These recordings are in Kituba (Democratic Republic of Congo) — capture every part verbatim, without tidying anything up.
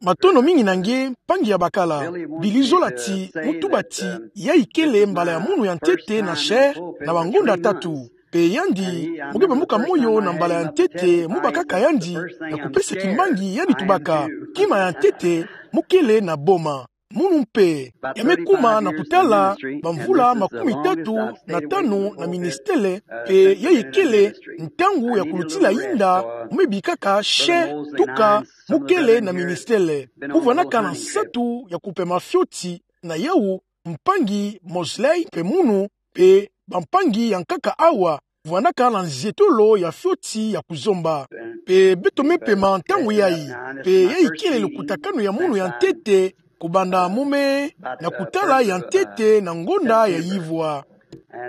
Matondo mingi na nge, mpangi ya bakala. Bili zola ti mu tuba ti, yayi kele mbala ya munu ya ntete na chair, na bangonda tatu. Mpe yandi, mu ke bambuka moyo na mbala ya ntete, mu bakaka yandi, na kupesa kimbangi yandi tubaka. Kima ya ntete, mu kele na boma. Munu mpe, ya me kuma na kutala, bamvula makumi tatu na tanu na ministele, mpe yayi kele, ntangu ya kulutila yinda, mu me bikaka chair, tuka, mu kele na ministele. Mu vwanaka na nsatu ya kupema fioti, na yawu, mpangi Mosley mpe munu, mpe bampangi ya nkaka awa, vwanaka na nzietolo ya fioti ya kuzomba. Mpe beto me pema ntangu yayi, mpe yayi kele lukutakanu ya munu ya ntete, kubanda mu me, na kutala ya ntete na ngonda ya yivwa.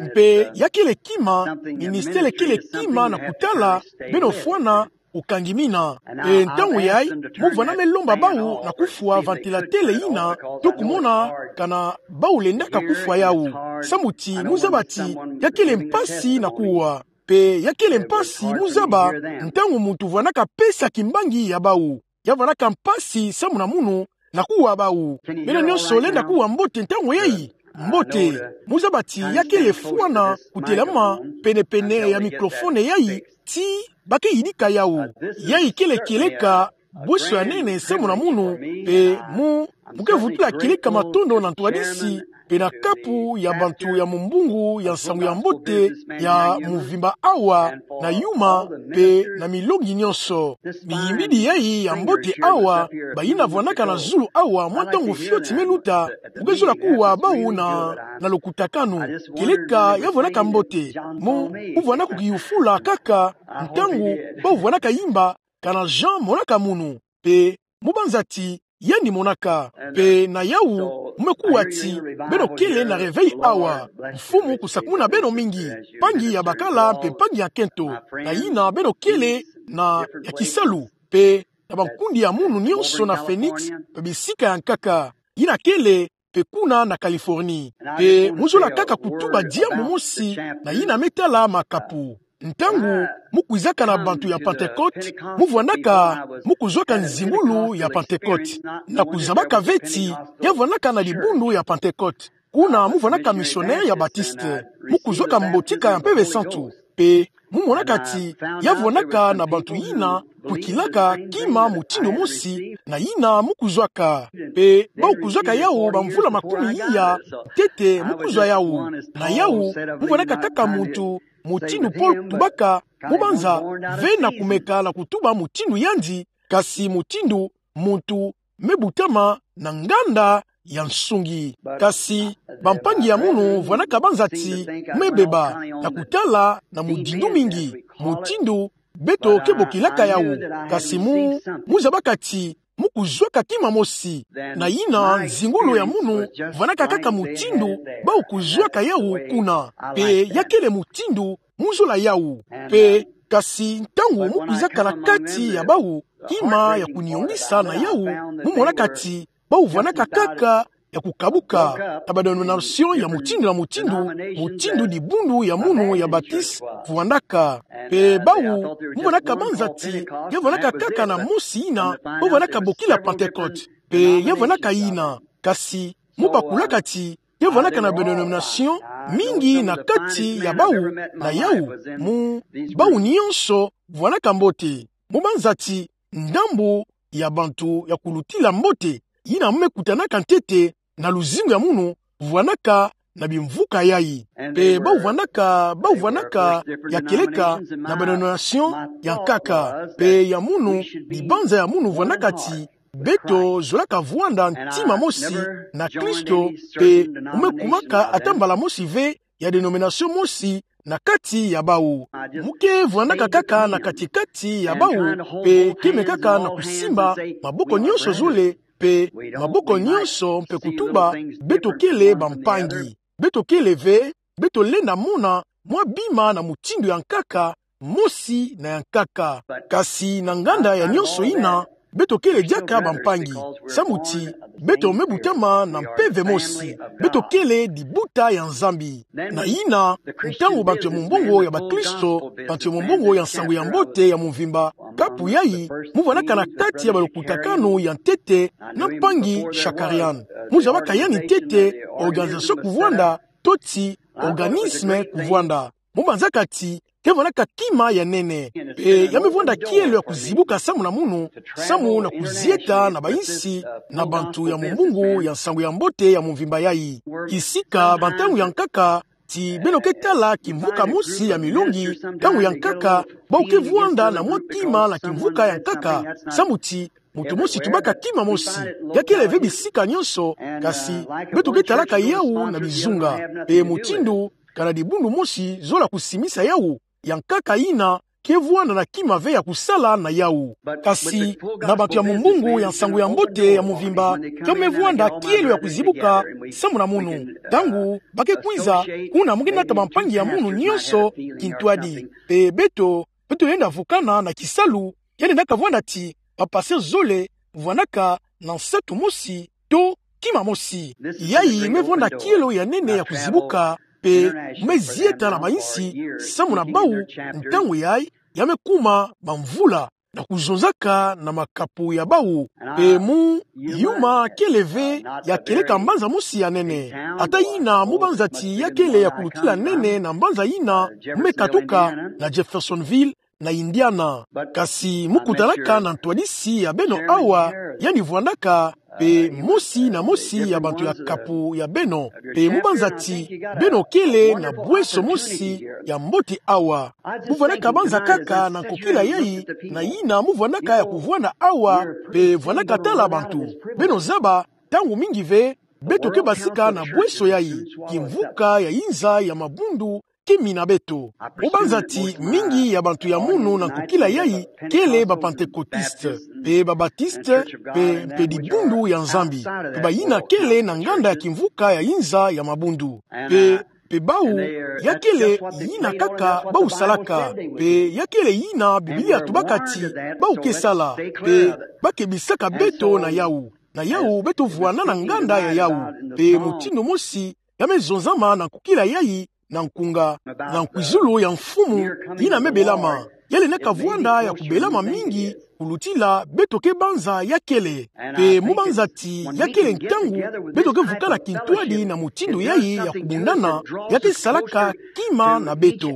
Mpe ya kele kima, ministele kele kima na kutala, beno fwana, ukangi mina. Mpe ntangu yayi, mu vwana me lomba bawu na kufwa ventilateur yina, to kumona kana bawu lendaka kufwa yawu. Samu ti, mu zaba ti, ya kele mpasi na kuwa. Mpe ya kele mpasi, mu zaba, ntangu muntu vwanaka pesa kimbangi ya bawu. Ya vwanaka mpasi samu na munu, na kuwa bawu. Beno nyonso lenda kuwa mbote ntangu yayi. Mbote, mu zaba ti ya kele fwana kutelama penepene ya microphone yayi, ti ba ke yidika yawu. Yayi kele kieleka bweso ya nene samu na munu, mpe mu, mu ke vutula kieleka matondo na ntwadisi, mpe na kapu ya bantu ya mumbungu ya nsangu ya mbote ya muvimba awa, na yuma, mpe na milongi nyonso. Miyimbidi yayi ya mbote awa, bayina vwanaka na zulu awa, mwa ntangu fioti me luta, mu ke zola kuwa bawu na, na lukutakanu. Kieleka ya vwanaka mbote. Mu, mu vwana kukiyufula kaka, ntangu, bawu vwanaka yimba, kana Jean monaka munu. Mpe, mu banza ti, yandi monaka. Mpe na yawu, mu me kuwa ti, beno kele na réveil awa. Mfumu kusakumuna beno mingi. Mpangi ya bakala mpe mpangi ya nkento. Na yina beno kele na ya kisalu. Mpe na bankundi ya munu nyonso na Phoenix, mpe bisika ya nkaka. Yina kele, mpe kuna na Californie. Mpe mu zola kaka kutuba diambu mosi, na yina me tala makapu. Ntangu, mu kwizaka na bantu ya Pentecôte, mu vwanaka, mu kuzwaka nzingulu ya Pentecôte. Na kuzabaka ve ti, ya vwanaka na dibundu ya Pentecôte. Kuna mu vwanaka missionnaire ya Baptiste. Mu kuzwaka mbotika ya Mpeve Santu. Mpe, mu monaka ti, ya vwanaka na bantu yina, kwikilaka kima mutindu mosi, na yina mu kuzwaka. Mpe, bawu kuzwaka yawu bamvula makumi iya, ntete mu kuzwa yawu. Na yawu, mu vwanaka kaka muntu, mutindu Paul tubaka, mu banza, ve na kumeka na kutuba mutindu yandi, kasi mutindu, muntu, me butama, na nganda, ya nsungi. Kasi, bampangi ya munu, vwanaka banza ti, me beba, na kutala, na mudindu mingi, mutindu, beto ke bokilaka yawu, kasi mu, mu zabaka ti, mu kuzwaka kima mosi, na yina, nzingulu ya munu, vwanaka kaka mutindu, bawu kuzwaka yawu kuna, mpe ya kele mutindu, mu zola yawu. Mpe, kasi ntangu mu kwizaka na kati ya bawu, kima ya kuniyongisa na yawu, mu monaka ti, bawu vwanaka kaka, ya kukabuka, na ba denomination ya mutindu na mutindu, mutindu dibundu ya munu ya Baptiste, vwanaka. Mpe bawu, mu vwanaka banza ti, ya vwanaka kaka na mosi yina, bawu vwanaka bokila Pentecôte. Mpe ya vwanaka yina, kasi, mu bakulaka ti, ya vwanaka na ba denomination mingi na kati ya bawu, na yawu, mu, bawu nyonso, vwanaka mbote. Mu banza ti, ndambu ya bantu ya kulutila mbote, yina mu me kutanaka ntete, na luzingu ya munu, vwanaka na bimvuka yayi. Mpe bawu vwanaka, bawu vwanaka, ya kieleka, na ba denomination, ya nkaka. Mpe ya munu, dibanza ya munu vwanaka ti, beto zolaka vwanda ntima mosi, na Kristo, mpe mu me kumaka ata mbala mosi ve, ya denomination mosi, na kati ya bawu. Mu ke vwandaka kaka na kati-kati ya bawu, mpe ke mekaka na kusimba, maboko nyonso zole, mpe maboko nyonso mpe kutuba, beto kele bampangi. Beto kele ve, beto lenda mona, mwa bima na mutindu ya nkaka, mosi na ya nkaka. Kasi na nganda ya nyonso yina, beto kele diaka bampangi. Samu ti beto me butama na mpeve mosi. Beto kele dibuta ya Nzambi. Na yina, ntangu bantu ya mumbongo ya bakristo, bantu ya mumbongo ya nsangu ya mbote ya mvimba, kapu yayi, mu vandaka na kati ya balukutakanu ya ntete na mpangi Shakarian. Mu zabaka yandi ntete organisation kuvwanda, to ti organisme kuvwanda. Mu banzaka ti, ke vandaka kima ya nene. Pe ya me vwanda kielo ya kuzibuka samu na munu, samu na kuzieta na bayinsi, na bantu ya mumbongo ya nsangu ya mbote ya mvimba yayi. Kisika ba ntangu ya nkaka, ti beno ke tala kimvuka mosi ya milongi, ntangu ya nkaka, bau ke vwanda na mwa kima na kimvuka ya nkaka, samu ti, muntu mosi tubaka kima mosi, ya kele ve bisika nyonso, kasi, beto ke talaka yawu na bizunga, pe mutindu, kana dibundu mosi zola kusimisa yawu, ya nkaka yina, ke vwanda na kima ve ya kusala na yawu. Kasi, na bantu ya mumbongo ya nsangu ya mbote ya mvimba, ke me vwanda kielo ya kuzibuka, samu na munu. Ntangu, ba ke kwiza, kuna mu ke nata bampangi ya munu nyonso, kintwadi. Pe beto, beto lenda vukana na kisalu, yandi lenda kavwanda ti, ba patient zole, vandaka, na nsatu mosi, to, kima mosi. Yayi me vwanda kielo ya nene ya kuzibuka, pe me zieta na bayinsi, samu na bawu, ntangu yayi, ya me kuma, bamvula, na kuzonzaka na makapu ya bawu. Pe mu, yuma kele ve, ya kieleka mbanza mosi ya nene. Ata yina mu banza ti ya kele ya kulutila nene na mbanza yina, mu me katuka, na Jeffersonville, na Indiana. Kasi mu kutanaka na ntwadisi ya beno awa, yandi vwandaka, pe mosi na mosi ya bantu ya kapu ya beno. Pe mu banza ti, beno kele na bweso mosi ya mbote awa. Mu vwandaka banza kaka na nkokila yayi, na yina mu vwandaka ya kuvwanda awa, pe vwandaka tala bantu. Beno zaba, ntangu mingi ve, beto ke basika na bweso yayi, kimvuka ya yinza ya mabundu, ke mina beto. Mu banza ti mingi ya bantu ya munu na nkokila yayi, kele ba Pentecôtistes, pe ba Baptistes, pe, pe dibundu ya Nzambi. Pe bayina kele na nganda ya kimvuka ya yinza ya mabundu. Pe, pe bawu, ya kele yina kaka bawu salaka. Pe ya kele yina Biblia tubaka ti, bawu ke sala. Pe, ba ke bisaka beto na yawu. Na yawu beto vwanda na nganda ya yawu. Pe mutindu mosi, ya me zonzama na nkokila yayi, na nkunga, na nkwizulu ya Mfumu, yina me belama. Ya lenda kavwanda ya kubelama mingi, kulutila beto ke banza ya kele. Pe mu banza ti ya kele ntangu, beto ke vukana kintwadi na mutindu yayi ya kubundana, ya ke salaka kima na beto.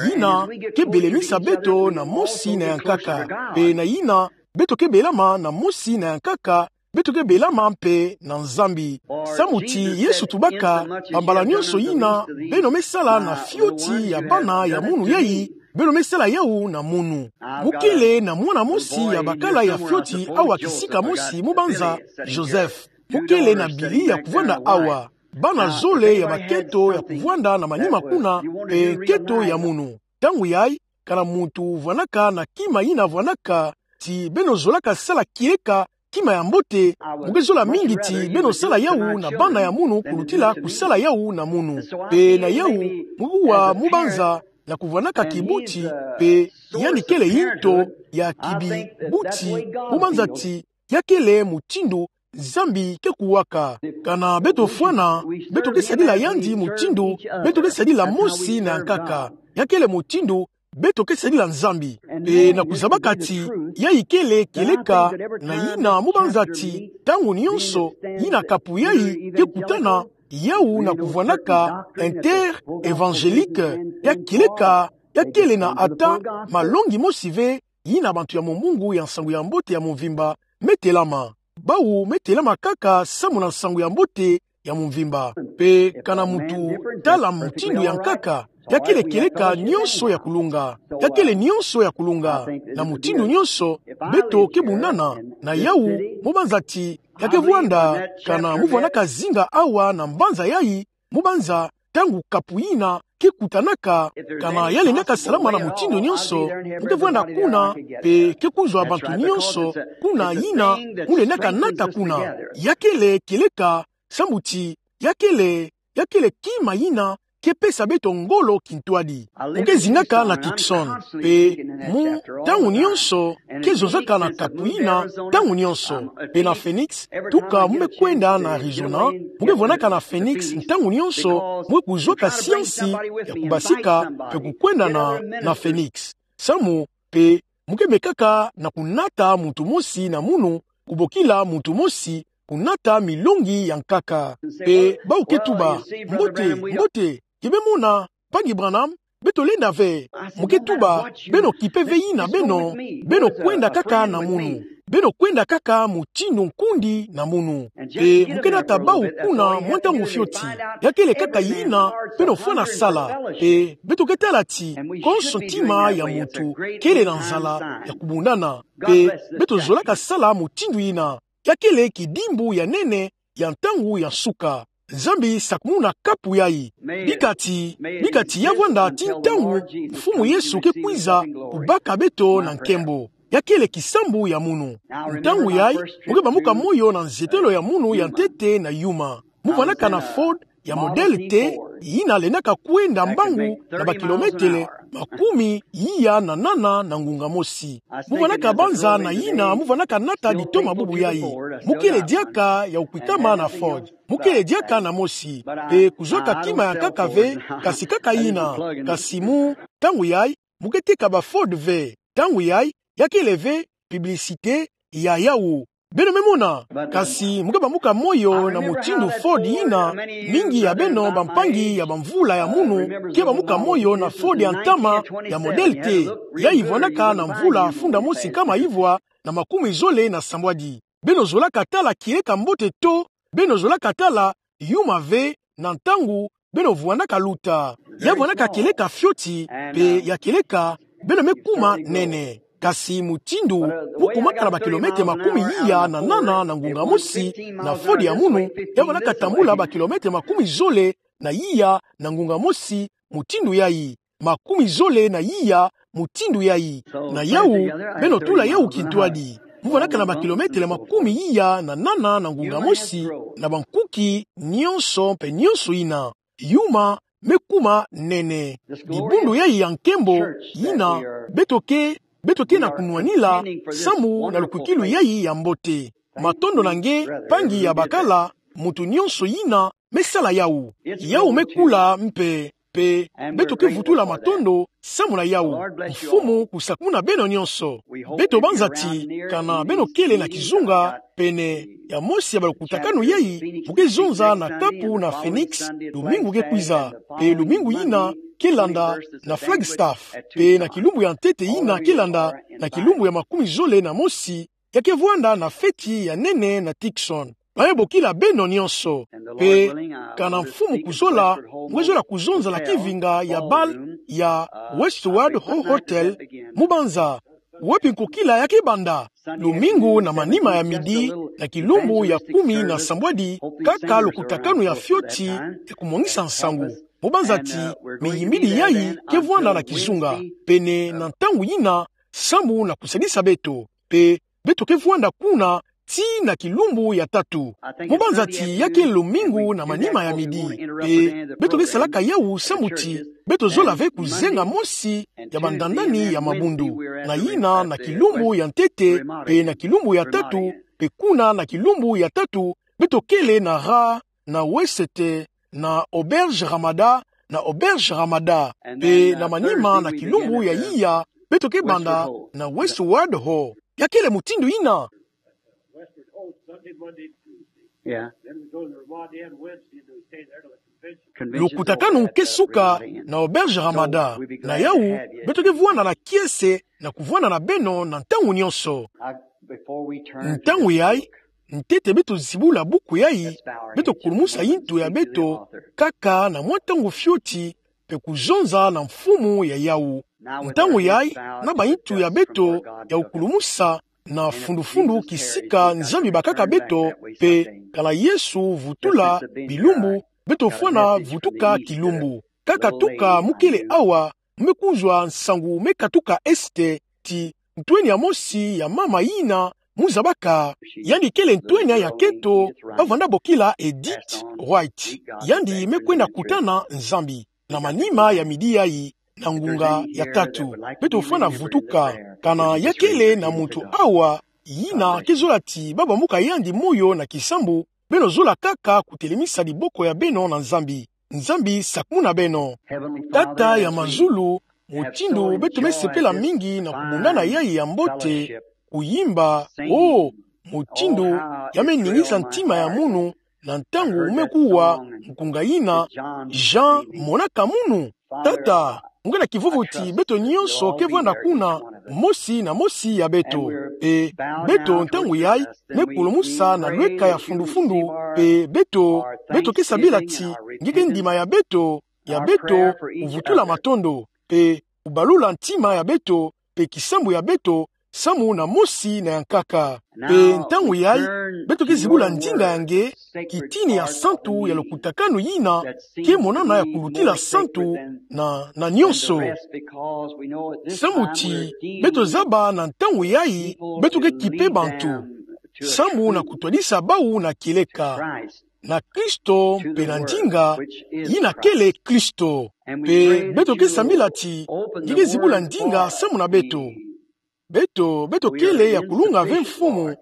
Yina, ke belemisa beto na mosi na ya nkaka. Pe na yina, beto ke belama na mosi na ya nkaka, beto ke belama mpe na Nzambi. Samu ti Yesu tubaka, bambala nyonso yina, beno me sala na fioti ya bana ya munu yayi, beno me sala yawu na munu. Mu kele na mwana mosi ya bakala ya fioti awa kisika mosi mu banza, Joseph. Mu kele na bili ya kuvwanda awa. Bana zole ya bakento ya kuvwanda na manima kuna, pe kento ya munu. Ntangu yayi, kana muntu vwandaka na kima yina vwandaka, ti beno zolaka sala kieleka kima ya mbote, mu ke zola mingi ti beno sala yawu na bana ya munu kulutila kusala yawu na munu. Pe na yawu, mu kuwa mu banza, na kuvwandaka kibuti, pe yandi kele yinto ya kibibuti, mu banza ti, ya kele mutindu, Nzambi ke kuwaka. Kana beto fwana, beto ke sadila yandi mutindu, beto ke sadila mosi na ya nkaka. Ya kele mutindu, beto ke sadila Nzambi. Pe na kuzabaka ti, yayi kele kieleka, na yina mu banza ti, ntangu nyonso, yina kapu yayi, ke kutana, yawu na kuvwandaka, inter-évangélique, ya kieleka, ya kele na ata, malongi mosi ve, yina bantu ya mumbungu ya nsangu ya mbote ya mvimba, me telama. Bawu me telama kaka samu na nsangu ya mbote ya mvimba. Pe kana muntu tala mutindu ya nkaka, ya kele kieleka nyonso ya kulunga. Ya kele nyonso ya kulunga. Na mutindu nyonso, beto ke bundana, na yawu, mu banza ti, ya ke vwanda, kana mu vwandaka zinga awa na mbanza yayi, mu banza, ntangu kapu yina, ke kutanaka, kana ya lendaka salama na mutindu nyonso, mu ke vwanda kuna, pe ke kuzwa bantu nyonso, kuna yina, mu lendaka nata kuna. Ya kele kieleka, samu ti, ya kele, ya kele kima yina, ke pesa beto ngolo kintwadi. Mu ke zingaka na Tucson, pe mu ntangu nyonso ke zonzaka na kapu ina ntangu nyonso. Pe na Phoenix, tuka mu me kwenda na Arizona, mu ke vwanaka na Phoenix ntangu nyonso, mu ke kuzwaka siansi ya kubasika pe kukwenda na, na Phoenix. Samu, pe mu ke mekaka na kunata muntu mosi na munu, kubokila muntu mosi, kunata milongi ya nkaka. Pe bau ke tuba: Mbote, mbote, ki me mona, Mpangi Branham, beto lenda ve. Mu ke tuba: Beno kipe ve ina beno, beno kwenda kaka na munu. Beno kwenda kaka mutindu nkundi na munu. Pe mu ke nata bau kuna mwa ntangu fioti. Ya kele kaka ina beno fwana sala. Pe beto ke tala ti konso ntima ya muntu kele na nzala ya kubundana. Pe beto zolaka sala mutindu ina. Ya kele kidimbu ya nene ya ntangu ya nsuka. Nzambi sakumuna kapu yayi. Bika ti, bika ti ya vwanda ti ntangu Mfumu Yesu ke kwiza kubaka beto na nkembo. Ya kele kisambu ya munu. Ntangu yayi, mu ke bambuka moyo na nzetelo ya munu ya ntete na yuma. Mu vwanaka na Ford ya modèle T, ina lendaka kwenda mbangu na bakilometele makumi iya na nana na ngunga mosi. Mu vwanaka banza na ina mu vwanaka nata ditoma bubu yayi. Mu kele diaka ya kukwikama na Ford. Mu kele diaka na mosi. Pe kuzwaka kima ya nkaka ve, kasi kaka ina. Kasi mu ntangu yayi, mu ke teka ba Ford ve. Ntangu yayi, ya kele ve publicité ya yawu. Beno me mona, kasi mu ke bambuka moyo na mutindu Ford ina, mingi ya beno bampangi ya bamvula ya munu ke bambuka moyo na Ford ya ntama ya modèle T. Yayi vwanaka na mvula funda mosi nkama ivwa na makumi zole na sambwadi. Beno zolaka tala kieleka mbote to, beno zolaka tala yuma ve na ntangu beno vwanaka luta. Ya vwanaka kieleka fioti, pe ya kieleka beno me kuma nene. Kasi mutindu mu kumaka na bakilometele makumi iya na nana na ngunga mosi na Ford ya munu, ya vwanaka tambula bakilometele makumi zole na iya na ngunga mosi mutindu yayi. Makumi zole na iya mutindu yayi. Na yawu, beno tula yawu kintwadi. Mu vwanaka na bakilometele makumi iya na nana na ngunga mosi, na bankuki nyonso pe nyonso ina. Yuma me kuma nene. Dibundu yayi ya nkembo, ina beto ke, beto ke na kunwanila samu na lukwikilu yayi ya mbote. Matondo na nge, mpangi ya bakala, muntu nyonso ina me sala yawu. Yawu me kula mpe, pe beto ke vutula matondo samu na yawu. Mfumu kusakumuna beno nyonso. Beto banza ti, kana beno kele na kizunga pene ya mosi ya balukutakanu yayi, mu ke zonza na kapu na Phoenix lumingu ke kwiza, pe lumingu ina ke landa na Flagstaff, pe na kilumbu ya ntete ina ke landa, na kilumbu ya makumi zole na mosi, ya ke vwanda na feti ya nene na Tucson. Ba me bokila beno nyonso. Pe kana Mfumu kuzola, mu ke zola kuzonza na kivinga ya bal ya Westward Ho Hotel, mu banza. Wapi nkokila ya ke banda? Lumingu na manima ya midi, na kilumbu ya kumi na sambwadi, kaka lukutakanu ya fioti ya kumwangisa nsangu. Mu banza ti, miyimbili yayi ke vwanda na kizunga, pene na ntangu ina, samu na kusadisa beto. Pe beto ke vwanda kuna tii na kilumbu ya tatu. Mu banza ti ya ke lumingu na manima ya midi. Pe beto ke salaka yawu samu ti beto zola ve kuzenga mosi ya bandandani ya mabundu. Na ina na kilumbu ya ntete, pe na kilumbu ya tatu, pe kuna na kilumbu ya tatu, beto kele na ra, na West, na Auberge Ramada, na Auberge Ramada, pe na manima na kilumbu ya iya, beto ke banda na Westward Ho. Ya kele mutindu ina. Lukutakanu ke suka na Auberge Ramada. Na yawu, beto ke vwanda na kiese na kuvwanda na beno na ntangu nyonso. Ntangu yayi, ntete beto zibula buku yayi, beto kulumusa yintu ya beto kaka na mwa ntangu fioti, pe kuzonza na mfumu ya yawu. Ntangu yayi, na bayintu ya beto ya kukulumusa na fundufundu kisika Nzambi bakaka beto, pe kana Yesu vutula bilumbu, beto fwana vutuka kilumbu. Kaka tuka mu kele awa, mu me kuzwa nsangu me katuka Est, ti ntwenya mosi ya mama yina mu zabaka. Yandi kele ntwenya ya keto, ba vwanda bokila Edith White. Yandi me kwenda kutana Nzambi. na manima ya midi yayi, na ngunga ya tatu. Beto fwana vutuka, kana ya kele na muntu awa, yina kezola ti ba bamuka yandi moyo na kisambu, beno zola kaka kutelemisa diboko ya beno na Nzambi. Nzambi sakumuna beno. Tata ya mazulu, mutindu beto me sepela mingi na kubundana yayi ya mbote, kuyimba, oh, mutindu ya me ningisa ntima ya munu, na ntangu me kuwa nkunga yina, Jean monaka munu. Tata, nge na kivuvu ti beto nyonso ke vwanda kuna, mosi na mosi ya beto. E, beto ntangu yayi, me kulumusa na lweka ya fundufundu, e, beto, beto ke sambila ti, nge ke ndima ya beto, ya beto, kuvutula matondo, e, kubalula ntima ya beto, pe kisambu ya beto, samu na mosi na ya nkaka. Pe ntangu yayi, beto ke zibula ndinga ya nge, kitini ya santu ya lukutakanu yina, ke monana ya kulutila santu na, na nyonso. Samu ti, beto zaba na ntangu yayi, beto ke kipe bantu. Samu na kutwadisa bawu na kieleka. Na Kristo, pe na ndinga, yina kele Kristo. Pe beto ke sambila ti, nge ke zibula ndinga samu na beto. Beto, beto kele ya kulunga ve Mfumu,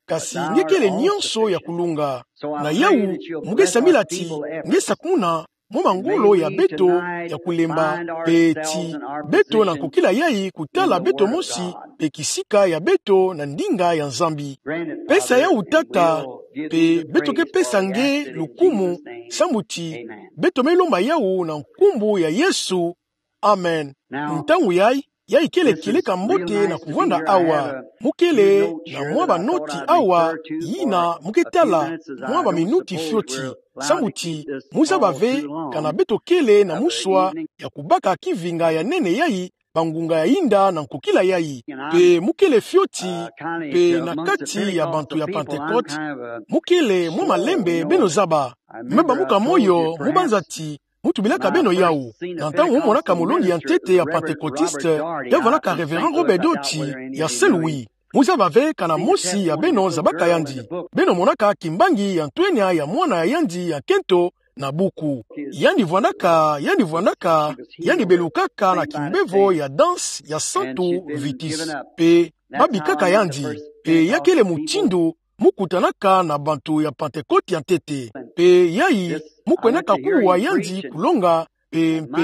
kasi nge kele nyonso ya kulunga. Na yawu, mu ke sambila ti, nge sakumuna, mwa mangolo ya beto, ya kulemba, pe ti, beto na nkokila yayi kutala beto mosi, pe kisika ya beto na ndinga ya Nzambi. Pesa yawu Tata, pe beto ke pesa nge lukumu, samu ti, beto me lomba yawu na nkumbu ya Yesu. Amen. Ntangu yayi, yayi kele kieleka mbote na kuvwanda awa. Mu kele na mwa banoti awa, yina mu ke tala, mwa baminuti fioti. Samu ti, mu zaba ve, kana beto kele na muswa, ya kubaka kivinga ya nene yayi, bangunga ya yinda na nkokila yayi. Pe mu kele fioti, pe na kati ya bantu ya Pentecote, mu kele mwa malembe beno zaba. Me bamuka moyo, mu banza ti, mu tubilaka beno yawu. Na ntangu mu monaka molongi ya ntete ya Pentecôtiste, ya vwandaka Révérend Robert Dodge, ya Saint-Louis. Mu zaba ve kana mosi ya beno zabaka yandi. Beno monaka kimbangi ya ntwenya ya mwana ya yandi ya nkento na buku. Yandi vwandaka, yandi vwandaka, yandi belukaka na kimbevo ya danse ya Santu Vitus. Pe, babikaka yandi. Pe ya kele mutindu, mu kutanaka na bantu ya Pentecôte ya ntete. Pe yayi, mu kwendaka kuwa yandi kulonga, pe, pe,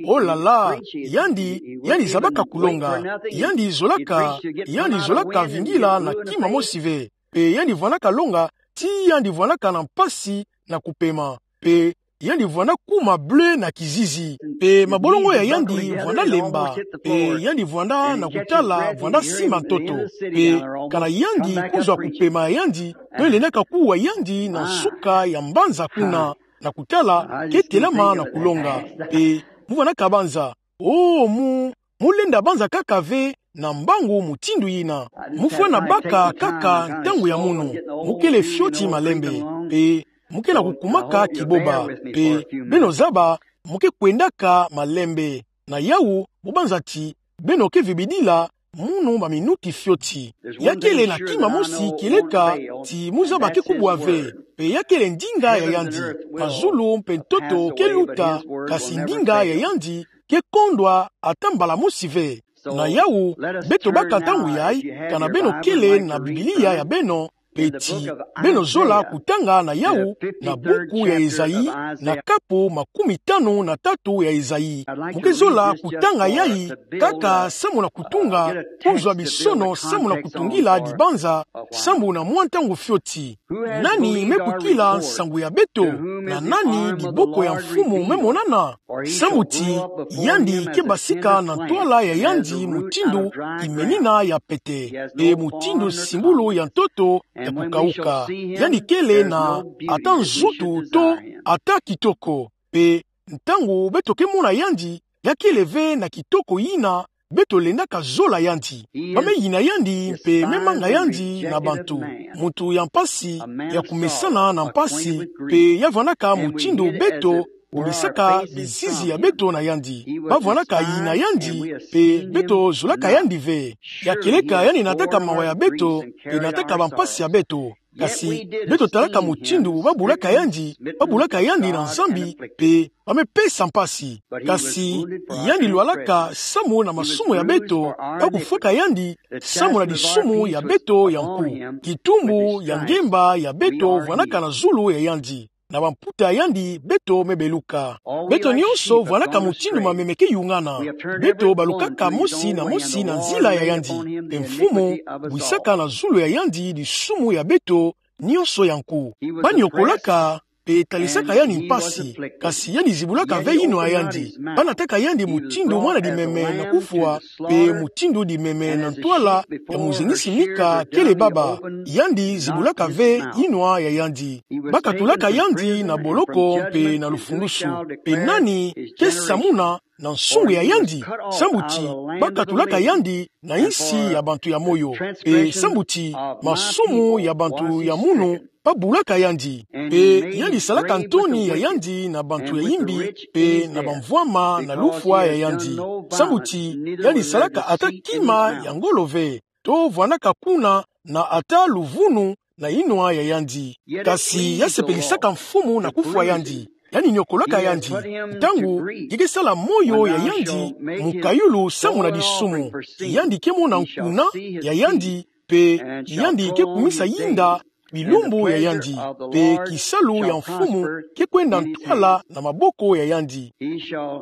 oh là là, yandi, yandi zabaka kulonga, yandi zolaka, yandi zolaka vingila na kima mosi ve. Pe yandi vwandaka longa, ti yandi vwandaka na mpasi na kupema. Pe yandi vwanda kuma bleu na kizizi. Pe mabolongo ya yandi vwanda lemba. Pe yandi vwanda na kutala, vwanda sima ntoto. Pe kana yandi kuzwa kupema ya yandi, to lendaka kuwa yandi na nsuka ya mbanza kuna, na kutala, ke telama na kulonga. Pe mu vwandaka banza. Oh, mu, mu lenda banza kaka ve, na mbangu mutindu yina. Mu fwana baka kaka ntangu ya munu. Mu kele fioti malembe. Pe, mu ke na kukumaka kiboba. Pe, beno zaba, mu ke kwendaka malembe. Na yawu, mu banza ti, beno ke vibidila, munu maminuti fioti. Ya kele na kima mosi kieleka, ti mu zaba ke kubwa ve. Pe ya kele ndinga ya yandi. Mazulu mpe ntoto ke luta, kasi ndinga ya yandi, ke kondwa ata mbala mosi ve. Na yawu, beto baka ntangu yayi, kana beno kele na Biblia ya beno, pe ti, beno zola kutanga na yawu, na buku ya Ezayi, na kapu makumi tanu na tatu ya Ezayi. Mu ke zola kutanga yayi, kaka samu na kutunga, kuzwa bisono samu na kutungila dibanza, samu na mwa ntangu fioti. Nani me kukila nsangu ya beto, na nani diboko ya Mfumu me monana? Samu ti, yandi ke basika na ntwala ya yandi mutindu kimenina ya pete, pe mutindu simbulu ya ntoto ya kukauka. Yandi kele na ata nzutu to ata kitoko. Pe ntangu beto ke mona yandi, ya kele ve na kitoko yina beto lendaka zola yandi. Ba me yina yandi, pe me manga yandi na bantu. Muntu ya mpasi, ya kumesana na mpasi, pe ya vwandaka mutindu beto kumesaka bizizi ya beto na yandi. Ba vwandaka yina yandi, pe beto zolaka yandi ve. Ya kieleka yandi nataka mawa ya beto, pe nataka bampasi ya beto. Kasi beto talaka mutindu babulaka yandi, babulaka yandi na Nzambi, mpe bamipesa mpasi. Kasi yandi lwalaka samu na masumu ya beto, kakufwaka yandi samu na disumu ya beto ya nku. Kitumbu ya ngemba ya beto vwanaka na zulu ya yandi. Na bamputa ya yandi beto mebeluka. Beto nyonso vwanaka mutindu mameme ke yungana. Beto balukaka mosi na mosi na nzila ya yandi. Mpe Mfumu bwisaka na zulu ya yandi disumu ya beto nyonso ya nku. Baniokolaka mpe talisaka yandi mpasi, kasi yandi zibulaka ve yinwa ya yandi. Banataka yandi mutindu mwana dimeme na kufwa, mpe mutindu dimeme na ntwala ya muzengisi Mika kele baba. Yandi zibulaka ve yinwa ya yandi. Bakatulaka yandi na boloko mpe na lufundusu. Mpe nani ke samuna na nsungu ya yandi? Sambu ti bakatulaka yandi na insi ya bantu ya moyo. Mpe sambu ti masumu ya bantu ya munu babulaka yandi. Mpe yandi salaka ntoni ya yandi na bantu ya imbi, mpe na bamvwama na lufwa ya yandi. Sambu ti yandi salaka ata kima ya ngolo ve, to vwanaka kuna na ata luvunu na yinwa ya yandi. Kasi ya sepelisaka Mfumu na kufwa yandi. Yandi niokolaka yandi. Ntangu ke sala moyo ya yandi mukayulu samu na disumu, yandi ke mona nkuna ya yandi, mpe yandi ke kumisa yinda bilumbu ya yandi, mpe kisalu ya Mfumu ke kwenda ntwala na maboko ya yandi.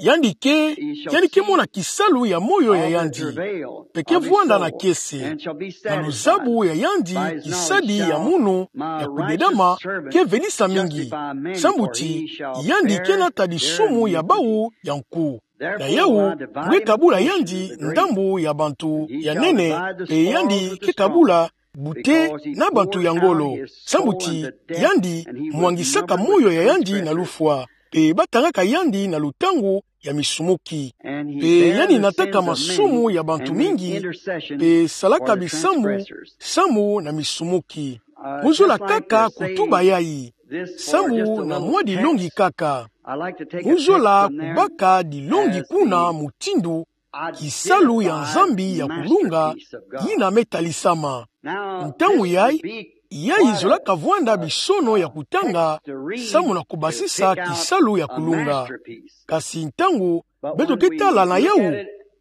Yandi ke, yandi ke mona kisalu ya moyo ya yandi, mpe ke vwanda na kiese. Na luzabu ya yandi kisadi ya munu ya kudedama ke venisa mingi. Sambu ti yandi ke nata disumu ya bawu ya nku. Na yawu, nge kabula yandi ndambu ya bantu ya nene, mpe yandi ke kabula bute na bantu ya ngolo. Sambu ti yandi mwangisaka moyo ya yandi na lufwa, mpe batangaka yandi na lutangu ya misumuki. Mpe yandi nataka masumu ya bantu mingi, mpe salaka bisambu samu na misumuki. Muzola kaka kutuba yayi. Sambu na mwa dilongi kaka. Muzola kubaka dilongi kuna mutindu kisalu ya Nzambi ya kulunga yina me talisama. Ntangu yayi, yayi zolaka vwanda bisono ya kutanga samu na kubasisa kisalu ya kulunga. Kasi ntangu beto ke tala na yawu,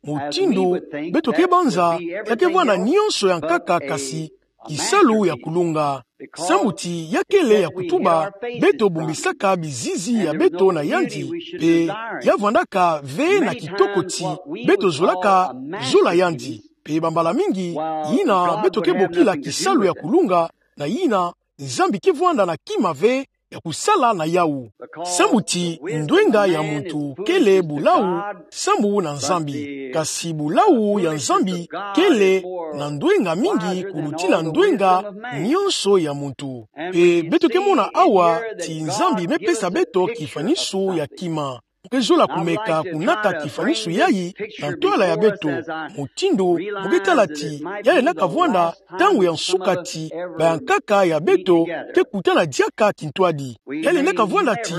mutindu beto ke banza, ya ke vwanda nyonso ya nkaka kasi kisalu ya kulunga. Sambu ti ya kele ya kutuba, beto bombisaka bizizi ya beto na yandi, mpe ya vwandaka ve na kitoko ti beto zolaka zola yandi. Mpe bambala mingi, yina beto ke bokila kisalu ya kulunga, na yina Nzambi ke vwanda na kima ve ya kusala na yawu. Sambu ti ndwenga ya muntu kele bulawu samu na Nzambi. Kasi bulawu ya Nzambi kele na ndwenga mingi kulutila ndwenga nyonso ya muntu. Mpe beto ke mona awa ti Nzambi me pesa beto kifanisu ya kima. Mu ke zola kumeka kunata kifanisu yayi na ntwala ya beto. Mutindu mu ke tala ti ya lendaka vwanda ntangu ya nsuka ti bayankaka ya beto ke kutana diaka kintwadi. Ya lendaka vwanda ti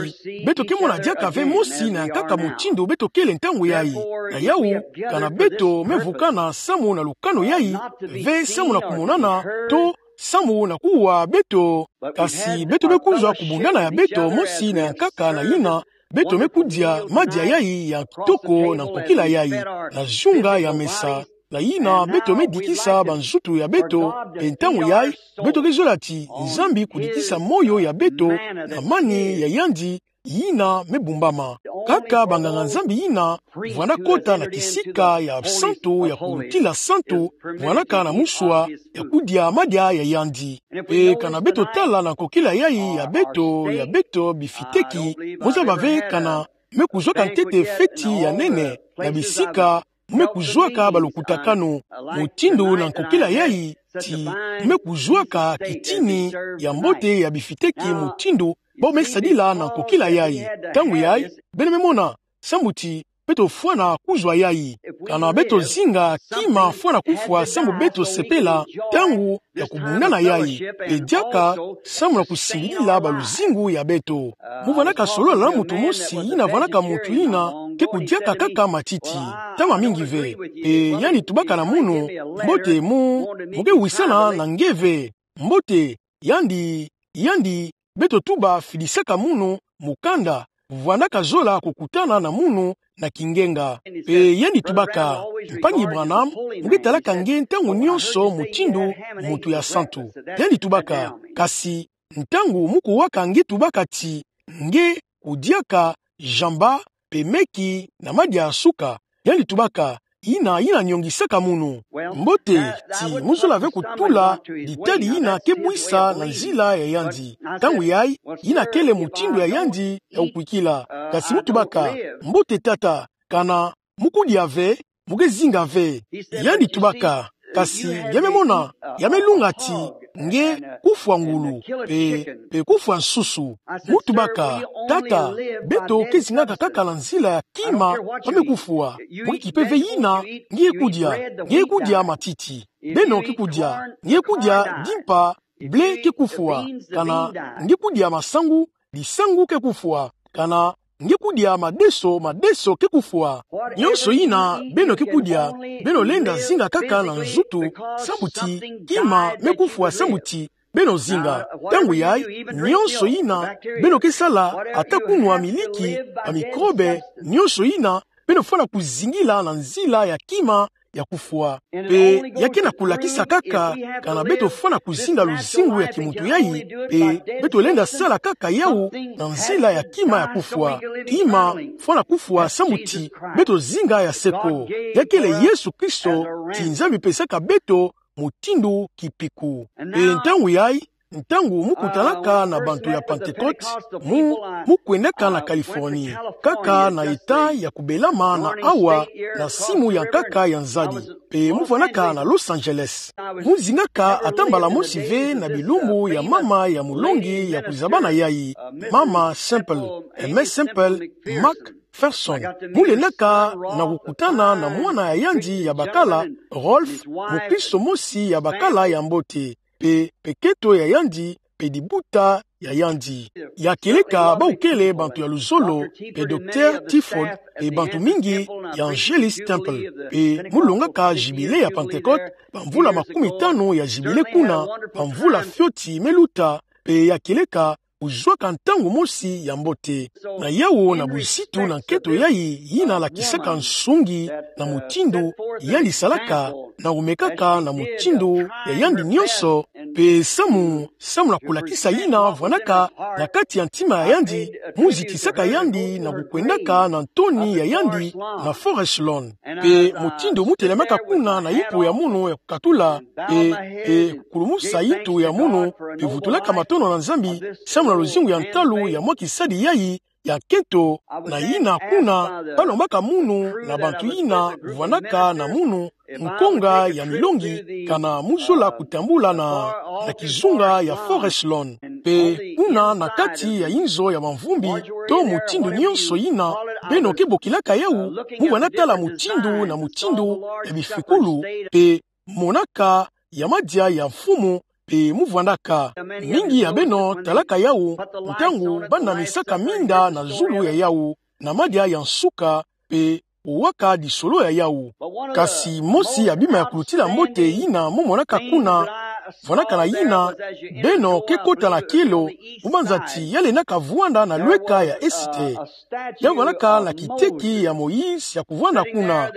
beto ke mona diaka ve mosi na yankaka mutindu beto kele ntangu yayi. Na yawu, kana beto me vukana samu na lukanu yayi, ve samu na kumonana, to samu na kuwa beto, kasi beto me kuzwa kubundana ya beto mosi na yankaka na yina beto me kudia madia yayi ya kitoko na nkokila yayi, na zunga ya mesa, na yina beto me dikisa banzutu ya beto, mpe ntangu yayi, beto ke zola ti Nzambi kudikisa moyo ya beto na mani ya yandi yina me bumbama. Kaka banganga-Nzambi yina vwanda kota na kisika ya santu ya kulutila santu, vwandaka na muswa ya kudia madia ya yandi. Mpe kana beto tala na nkokila yayi ya beto, ya beto bifiteki, mu zaba ve kana me kuzwaka ntete feti ya nene na bisika mu me kuzwaka balukutakanu. Mutindu na nkokila yayi ti mu me kuzwaka kitini ya mbote ya bifiteki mutindu bo me sadila na nkokila yayi. Ntangu yayi, beno me mona, sambu ti beto fwana kuzwa yayi. Kana beto zinga kima fwana kufwa sambu beto sepela ntangu ya kubundana yayi, mpe diaka samu na kusimbidila baluzingu ya beto. Mu vwandaka solola na muntu mosi yina vwandaka muntu yina ke kudiaka kaka matiti, ntama mingi ve. Mpe yandi tubaka na munu, mbote mu, mu ke wisana na nge ve. Mbote, Yandi, yandi, beto tuba fidisaka munu mukanda, vwandaka zola kukutana na munu na kingenga. Pe yandi tubaka: Mpangi Branham, mu ke talaka nge ntangu nyonso mutindu muntu ya santu. Yandi tubaka: Kasi ntangu mu kuwaka nge tubaka ti nge kudiaka jamba pe meki na madia ya suka. Yandi tubaka: Yina, yina nyongisaka munu. Mbote, ti mu zola ve kutula ditadi yina ke bwisa na nzila ya yandi. Ntangu yayi, yina kele mutindu ya yandi ya kukwikila. Kasi mu tubaka: Mbote tata, kana mu kudia ve, mu ke zinga ve. Yandi tubaka: Kasi ya me mona, ya me lunga ti nge kufwa ngulu, pe, pe kufwa nsusu. Mu tubaka: Tata, beto ke zingaka kaka na nzila ya kima ba me kufwa. Mu ke kipe ve yina nge kudia. Nge kudia matiti, beno ke kudia. Nge kudia dimpa, blé ke kufwa. Kana nge kudia masangu, lisangu ke kufwa. Kana nge kudia madeso, madeso ke kufwa. Nyonso yina beno ke kudia, beno lenda zinga kaka na nzutu, sambu ti kima me kufwa sambu ti beno zinga. Ntangu yayi, nyonso yina beno ke sala, ata kunwa miliki, ba microbe, nyonso yina beno fwana kuzingila na nzila ya kima ya kufwa. Pe ya ke na kulakisa kaka, kana beto fwana kuzinga luzingu ya kimuntu yayi, pe beto lenda sala kaka yawu na nzila ya kima ya kufwa. Kima fwana kufwa sambu ti beto zinga ya seko. Ya kele Yesu Kristo, ti Nzambi pesaka beto mutindu kipiku. Pe ntangu yayi, ntangu mu kutanaka na bantu ya Pentecote, mu, mu kwendaka na Californie, kaka na État ya kubelama na awa, na simu ya nkaka ya nzadi. Pe mu vwanaka na Los Angeles. Mu zingaka ata mbala mosi ve na bilumbu ya mama ya mulongi ya kuzabana yayi, Mama Semple, Aimée Semple McPherson. Mu lendaka na kukutana na mwana ya yandi ya bakala, Rolf, mukristo mosi ya bakala ya mbote, pe, pe keto ya yandi, pe dibuta ya yandi. Ya kieleka bawu kele bantu ya luzolo, pe Docteur Tifford, pe bantu mingi ya Angelus Temple. Pe mu longaka Jubile ya Pentecote, bamvula makumi tanu ya Jubile kuna, bamvula fioti me luta, pe ya kieleka kuzwaka ntangu mosi ya mbote. Na yawu na buzitu na nketo yayi yina lakisaka nsungi na mutindu yandi salaka, na kumekaka na mutindu ya yandi nyonso, pe samu, samu na kulakisa yina vwanaka na kati ya ntima ya yandi, mu zitisaka yandi na kukwendaka na ntoni ya yandi na Forest Lawn. Pe mutindu mu telemaka kuna na yimpu ya munu ya kukatula, pe, pe kulumusa yintu ya munu, pe vutulaka matondo na Nzambi, samu na luzingu ya ntalu ya mwa kisadi yayi ya nkento, na yina kuna, ba lombaka munu na bantu yina vwanaka na munu nkonga ya milongi, kana mu zola kutambula na, na kizunga ya Forest Lawn. Pe kuna na kati ya inzo ya mamvumbi, to mutindu nyonso yina beno ke bokilaka yawu, mu vwanda tala mutindu na mutindu ya bifikulu, pe monaka ya madia ya mfumu, pe mu vwandaka. Mingi ya beno talaka yawu, ntangu ba namisaka minda na zulu ya yawu, na madia ya nsuka, pe kuwaka disolo ya yawu. Kasi mosi ya bima ya kulutila mbote yina mu monaka kuna, vwanaka na yina, beno ke kota na kielo, mu banza ti ya lendaka vwanda na lweka ya Esite. Ya vwanaka na kiteki ya Moïse ya kuvwanda kuna.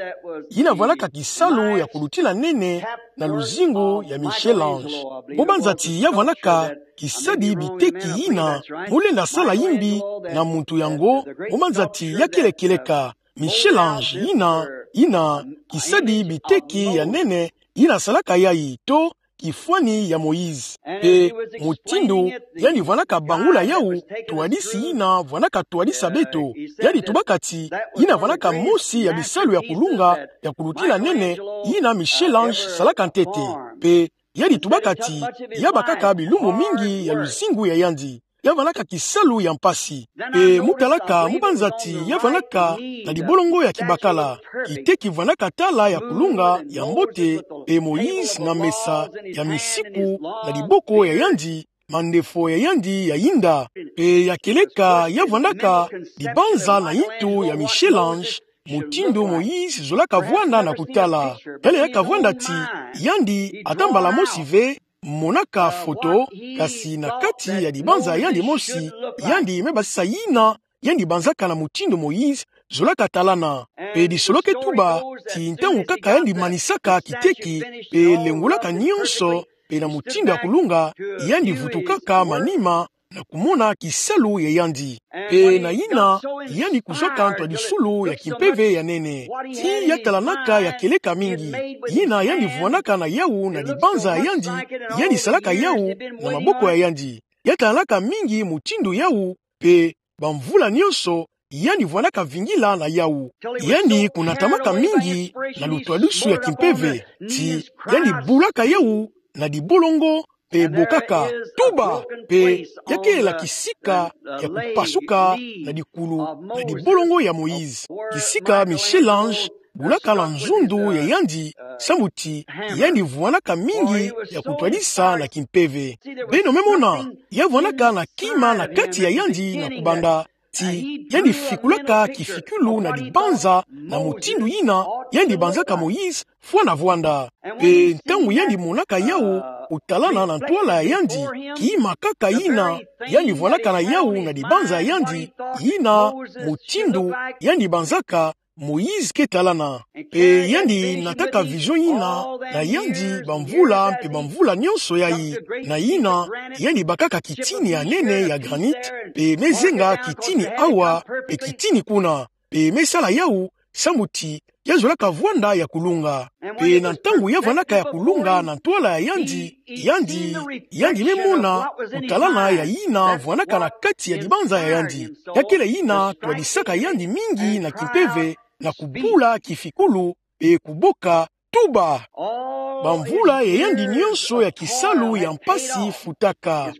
Yina vwanaka kisalu ya kulutila nene na luzingu ya Michel-Ange. Mu banza ti ya vwanaka kisadi biteki yina, mu lenda sala yimbi na muntu yango, mu banza ti ya kele kieleka. Michel-Ange yina, yina kisadi biteki ya nene, yina salaka yayi, to kifwani ya Moïse. Pe mutindu yandi vwanaka bangula yawu, twadisi yina vwanaka twadisa beto. Yandi tubaka ti, yina vwanaka mosi ya bisalu ya kulunga, ya kulutila nene, yina Michel-Ange salaka ntete. Pe yandi tubaka ti, ya bakaka bilumbu mingi ya luzingu ya yandi. Ya vwanaka kisalu ya mpasi. Pe mu talaka, mu banza ti ya vwanaka na dibolongo ya kibakala. Kiteki vwanaka tala ya kulunga, ya mbote, pe Moïse na mesa ya misiku, na diboko ya yandi, mandefo ya yandi ya yinda. Pe ya kieleka ya vwandaka dibanza na yintu ya Michel-Ange, mutindu Moïse zolaka vwanda na kutala. Ya lendaka vwanda ti, yandi ata mbala mosi ve, monaka foto, kasi na kati ya libanza ya yandi mosi, yandi me basisa yina yandi banzaka na mutindu Moïse zolaka talana. Pe di soloke tuba ti ntangu kaka yandi manisaka kiteki, pe lengolaka nyonso, pe na mutindu ya kulunga, yandi vutukaka manima na kumona kisalu ya yandi. Pe na yina, yandi kuzwaka ntwadisulu ya kimpeve ya nene. Ti ya talanaka ya kieleka mingi. Yina yandi vwanaka na yawu na libanza ya yandi, yandi salaka yawu na maboko ya yandi. Ya talanaka mingi mutindu yawu, pe bamvula nyonso, yandi vwanaka vingila na yawu. Yandi kunatamaka mingi na lutwadusu ya kimpeve, ti yandi bulaka yawu na dibolongo, pe bokaka tuba, pe ya kele kisika ya kupasuka na dikulu na dibolongo ya Moïse. Kisika Michel-Ange bulaka na nzundu ya yandi, samu ti yandi vwanaka mingi ya kutwadisa na kimpeve. Beno me mona, ya vwanaka na kima na kati ya yandi na kubanda, ti yandi fikulaka kifikulu na libanza na mutindu yina yandi banzaka Moïse fwana vwanda. Pe ntangu yandi monaka yawu kutalana na ntwala ya yandi, kima kaka yina yandi vwanaka na yawu na libanza ya yandi, yina mutindu yandi banzaka Moïse ke talana. Pe yandi nataka vision yina na yandi bamvula pe bamvula nyonso yayi. Na yina, yandi bakaka kitini ya nene ya granit, pe me zenga kitini awa, pe kitini kuna, pe me sala yawu, samu ti ya zolaka vwanda ya kulunga. Pe na ntangu ya vwanaka ya kulunga na ntwala ya yandi, yandi, yandi me mona kutalana ya yina vwanaka na kati ya libanza ya yandi. Ya kele yina twadisaka yandi mingi na kimpeve, na kubula kifikulu, pe kuboka tuba. Bamvula ya yandi nyonso ya kisalu ya mpasi futaka.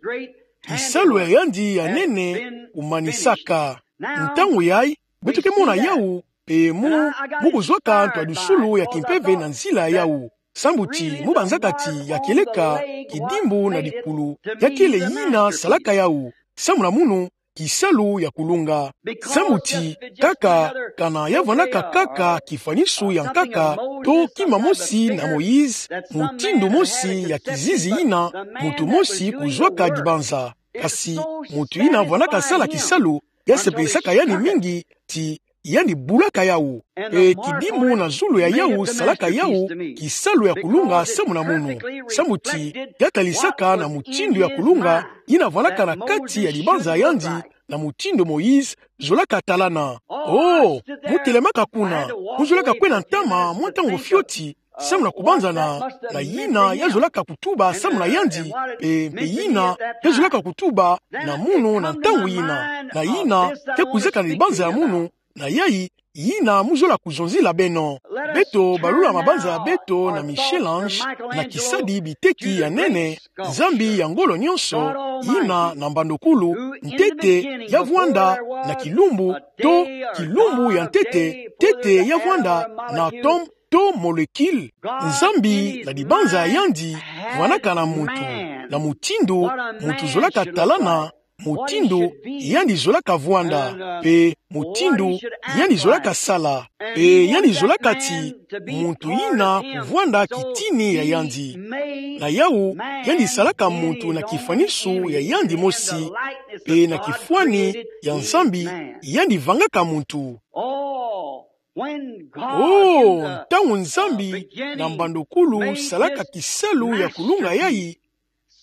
Kisalu ya yandi ya nene kumanisaka. Ntangu yayi, beto ke mona yawu, pe mu, mu kuzwaka ntwadusulu ya kimpeve na nzila yawu. Samu ti mu banzaka ti ya kieleka kidimbu na dikulu. Ya kele yina salaka yawu. Samu na munu, kisalu ya kulunga. Samu ti, kaka, kana ya vwanaka kaka kifwanisu ya nkaka, to kima mosi na Moïse, mutindu mosi ya kizizi yina muntu mosi kuzwaka libanza. Kasi, muntu yina vwanaka sala kisalu, ya sepelisaka yandi mingi, ti yandi bulaka yawu. Pe kidimbu na zulu ya yawu salaka yawu kisalu ya kulunga samu na munu. Samu ti ya talisaka na mutindu ya kulunga yina vwanaka na kati ya libanza ya yandi na mutindu Moïse zolaka talana. Oh, mu telemaka kuna, mu zolaka kwenda ntama mwa ntangu fioti, samu na kubanzana na yina ya zolaka kutuba samu na yandi, pe, pe yina ya zolaka kutuba na munu na ntangu yina, na yina ke kwizaka na libanza ya munu, na yayi, yina mu zola kuzonzila beno. Beto balula mabanza ya beto na Michel-Ange, na kisadi biteki ya nene, nzambi ya ngolo nyonso, yina na mbandokulu, ntete ya vwanda na kilumbu, to kilumbu ya ntete, ntete ya vwanda na atome, to molécule. Nzambi na libanza ya yandi vwanaka na muntu, na mutindu muntu zolaka talana, mutindu yandi zolaka vwanda, pe mutindu yandi zolaka sala, pe yandi zolaka ti muntu yina kuvwanda kitini ya yandi. Na yawu, yandi salaka muntu na kifwanisu ya yandi mosi, pe na kifwani ya Nzambi yandi vangaka muntu. Oh, ntangu Nzambi na mbandokulu salaka kisalu ya kulunga yayi,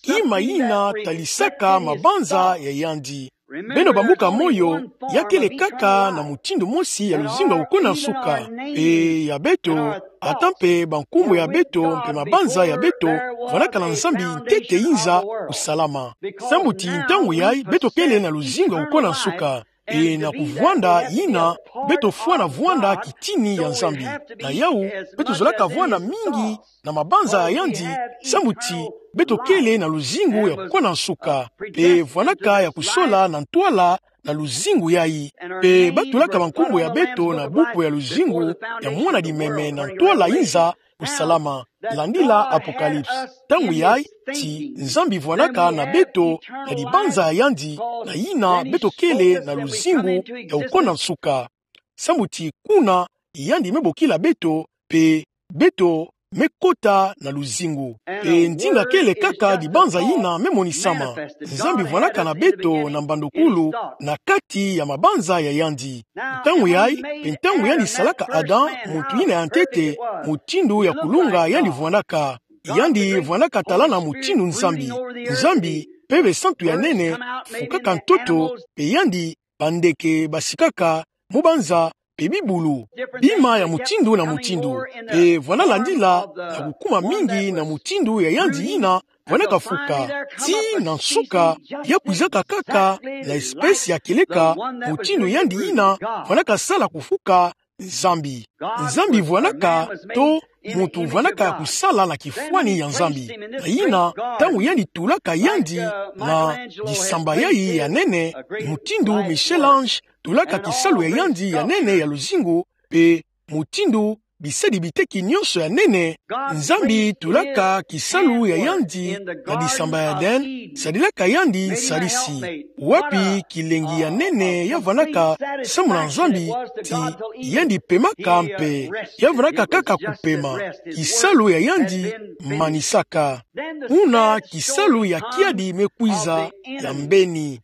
kima yina talisaka mabanza ya yandi. Beno bambuka moyo, ya kele kaka na mutindu mosi ya luzingu ya kukona nsuka. Pe ya beto, ata mpe bankumbu ya beto mpe mabanza ya beto, vwanaka na Nzambi ntete yinza kusalama. Samu ti ntangu yayi beto kele na luzingu ya kukona nsuka. E na kuvwanda yina, beto fwana vwanda kitini ya Nzambi. Na yawu, beto zolaka vwanda mingi na mabanza ya yandi, samu ti beto kele na luzingu ya kukona nsuka. Pe vwanaka ya kusola na ntwala na luzingu yayi. Pe batulaka bankumbu ya beto na buku ya luzingu ya mwana limeme na ntwala yinza kusalama, landila Apocalypse. Ntangu yayi ti Nzambi vwanaka na beto na libanza ya yandi, na yina beto kele na luzingu ya kukona nsuka. Samu ti kuna yandi me bokila beto, pe beto me kota na luzingu. Pe ndinga kele kaka dibanza yina me monisama. Nzambi vwanaka na beto na mbandukulu na kati ya mabanza ya yandi. Ntangu yayi, pe ntangu yandi salaka Adam, muntu yina ya ntete, mutindu ya kulunga yandi vwanaka. Yandi vwanaka talana mutindu Nzambi. Nzambi, pe besantu ya nene, fukaka ntoto, pe yandi, bandeke basikaka mu banza, pe bibulu, bima ya mutindu na mutindu, pe vwana landila na kukuma mingi na mutindu ya yandi yina vwanaka fuka. Ti na nsuka, ya kwizaka kaka na espèce ya kieleka, mutindu yandi yina vwanaka sala kufuka Nzambi. Nzambi vwanaka to muntu vwanaka kusala na kifwani ya Nzambi. Na yina, ntangu yandi tulaka yandi na disamba yayi ya nene, mutindu Michel-Ange tulaka kisalu ya yandi ya nene ya luzingu, pe mutindu bisadi biteki nyonso ya nene, Nzambi tulaka kisalu ya yandi na disamba ya Eden, sadilaka yandi nsalisi. Wapi kilengi ya nene ya vwanaka samu na Nzambi, ti yandi pemaka mpe, ya vwanaka kaka kupema, kisalu ya yandi manisaka. Buna kisalu ya kiadi me kwiza ya mbeni.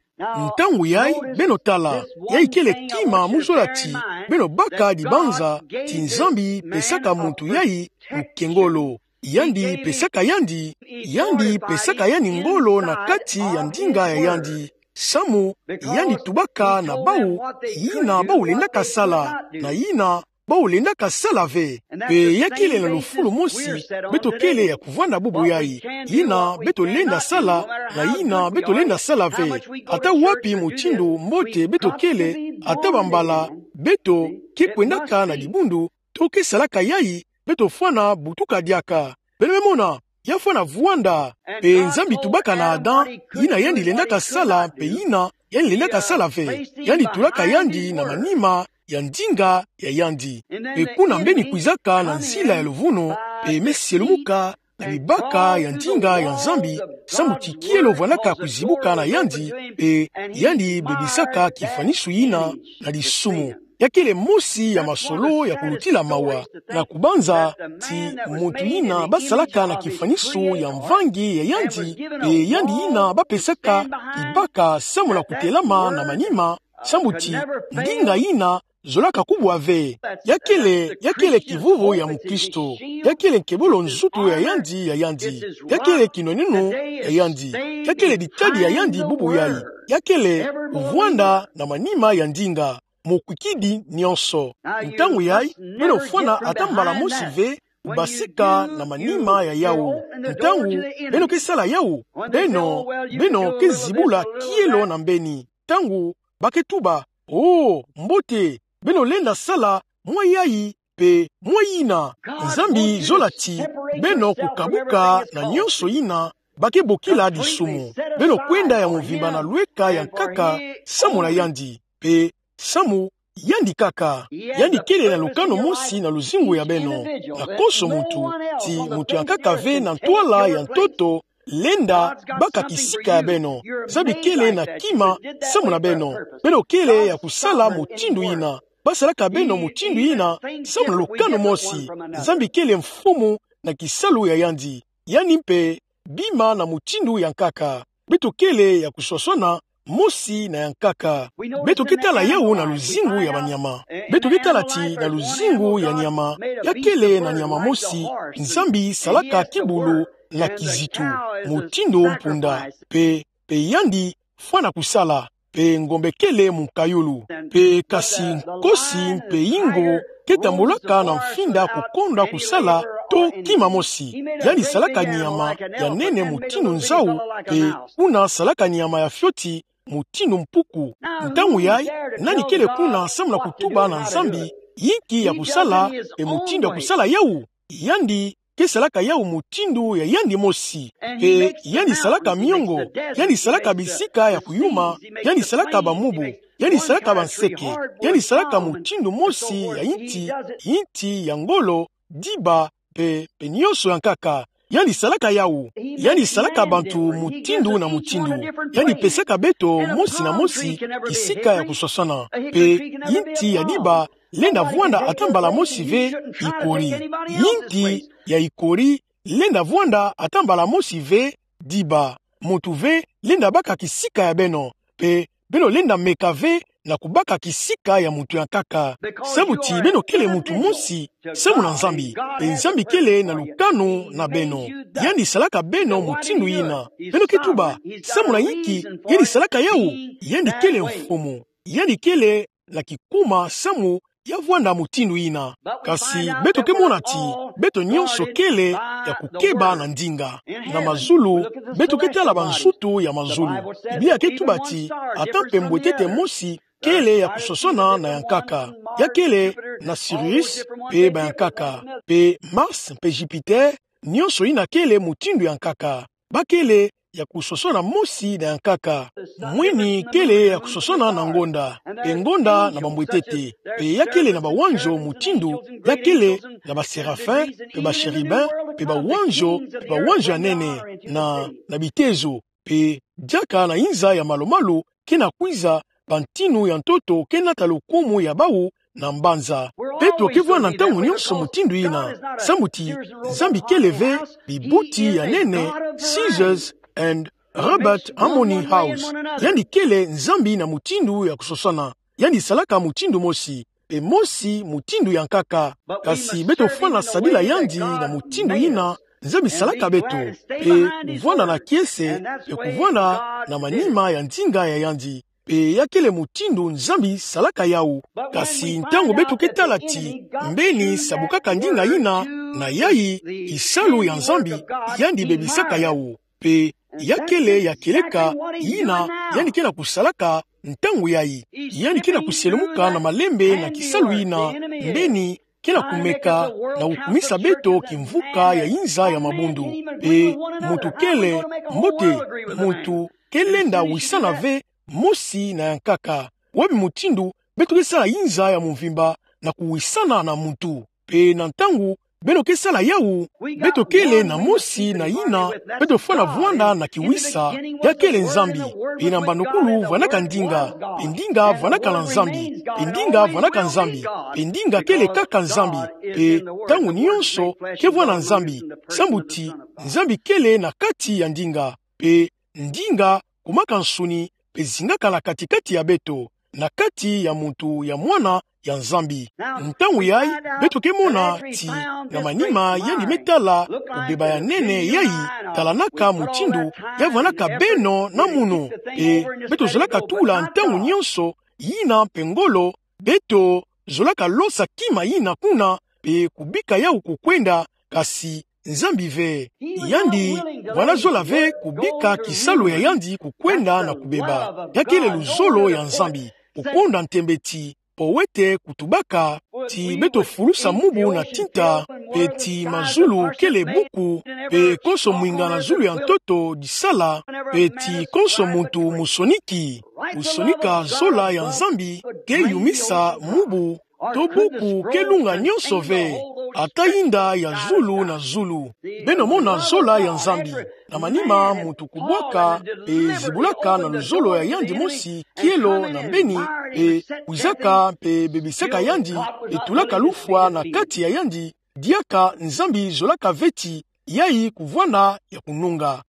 Ntangu yayi, beno tala, yayi kele kima mu zola ti beno baka dibanza ti Nzambi pesaka muntu yayi mukengolo. Yandi pesaka yandi, yandi pesaka yandi ngolo na kati ya ndinga ya yandi. Samu yandi tubaka na bawu yina bawu lendaka sala, na yina bawu lendaka sala ve. Pe ya kele na lufulu mosi, beto kele ya kuvwanda bubu yayi. Yina beto lenda sala, na yina beto lenda sala ve. Ata wapi mutindu mbote beto kele, ata bambala beto ke kwendaka na dibundu, to ke salaka yayi, beto fwana butuka diaka. Beno me mona, ya fwana vwanda. Pe Nzambi tubaka na Adam, yina yandi lendaka sala, pe yina yandi lendaka sala ve. Yandi tulaka yandi na manima ya ndinga ya yandi. Pe kuna mbeni kwizaka na nzila ya luvunu, pe me sielumuka na bibaka ya ndinga ya Nzambi, samu ti kielo vwanaka kuzibuka na yandi, pe yandi bebisaka kifwanisu yina na disumu. Ya kele mosi ya masolo ya kulutila mawa, na kubanza ti muntu yina basalaka na kifwanisu ya mvangi ya yandi, pe yandi yina bapesaka kibaka samu na kutelama na manima, samu ti ndinga yina zolaka kubwa ve. Ya kele, ya kele kivuvu ya mukristo. Ya kele nkebolo nzutu ya yandi, ya yandi. Ya kele kinwenunu ya yandi. Ya kele ditadi ya yandi bubu yayi. Ya kele kuvwanda na manima ya ndinga, mukwikidi nyonso. Ntangu yayi, beno fwana ata mbala mosi ve kubasika na manima ya yawu. Ntangu beno ke sala yawu, beno, beno ke zibula kielo na mbeni. Ntangu ba ke tuba: "Oh, mbote, beno lenda sala mwa yayi pe mwa yina." Nzambi zola ti beno kukabuka na nyonso yina ba ke bokila disumu. Beno kwenda ya mvimba na lweka ya nkaka samu na yandi, pe samu yandi kaka. Yandi kele na lukanu mosi na luzingu ya beno. Na konso muntu, ti muntu ya nkaka ve na ntwala ya ntoto lenda baka kisika ya beno. Nzambi kele na kima samu na beno. Beno kele ya kusala mutindu yina. Basalaka beno mutindu yina samu na lukanu mosi. Nzambi kele mfumu na kisalu ya yandi. Yandi mpe bima na mutindu ya nkaka. Beto kele ya kuswaswana mosi na ya nkaka. Beto ke tala yawu na luzingu ya banyama. Beto ke tala ti na luzingu ya nyama, ya kele na nyama mosi Nzambi salaka kibulu na kizitu, mutindu mpunda, pe, pe yandi fwana kusala, pe ngombe kele mukayulu. Pe kasi nkosi mpe ingo ke tambulaka na mfinda kukonda kusala to kima mosi. Yandi salaka nyama ya nene mutindu nzau, pe kuna salaka nyama ya fioti mutindu mpuku. Ntangu yayi, nani kele kuna samu na kutuba na Nzambi yinki ya kusala, pe mutindu ya kusala yawu? Yandi ke salaka yawu mutindu ya yandi mosi. Pe yandi salaka miongo, yandi salaka bisika ya kuyuma, yandi salaka bamubu, yandi salaka banseke, yandi salaka mutindu mosi ya yinti, yinti ya ngolo, diba, pe, pe nyonso ya nkaka. Yandi salaka yawu. Yandi salaka bantu mutindu na mutindu. Yandi pesaka beto mosi na mosi kisika ya kuswaswana. Pe yinti ya diba lenda vwanda ata mbala mosi ve ikori. Yinti ya ikori, lenda vwanda ata mbala mosi ve, diba, muntu ve lenda baka kisika ya beno, pe beno lenda meka ve na kubaka kisika ya muntu ya nkaka. Samu ti beno kele muntu mosi samu na Nzambi, pe Nzambi kele na lukanu na beno. Yandi salaka beno mutindu yina. Beno ke tuba, samu na inki yandi salaka yawu? Yandi kele mfumu. Yandi kele na kikuma samu ya vwanda mutindu yina. Kasi beto ke mona ti beto nyonso kele ya kukeba na ndinga. Na mazulu, beto ke tala bansutu ya mazulu. Biblia ke tuba ti ata mpe mbwetete mosi kele ya kusosona na ya nkaka. Ya kele na Sirius pe ba ya nkaka, pe Mars pe Jupiter, nyonso yina kele mutindu ya nkaka. Ba kele ya kusosona mosi na ya nkaka. Mwini kele ya kusosona na ngonda, pe ngonda na bambwetete. Pe ya kele na bawanzo mutindu, ya kele na ba séraphin, pe ba chérubin, pe bawanzo, pe bawanzo ya nene, na, na bitezo. Pe diaka na inza ya malu-malu ke na kwiza, bantinu ya ntoto ke nata lokumu ya bawu na mbanza. Beto ke vwanda ntangu nyonso mutindu yina, samu ti Nzambi kele ve bibuti ya nene, Caesars and Robert Harmon House. Yandi kele Nzambi na mutindu ya kusosona. Yandi salaka mutindu mosi, pe mosi mutindu ya nkaka. Kasi beto fwana sadila yandi na mutindu yina Nzambi salaka beto, pe kuvwanda na kiese, pe kuvwanda na manima ya ndinga ya yandi. Pe ya kele mutindu Nzambi salaka yawu. Kasi ntangu beto ke tala ti mbeni sa bukaka ndinga yina na yayi, kisalu ya Nzambi, yandi bebisaka yawu. Pe ya kele ya kieleka yina yandi ke na kusalaka ntangu yayi. Yandi ke na kuselumuka na malembe na kisalu yina mbeni ke na kumeka na kukumisa beto kimvuka ya inza ya mabundu. Pe muntu kele, mbote, muntu ke lenda wisana ve mosi na ya nkaka. Wapi mutindu beto ke sala inza ya mvimba na kuwisana na muntu? Pe na ntangu beno ke sala yawu, beto kele na mosi na yina beto fwana vwanda na kiwisa, ya kele Nzambi. Pe na mbandukulu vwandaka ndinga, pe ndinga vwandaka na Nzambi, pe ndinga vwandaka Nzambi, pe ndinga kele kaka Nzambi, pe ntangu nyonso ke vwanda Nzambi, samu ti Nzambi kele na kati ya ndinga, pe ndinga kumaka nsuni, pe zingaka na kati-kati ya beto, na kati ya muntu ya mwana ya Nzambi. Ntangu yayi, beto ke mona ti na manima yandi me tala kubeba ya nene yayi, talanaka mutindu ya vwandaka beno na munu. Pe beto zolaka tula ntangu nyonso yina pe ngolo, beto zolaka losa kima yina kuna, pe kubika yawu kukwenda, kasi Nzambi ve. Yandi vwanda zola ve kubika kisalu ya yandi kukwenda na kubeba. Ya kele luzolo ya Nzambi. Kukonda ntembe ti powete kutubaka ti beto fulusa mubu na tinta, pe ti mazulu kele buku, pe konso mwinga na zulu ya ntoto disala, pe ti konso muntu musoniki. Kusonika zola ya Nzambi ke yumisa mubu to buku ke lunga nyonso ve, ata yinda ya zulu na zulu. Beno mona zola ya Nzambi. Na manima muntu kubwaka, pe zibulaka na luzolo ya yandi mosi kielo na mbeni, pe kwizaka, pe bebisaka yandi, pe tulaka lufwa na kati ya yandi, diaka Nzambi zolaka ve ti yayi kuvwanda ya kununga.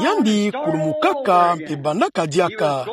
Yandi kulumukaka pe bandaka diaka.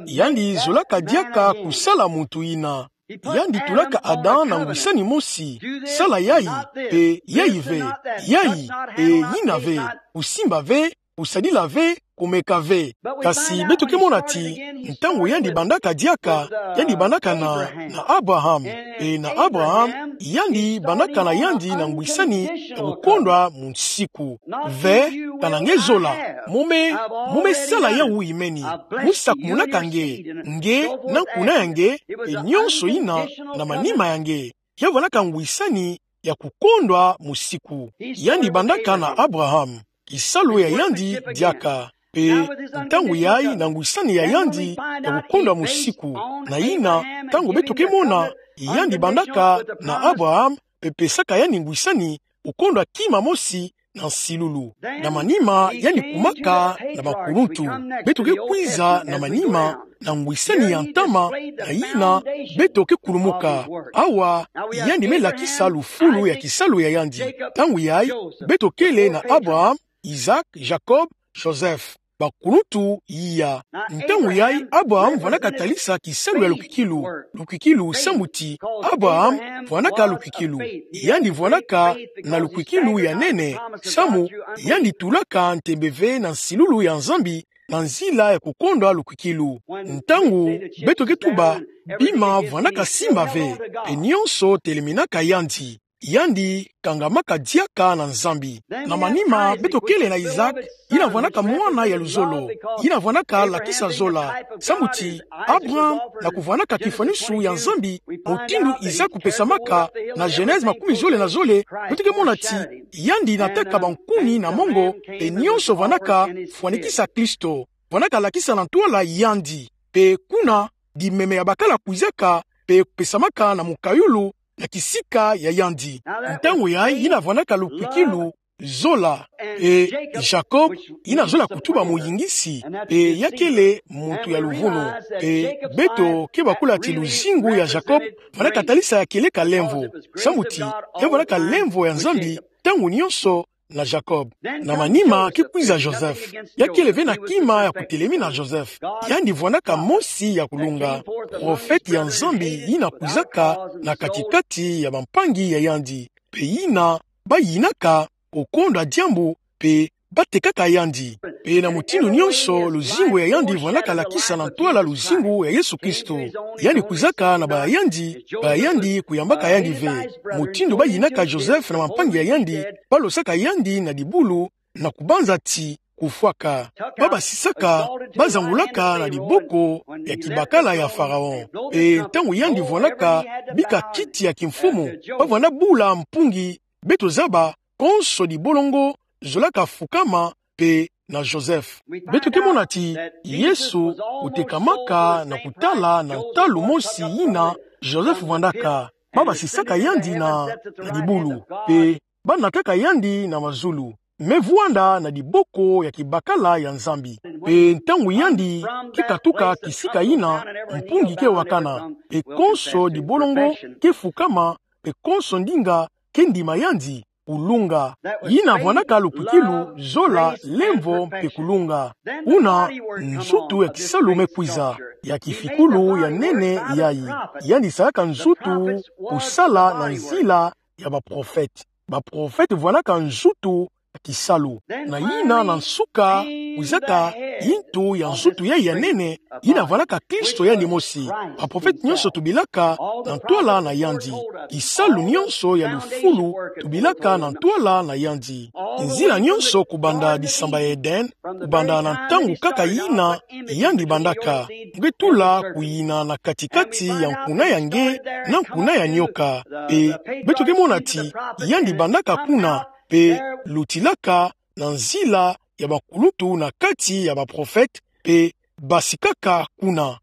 Yandi zolaka diaka kusala muntu yina. Yandi tulaka Adam na ngwisani mosi. Sala yayi, pe yayi ve. Yayi, pe yina ve. Kusimba ve, kusadila ve, kumeka ve. Kasi beto ke mona ti ntangu yandi bandaka diaka, yandi bandaka na, na Abraham. Pe na Abraham, yandi bandaka na yandi na ngwisani ya kukondwa munsiku. Ve, kana nge zola. Mu me, mu me sala yawu imeni. Mu sakumunaka nge, nge, na nkuna ya nge, pe nyonso yina na manima ya nge. Ya vwandaka ngwisani ya kukondwa munsiku. Yandi bandaka na Abraham. Kisalu ya yandi diaka. Pe ntangu yayi na ngwisani ya yandi ya kukondwa munsiku. Na yina, ntangu beto ke mona, yandi bandaka na Abraham, pe pesaka yandi ngwisani kukondwa kima mosi na nsilulu. Na manima yandi kumaka na bakuluntu. Beto ke kwiza na manima na ngwisani ya ntama, na yina beto ke kulumuka. Awa, yandi me lakisa lufulu ya kisalu ya yandi. Ntangu yai, beto kele na Abraham, Isaac, Jacob, Joseph. Bakuluntu iya. Ntangu yai Abraham vwanaka talisa kisalu ya lukwikilu. Lukwikilu samu ti Abraham vwanaka lukwikilu. Yandi vwanaka na lukwikilu ya nene, samu yandi tulaka ntembe ve na nsilulu ya Nzambi na nzila ya kukondwa lukwikilu. Ntangu beto ke tuba, bima vwanaka simba ve, pe nionso teleminaka yandi. Yandi kangamaka diaka na Nzambi. Na manima beto kele na Isaac, yina vwanaka mwana ya luzolo, yina vwanaka lakisa zola. Samu ti Abraham, na kuvwanaka kifwanisu ya Nzambi, mutindu Isaac kupesamaka, na Genèse makumi zole na zole, beto ke mona ti yandi nataka bankuni na mongo, pe nionso vwanaka fwanikisa Kristo. Vwanaka lakisa na ntwala yandi. Pe kuna, dimeme ya bakala kwizaka, pe kupesamaka na mukayulu, na kisika ya yandi. Ntangu yai yina vwanaka lukwikilu zola. E Jacob, yina zola kutuba muyingisi, pe ya kele muntu ya luvunu. Pe beto ke bakula ti luzingu ya Jacob vwanaka talisa ya kieleka lemvo. Samu ti ya vwanaka lemvo ya Nzambi ntangu nionso na Jacob. Na manima ke kwiza Joseph. Ya kele ve na kima ya kutelemi na Joseph. Yandi vwanaka mosi ya kulunga. Profete ya Nzambi yina kwizaka na katikati ya bampangi ya yandi. Pe yina bayinaka kukondwa diambu, pe batekaka yandi. Pe na mutindu nionso luzingu ya yandi vwanaka lakisa na ntwala luzingu ya Yesu Kristo. Yandi kwizaka na ba yandi, ba yandi kuyambaka yandi ve. Mutindu bayinaka Joseph na bampangi ya yandi, balosaka yandi na dibulu, na kubanza ti kufwaka. Babasisaka, bazangulaka na diboko ya kibakala ya Pharaon. Pe ntangu yandi vwanaka bika kiti ya kimfumu, bavwanda bula mpungi, beto zaba, konso dibolongo zolaka fukama pe na Joseph. Beto ke mona ti Yesu kutekamaka na kutala na ntalu mosi yina Joseph vwandaka. Babasisaka yandi na, na dibulu, pe banataka yandi na mazulu. Me vwanda na diboko ya kibakala ya Nzambi. Pe ntangu yandi ke katuka kisika yina, mpungi ke wakana, pe konso dibolongo ke fukama, pe konso ndinga ke ndima yandi, kulunga. Yina vwanaka lukwikilu, zola, lemvo, pe kulunga. Kuna nzutu ya kisalu me kwiza, ya kifikulu ya nene yayi. Yandi salaka nzutu kusala na nzila ya baprofete. Baprofete vwanaka nzutu ya kisalu. Na yina na nsuka, kwizaka yintu ya nzutu yayi ya nene, yina vwanaka Kristo yandi mosi. Baprofete nionso tubilaka na ntwala na yandi. Kisalu nionso ya lufulu tubilaka na ntwala na yandi. Nzila nionso kubanda disamba ya Eden, kubanda na ntangu kaka yina yandi bandaka, mu ke tula kuyina na katikati ya nkuna ya nge na nkuna ya nioka. Pe beto ke mona ti yandi bandaka kuna, pe lutilaka na nzila ya bakuluntu na kati ya baprofete, pe basikaka kuna.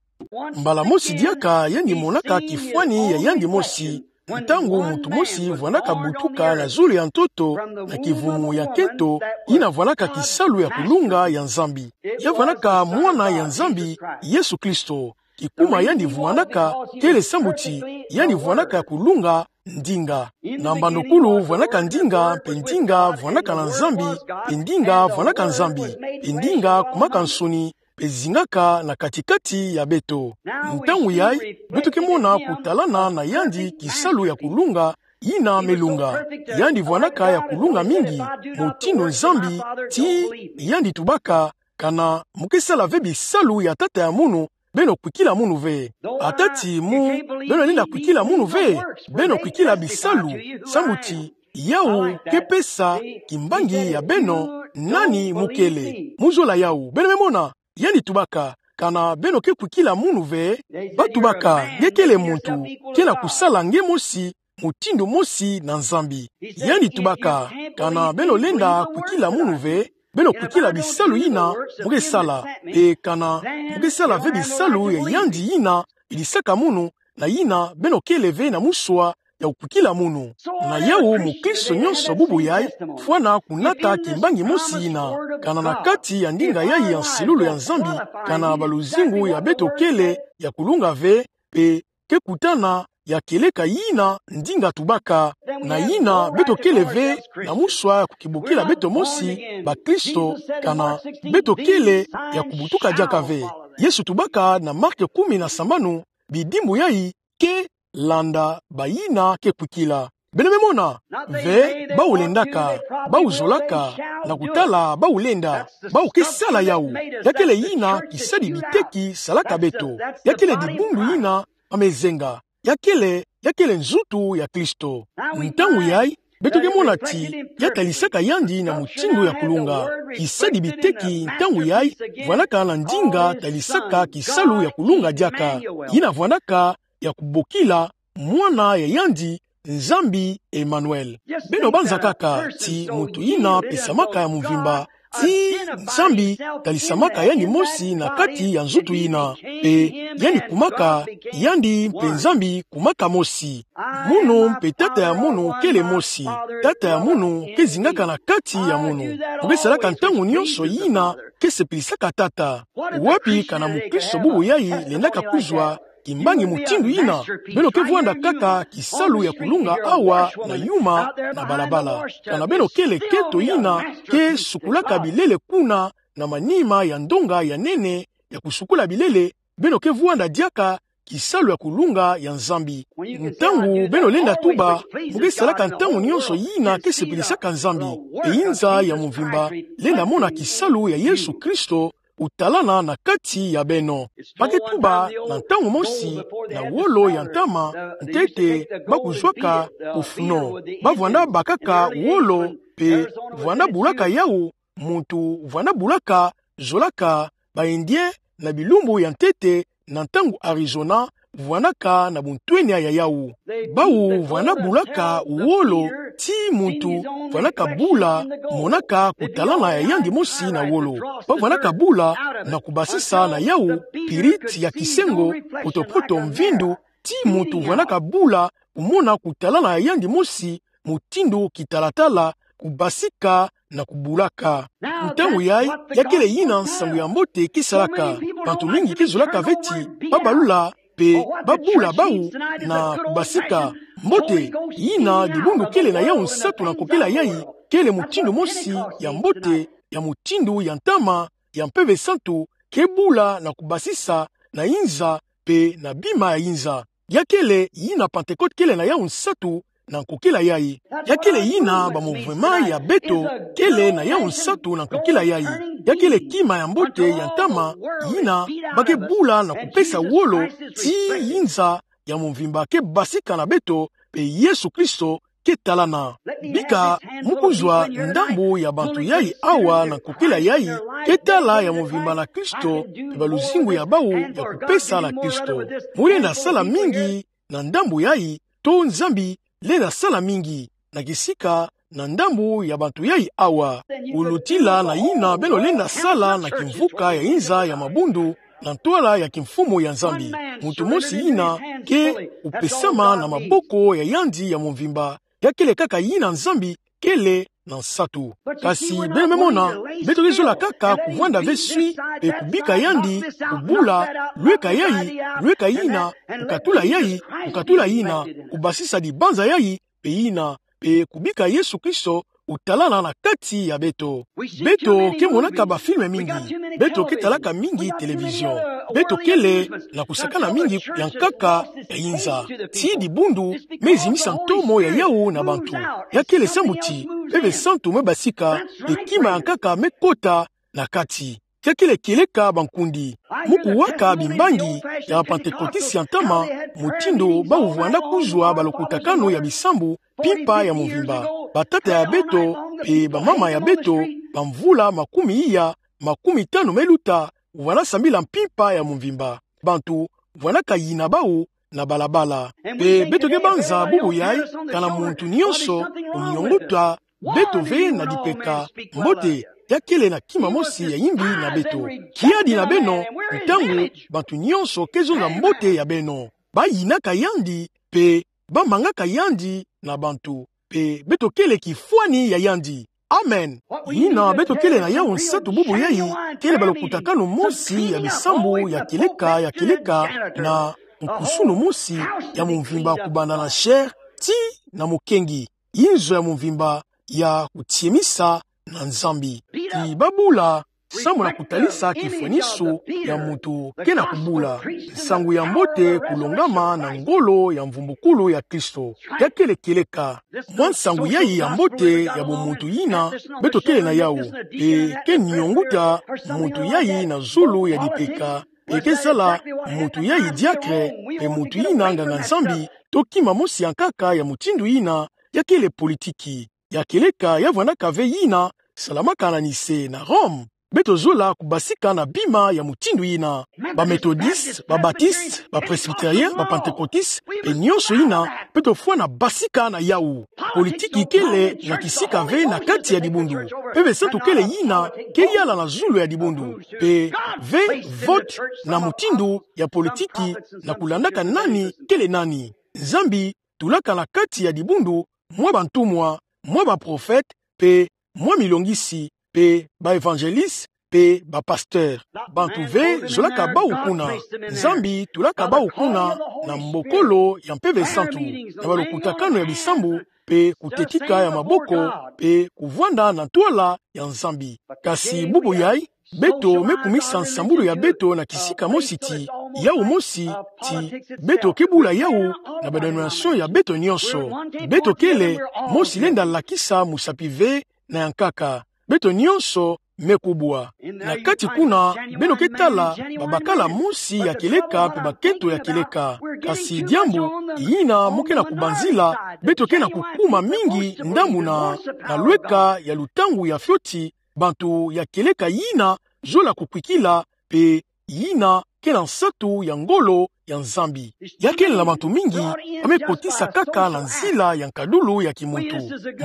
Mbala mosi diaka yandi monaka kifwani ya yandi mosi, ntangu muntu mosi vwanaka butuka na zulu ya ntoto na kivumu ya nkento, yina vwanaka kisalu ya kulunga ya Nzambi. Ya vwanaka Mwana ya Nzambi, Yesu Kristo. Kikuma yandi vwanaka kele sambu ti yandi vwanaka ya kulunga ndinga. Na mbandokulu vwanaka ndinga, pe ndinga vwanaka na Nzambi, pe ndinga vwanaka Nzambi, pe ndinga kumaka nsoni, pe zingaka na katikati ya beto. Ntangu yai, beto ke mona kutalana na yandi kisalu ya kulunga, yina me lunga. Yandi vwanaka ya kulunga mingi, mutindu Nzambi, ti yandi tubaka, kana mu ke sala ve bisalu ya tata ya munu, beno kwikila munu ve. Ata ti mu, beno lenda kwikila munu ve, beno kwikila bisalu, sambu ti yawu ke pesa kimbangi ya beno nani mu kele. Mu zola yawu, beno me mona, yandi tubaka, kana beno ke kwikila munu ve, ba tubaka, nge kele muntu, kena kusala nge mosi, mutindu mosi na Nzambi. Yandi tubaka, kana beno lenda kwikila munu ve, beno kwikila bisalu yina mu ke sala. Pe kana mu ke sala ve bisalu ya yandi yina idisaka munu, na yina beno kele ve na muswa, ya kukwikila munu. Na yawu mukristo nyonso bubu yai, fwana kunata kimbangi mosi ina, kana na kati ya ndinga yai ya nsilulu ya Nzambi, kana baluzingu ya beto kele ya kulunga ve, mpe ke kutana ya kieleka yina ndinga tubaka. Na yina beto kele ve na muswa ya kukibokila beto mosi bakristo, kana beto kele ya kubutuka diaka ve. Yesu tubaka na Mark kumi na sambanu, bidimbu yai ke landa bayina ke kwikila. Beno me mona, ve bawu lendaka, bawu zolaka, na kutala bawu lenda, bawu ke sala yawu. Ya kele yina kisadi biteki salaka beto. Ya kele dibundu yina ba me zenga. Ya kele, ya kele nzutu ya Kristo. Ntangu yai, beto ke mona ti ya talisaka yandi na mutindu ya kulunga. Kisadi biteki ntangu yai, vwanaka na ndinga talisaka kisalu ya kulunga diaka. Yina vwanaka ya kubokila mwana ya yandi, Nzambi Emmanuel. Beno banza kaka ti muntu yina pesamaka ya mumvimba, ti Nzambi talisamaka yandi mosi na kati ya nzutu yina. Mpe yandi kumaka yandi, mpe Nzambi kumaka mosi. Munu mpe tata ya munu kele mosi. Tata ya munu ke zingaka na kati ya munu. Mu ke salaka ntangu nyonso yina ke sepilisaka tata. Wapi kana mukristo bubu yai lendaka kuzwa kimbangi mutindu yina? Beno ke vwanda kaka kisalu ya kulunga awa na yuma na balabala. Kana beno kele keto yina ke sukulaka bilele kuna na manima ya ndonga ya nene ya kusukula bilele, beno ke vwanda diaka kisalu ya kulunga ya Nzambi. Ntangu beno lenda tuba, mu ke salaka ntangu nyonso yina ke sepilisaka Nzambi. E inza ya mumvimba lenda mona kisalu ya Yesu Kristo kutalana na kati ya beno. Ba ke tuba na ntangu mosi na wolo ya ntama, ntete ba kuzwaka kufuno. Ba vwanda bakaka wolo, mpe vwanda bulaka yawu, muntu vwanda bulaka, zolaka, ba Indien na bilumbu ya ntete, na ntangu Arizona vwanaka na buntwenya ya yawu. Bawu vwanda bulaka wolo, ti muntu vwanaka bula, monaka kutalana ya yandi mosi na wolo. Ba vwanaka bula na kubasisa na yawu piriti ya kisengo, poto-poto mvindu, ti muntu vwanaka bula kumona kutalana ya yandi mosi, mutindu kitalatala, kubasika na kubulaka. Ntangu yai, ya kele yina nsangu ya mbote ke salaka. Bantu mingi ke zolaka ve ti ba balula, mpe ba bula bawu na kubasika. Mbote, yina dibundu kele na yawu nsatu na nkokila yai, kele mutindu mosi ya mbote, ya mutindu ya ntama ya Mpeve Santu, ke bula na kubasisa na inza, mpe na bima ya inza. Ya kele yina Pentekote kele na yawu nsatu na nkokila yai. Ya kele yina ba mouvement ya beto kele na yawu nsatu na nkokila yai. Ya kele kima ya mbote ya ntama yina ba ke bula na kupesa wolo ti inza ya mumvimba ke basika na beto, mpe Yesu Kristo ke talana. Bika mu kuzwa ndambu ya bantu yai awa na nkokila yai ke tala ya mumvimba na Kristo, mpe baluzingu ya bawu ya kupesa na Kristo. Mu lenda sala mingi na ndambu yai, to Nzambi lenda sala mingi na kisika na ndambu ya bantu yai awa. Kulutila na yina beno lenda sala na kimvuka ya inza ya mabundu, na ntwala ya kimfumu ya Nzambi. Muntu mosi yina ke kupesama na maboko ya yandi ya mumvimba, ya kele kaka yina Nzambi kele na nsatu. Kasi beno me mona, beto ke zola kaka kuvwanda ve swi, mpe kubika yandi, kubula, lweka yai, lweka yina, kukatula yai, kukatula yina, kubasisa dibanza yai, mpe yina, mpe kubika Yesu Kristo kutalana na kati ya beto. Beto ke monaka ba film mingi, beto ke talaka mingi télévision. Beto kele na kusakana mingi ya nkaka ya inza. Ti dibundu me zimisa ntomo ya yawu na bantu. Ya kele sambu ti Mpeve Santu me basika, mpe kima ya nkaka me kota na kati. Ya kele kieleka bankundi. Mu kuwaka bimbangi ya ba Pantekotiste ya ntama, mutindu bawu vwanda kuzwa balokutakanu ya bisambu mpimpa ya mumvimba. Batata ya beto mpe bamama ya beto, bamvula makumi iya, makumi tanu me luta, vwanda sambila mpimpa ya mumvimba. Bantu vwandaka yina bawu na balabala. Mpe beto ke banza bubu yai, kana muntu nyonso uniongota beto ve na dipeka. Mbote, ya kele na kima mosi ya yimbi na beto. Kiadi na beno, ntangu bantu nyonso ke zonza mbote ya beno. Bayinaka yandi, mpe ba mangaka yandi na bantu, mpe beto kele kifwani ya yandi. Amen. Yina beto kele na yawu nsatu bubu yayi, kele balokutakanu mosi ya bisambu ya kieleka, ya kieleka, na nkusunu mosi ya mvimba kubanda na chair tii na mukengi, inzo ya mvimba ya kutiemisa na Nzambi. Ti babula, samu na kutalisa kifwaniso ya muntu ke na kubula. Nsangu ya mbote kulongama na ngolo ya mvumbukulu ya Kristo. Ya kele kieleka. Mwa nsangu yayi ya mbote ya bumuntu yina beto kele na yawu. Mpe ke nionguta muntu yayi na zulu ya dipeka. Mpe ke sala muntu yayi diakre, mpe muntu yina nganga-Nzambi, to kima mosi ya nkaka ya mutindu yina, ya kele politiki. Ya kieleka ya vwandaka ve yina salamaka na Nicée na Rome. Beto zola kubasika na bima ya mutindu yina. Ba Methodistes, ba Baptistes, ba Presbytériens, ba Pentecôtistes, mpe nionso yina, beto fwana basika na yawu. Politiki kele na kisika ve na kati ya dibundu. Mpeve santu kele yina ke yala na zulu ya dibundu. Mpe ve vote na mutindu ya politiki na kulandaka nani kele nani. Nzambi tulaka na kati ya dibundu mwa bantumwa, mwa baprofete, mpe mwa milongisi, mpe baevangéliste, mpe bapasteur. Bantu ve zolaka bawu kuna. Nzambi tulaka bawu kuna na mbokolo ya Mpeve Santu, na balokutakanu ya bisambu, mpe kutetika ya maboko, mpe kuvwanda na ntwala ya Nzambi. Kasi bubu yayi, beto me kumisa nsambulu ya beto na kisika mosi ti, yawu mosi ti, beto ke bula yawu na badénomination ya beto nionso. Beto kele, mosi lenda lakisa musapi ve na ya nkaka. Beto nionso me kubwa. Na kati kuna, beno ke tala babakala mosi ya kieleka mpe bakento ya kieleka. Kasi diambu yina mo ke na kubanzila, beto ke na kukuma mingi ndambu na, na lweka ya lutangu ya fioti, bantu ya kieleka yina zola kukwikila, mpe yina ke na nsatu ya ngolo ya Nzambi. Ya kele na bantu mingi ba me kotisa kaka na nzila ya nkadulu ya kimuntu.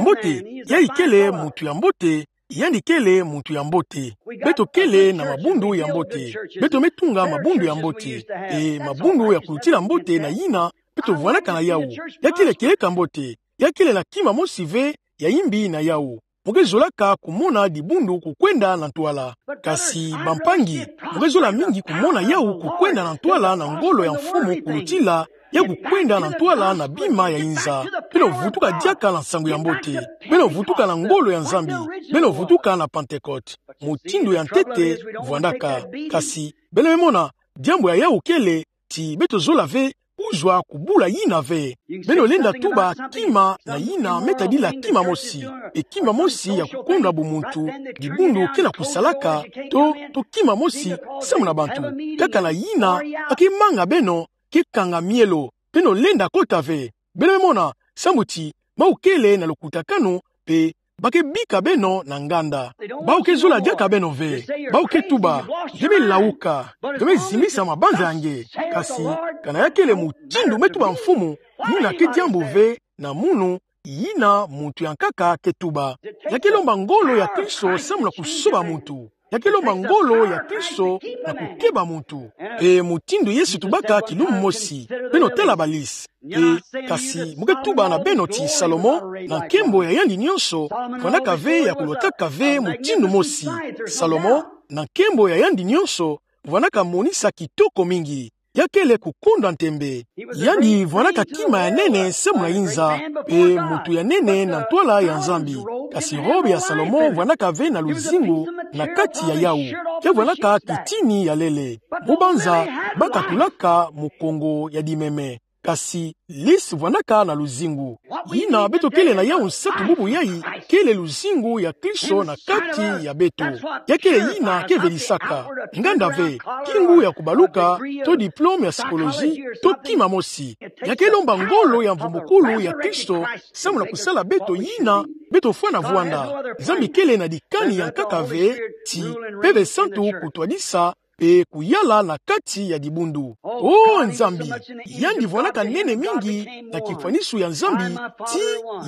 Mbote, yayi kele muntu ya mbote, yandi kele muntu ya mbote. Beto kele na mabundu ya mbote. Beto me tunga mabundu ya mbote. Mpe mabundu ya kulutila mbote na yina beto vwandaka na yawu. Ya kele kieleka mbote. Ya kele na kima mosi ve ya imbi na yawu. Mo ke zolaka kumona dibundu kukwenda na ntwala. Kasi bampangi, mo ke zola mingi kumona yawu kukwenda na ntwala na ngolo ya Mfumu, kulutila ya kukwenda na ntwala na bima ya inza. Beno vutuka diaka na nsangu ya mbote. Beno vutuka na ngolo ya Nzambi. Beno vutuka na Pentecôte. Mutindu ya ntete vwandaka. Kasi beno me mona, diambu ya yawu kele ti beto zola ve kuzwa kubula yina ve. Beno lenda tuba kima na yina me tadila kima mosi. Mpe kima mosi ya kukondwa bumuntu, dibundu ke na kusalaka, to, to kima mosi samu na bantu. Kaka na yina ba ke manga beno, ke kanga mielo. Beno lenda kota ve. Beno me mona, samu ti bawu kele na lukutakanu, mpe ba ke bika beno na nganda. Bawu ke zola diaka beno ve. Bawu ke tuba: Nge me lauka, nge me zimisa mabanza ya nge. Kasi kana ya kele mutindu me tuba Mfumu, yina ke diambu ve na munu yina muntu ya nkaka ke tuba. Ya ke lomba ngolo ya Kristo samu na kusoba muntu. Ya ke lomba ngolo ya Kristo na kukeba muntu. Mpe mutindu Yesu tubaka kilumbu mosi: Beno tala balisi. Mpe kasi mo ke tuba na beno ti Salomo, na nkembo ya yandi nionso, vwandaka ve ya kulotaka ve mutindu mosi. Salomo, na nkembo ya yandi nionso, vwandaka monisa kitoko mingi. Ya kele kukondwa ntembe. Yandi vwandaka kima ya nene samu na inza, mpe muntu ya nene na ntwala ya Nzambi. Kasi robe ya Salomo vwandaka ve na luzingu na kati ya yawu. Ke vwandaka kitini ya lele. Mo banza ba katulaka mukongo ya dimeme. Kasi lisi vwandaka na luzingu. Yina beto kele na yawu nsatu bubu yayi, kele luzingu ya Kristo na kati ya beto. Ya kele yina ke velisaka. Nganda ve, kingu ya kubaluka, to diplôme ya psychologie, to kima mosi. Ya ke lomba ngolo ya mvumbukulu ya Kristo samu na kusala beto yina beto fwana vwanda. Nzambi kele na dikani ya nkaka ve ti Mpeve Santu kutwadisa mpe kuyala na kati ya dibundu. O Nzambi, yandi vwandaka nene mingi na kifwaniso ya Nzambi, ti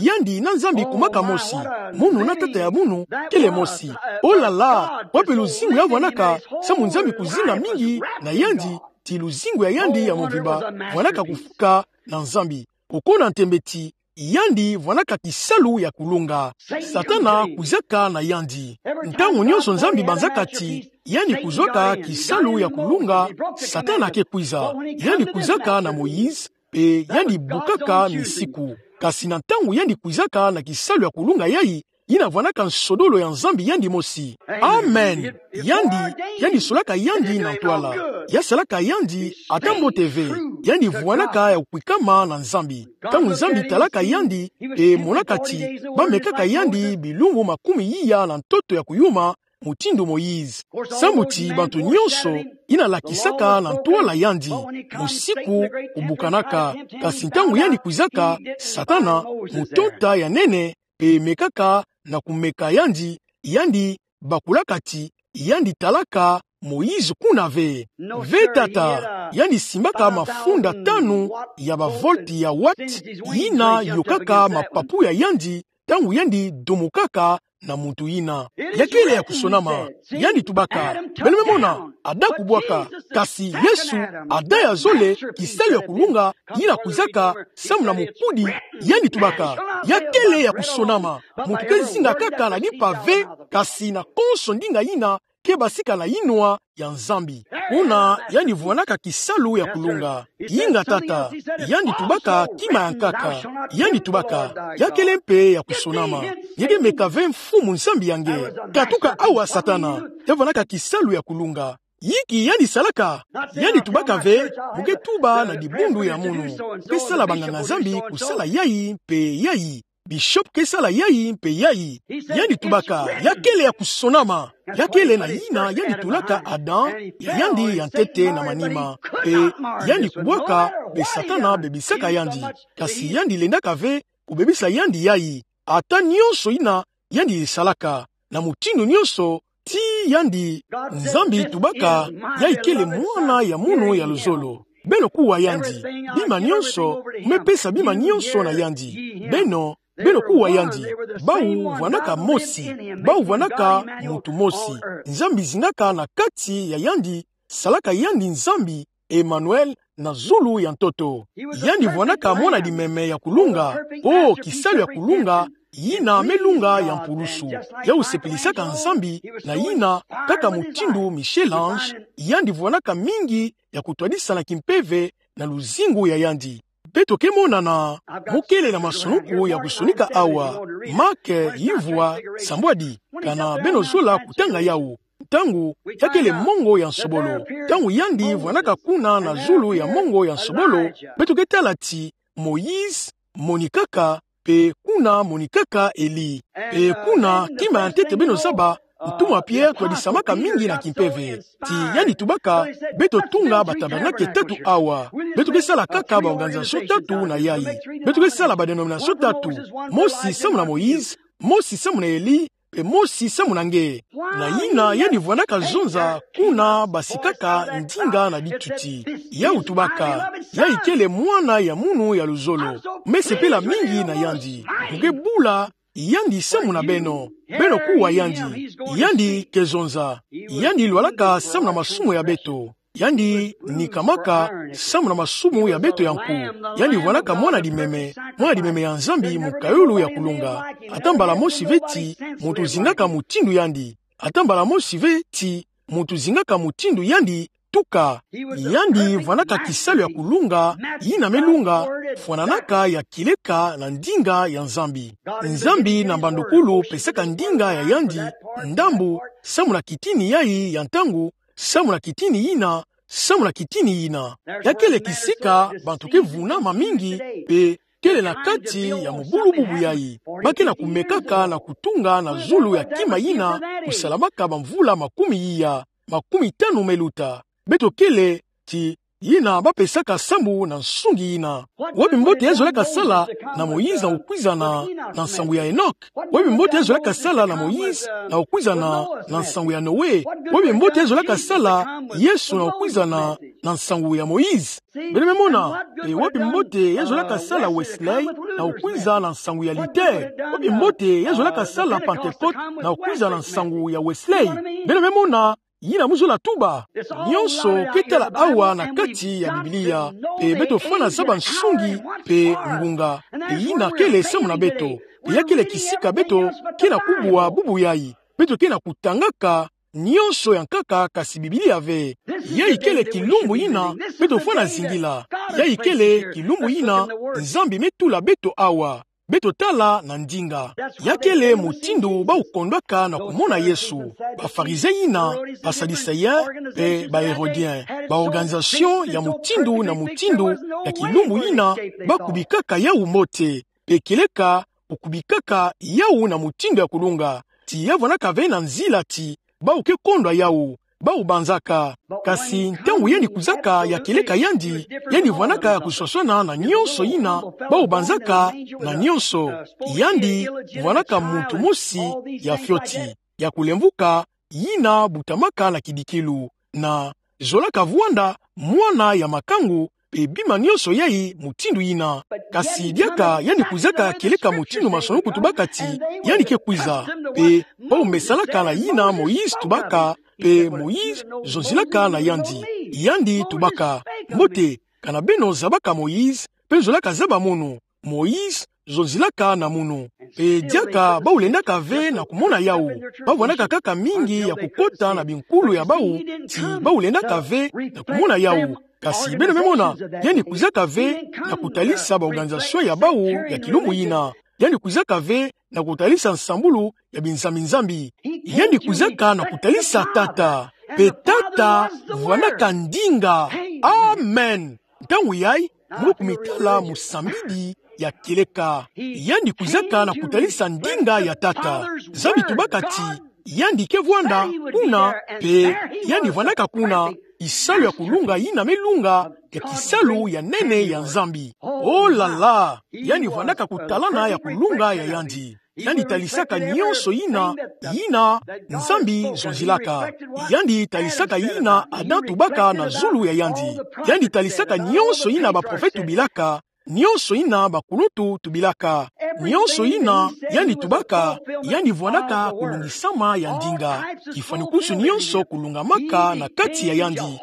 yandi na Nzambi kumaka mosi. Munu na tata ya munu kele mosi. O la la, wapi luzingu ya vwandaka, samu Nzambi kuzinga mingi na yandi, ti luzingu ya yandi ya mvimba vwandaka kufuka na Nzambi. Kukuna ntembe ti yandi vwanaka kisalu ya kulunga. Satana kwizaka na yandi. Ntangu nyonso Nzambi banzaka ti yandi kuzwaka kisalu ya kulunga, Satana ke kwiza. Yandi kwizaka na Moïse, mpe yandi bukaka misiku. Kasi na ntangu yandi kwizaka na kisalu ya kulunga yayi, yina vwanaka nsodolo ya Nzambi yandi mosi. Amen. Yandi, yandi solaka yandi na ntwala. Ya salaka yandi ata mbote ve. Yandi vwanaka ya kukwikama na Nzambi. Ntangu Nzambi talaka yandi, mpe monaka ti bamekaka yandi bilumbu makumi iya na ntoto ya kuyuma, mutindu Moïse. Sambu ti bantu nyonso yina lakisaka na ntwala yandi, musiku kubukanaka. Kasi ntangu yandi kwizaka, Satana, mutonta ya nene, mpe mekaka na kumeka yandi, yandi bakulaka ti yandi talaka Moïse kuna ve. Ve tata, yandi simbaka mafunda tanu ya bavolti ya watt, yina yokaka mapapu ya yandi, ntangu yandi dumukaka na muntu yina. Ya kele ya kusonama. Yandi tubaka: Beno me mona, Adam kubwaka. Kasi Yesu, Adam ya zole, kisalu ya kulunga, yina kwizaka samu na mukudi, yandi tubaka: Ya kele ya kusonama. Muntu ke zinga kaka na limpa ve, kasi na konso ndinga yina ke basika na yinwa ya Nzambi. Kuna yandi vwanaka kisalu ya kulunga. Inga tata, yandi tubaka kima ya nkaka. Yandi tubaka: Ya kele mpe ya kusonama. Nge ke meka ve Mfumu Nzambi ya nge. Katuka awa Satana. Ya vwanaka kisalu ya kulunga. Inki yandi salaka? Yandi tubaka ve: Mu ke tuba na dibundu ya munu. Mu ke sala banganga-Nzambi kusala yayi mpe yayi. Bishop ke sala yayi mpe yayi. Yandi tubaka: Ya kele ya kusonama. Ya kele na yina yandi tulaka Adam, yandi ya ntete na manima. Mpe yandi kubwaka, mpe Satana bebisaka yandi. Kasi yandi lendaka ve kubebisa yandi yayi. Ata nyonso yina yandi salaka, na mutindu nyonso, ti yandi, Nzambi tubaka: Ya ikele mwana ya munu ya luzolo. Beno kuwa yandi. Bima nyonso, mu me pesa bima nyonso na yandi. Beno, beno kuwa yandi. Bawu vwanaka mosi. Bawu vwanaka muntu mosi. Nzambi zingaka na kati ya yandi, salaka yandi Nzambi, Emmanuel, na zulu ya ntoto. Yandi vwanaka mwana-dimeme ya kulunga, o kisalu ya kulunga, yina me lunga ya mpulusu. Ya usepilisaka Nzambi na yina, kaka mutindu Michel-Ange, yandi vwanaka mingi ya kutwadisa na kimpeve na luzingu ya yandi. Beto ke monana, mu kele na masunuku ya kusonika awa. Marc, yuvwa, sambwadi, kana beno zola kutanga yawu. Ntangu, ya kele mongo ya nsobolo. Ntangu yandi vwanaka kuna na zulu ya mongo ya nsobolo, beto ke tala ti Moïse monikaka, mpe kuna monikaka Elie. Mpe kuna, kima ya ntete beno zaba, ntumwa Pierre twadisamaka mingi na kimpeve. Ti yandi tubaka: Beto tunga batabernakle tatu awa. Beto ke sala kaka baorganisation tatu na yayi. Beto ke sala badenomination tatu. Mosi samu na Moïse, mosi samu na Elie, mpe mosi samu na nge. Na yina yandi vwanaka zonza kuna basikaka ndinga na bituti. Yawu tubaka: Ya ikele mwana ya munu ya luzolo. Mu me sepela mingi na yandi. Mu ke bula yandi samu na beno. Beno kuwa yandi. Yandi ke zonza. Yandi lwalaka samu na masumu ya beto. Yandi nikamaka samu na masumu ya beto ya nku. Yandi vwanaka mwana-dimeme, mwana-dimeme ya Nzambi, mukayulu ya kulunga. Ata mbala mosi ve ti muntu zingaka mutindu yandi. Ata mbala mosi ve ti muntu zingaka mutindu yandi, tuka. Yandi vwanaka kisalu ya kulunga, yina me lunga, fwananaka ya kileka na ndinga ya Nzambi. Nzambi na mbandukulu pesaka ndinga ya yandi, ndambu, samu na kitini yayi ya ntangu, samu na kitini yina, samu na kitini yina. Ya kele kisika bantu ke vunama mingi, mpe kele na kati ya mubulububu yayi. Ba ke na kumekaka na kutunga na zulu ya kima yina kusalamaka bamvula makumi iya, makumi tanu me luta. Beto kele ti yina ba pesaka sambu na nsungi yina. Wapi mbote ya zolaka sala na Moïse na kukwiza na, na nsangu ya Enoch? Wapi mbote ya zolaka sala na Moïse na kukwiza na, na nsangu ya Noé? Wapi mbote ya zolaka sala Yesu na kukwiza na, na nsangu ya Moïse? Beno me mona, e wapi mbote ya zolaka sala Wesley na kukwiza na nsangu ya Luther? Wapi mbote ya zolaka sala Pentecôte na kukwiza na nsangu ya Wesley? Beno me mona, yina mu zola tuba. Nyonso ke tala awa na kati ya Biblia, pe beto fwana zaba nsungi pe ngunga. Pe yina kele samu na beto. Pe ya kele kisika beto ke na kubwa bubu yayi. Beto ke na kutangaka nyonso ya nkaka, kasi Biblia ve. Yayi kele kilumbu yina beto fwana zingila. Yayi kele kilumbu yina Nzambi me tula beto awa. Beto tala na ndinga. Ya kele mutindu bau kondwaka na kumona Yesu. Ba Farizien yina, ba Sadducéen, pe ba Hérodien. Ba organisation ya mutindu na mutindu ya kilumbu yina, ba kubikaka yawu mbote. Pe kieleka kukubikaka yawu na mutindu ya kulunga. Ti ya vwanaka ve na nzila ti bau ke kondwa yawu, bau banzaka. Kasi ntangu yandi kwizaka, ya kieleka yandi, yandi vwanaka ya kuswaswana na nyonso yina bau banzaka na nyonso. Yandi vwanaka muntu mosi ya fioti, ya kulemvuka, yina butamaka na kidikilu, na zolaka vwanda mwana ya makangu, pe bima nyonso yayi mutindu yina. Kasi diaka yandi kwizaka kieleka mutindu masoni kutubaka ti yandi ke kwiza, pe bau mesanaka na yina Moïse tubaka, pe Moïse zonzilaka na yandi. Yandi tubaka: Mbote, kana beno zabaka Moïse, pe nzolaka zaba munu. Moïse zonzilaka na munu. Pe diaka bau lendaka ve na kumona yawu. Ba vwanaka kaka mingi ya kukota na binkulu ya bau, ti bau lendaka ve na kumona yawu. Kasi beno me mona, yandi kwizaka ve na kutalisa ba organisation ya bau ya kilumbu yina. Yandi kwizaka ve na kutalisa nsambulu ya binzambi-nzambi. Yandi kwizaka na kutalisa Tata. Pe Tata vwanaka ndinga. Amen. Ntangu yayi, mu kumitala musambidi ya kieleka. Yandi kwizaka na kutalisa ndinga ya Tata. Nzambi tubaka ti yandi ke vwanda kuna, pe yandi vwanaka kuna, kisalu ya kulunga yina me lunga, ya kisalu ya nene ya Nzambi. Oh là là! Yandi vwanaka kutalana ya kulunga ya yandi. Yandi talisaka nyonso yina, yina Nzambi zonzilaka. Yandi talisaka yina Adam tubaka na zulu ya yandi. Yandi talisaka nyonso yina baprofete tubilaka, nyonso yina bakuluntu tubilaka. Nyonso yina yandi tubaka, yandi vwanaka kulungisama ya ndinga. Kifwanukusu nyonso kulungamaka na kati ya yandi.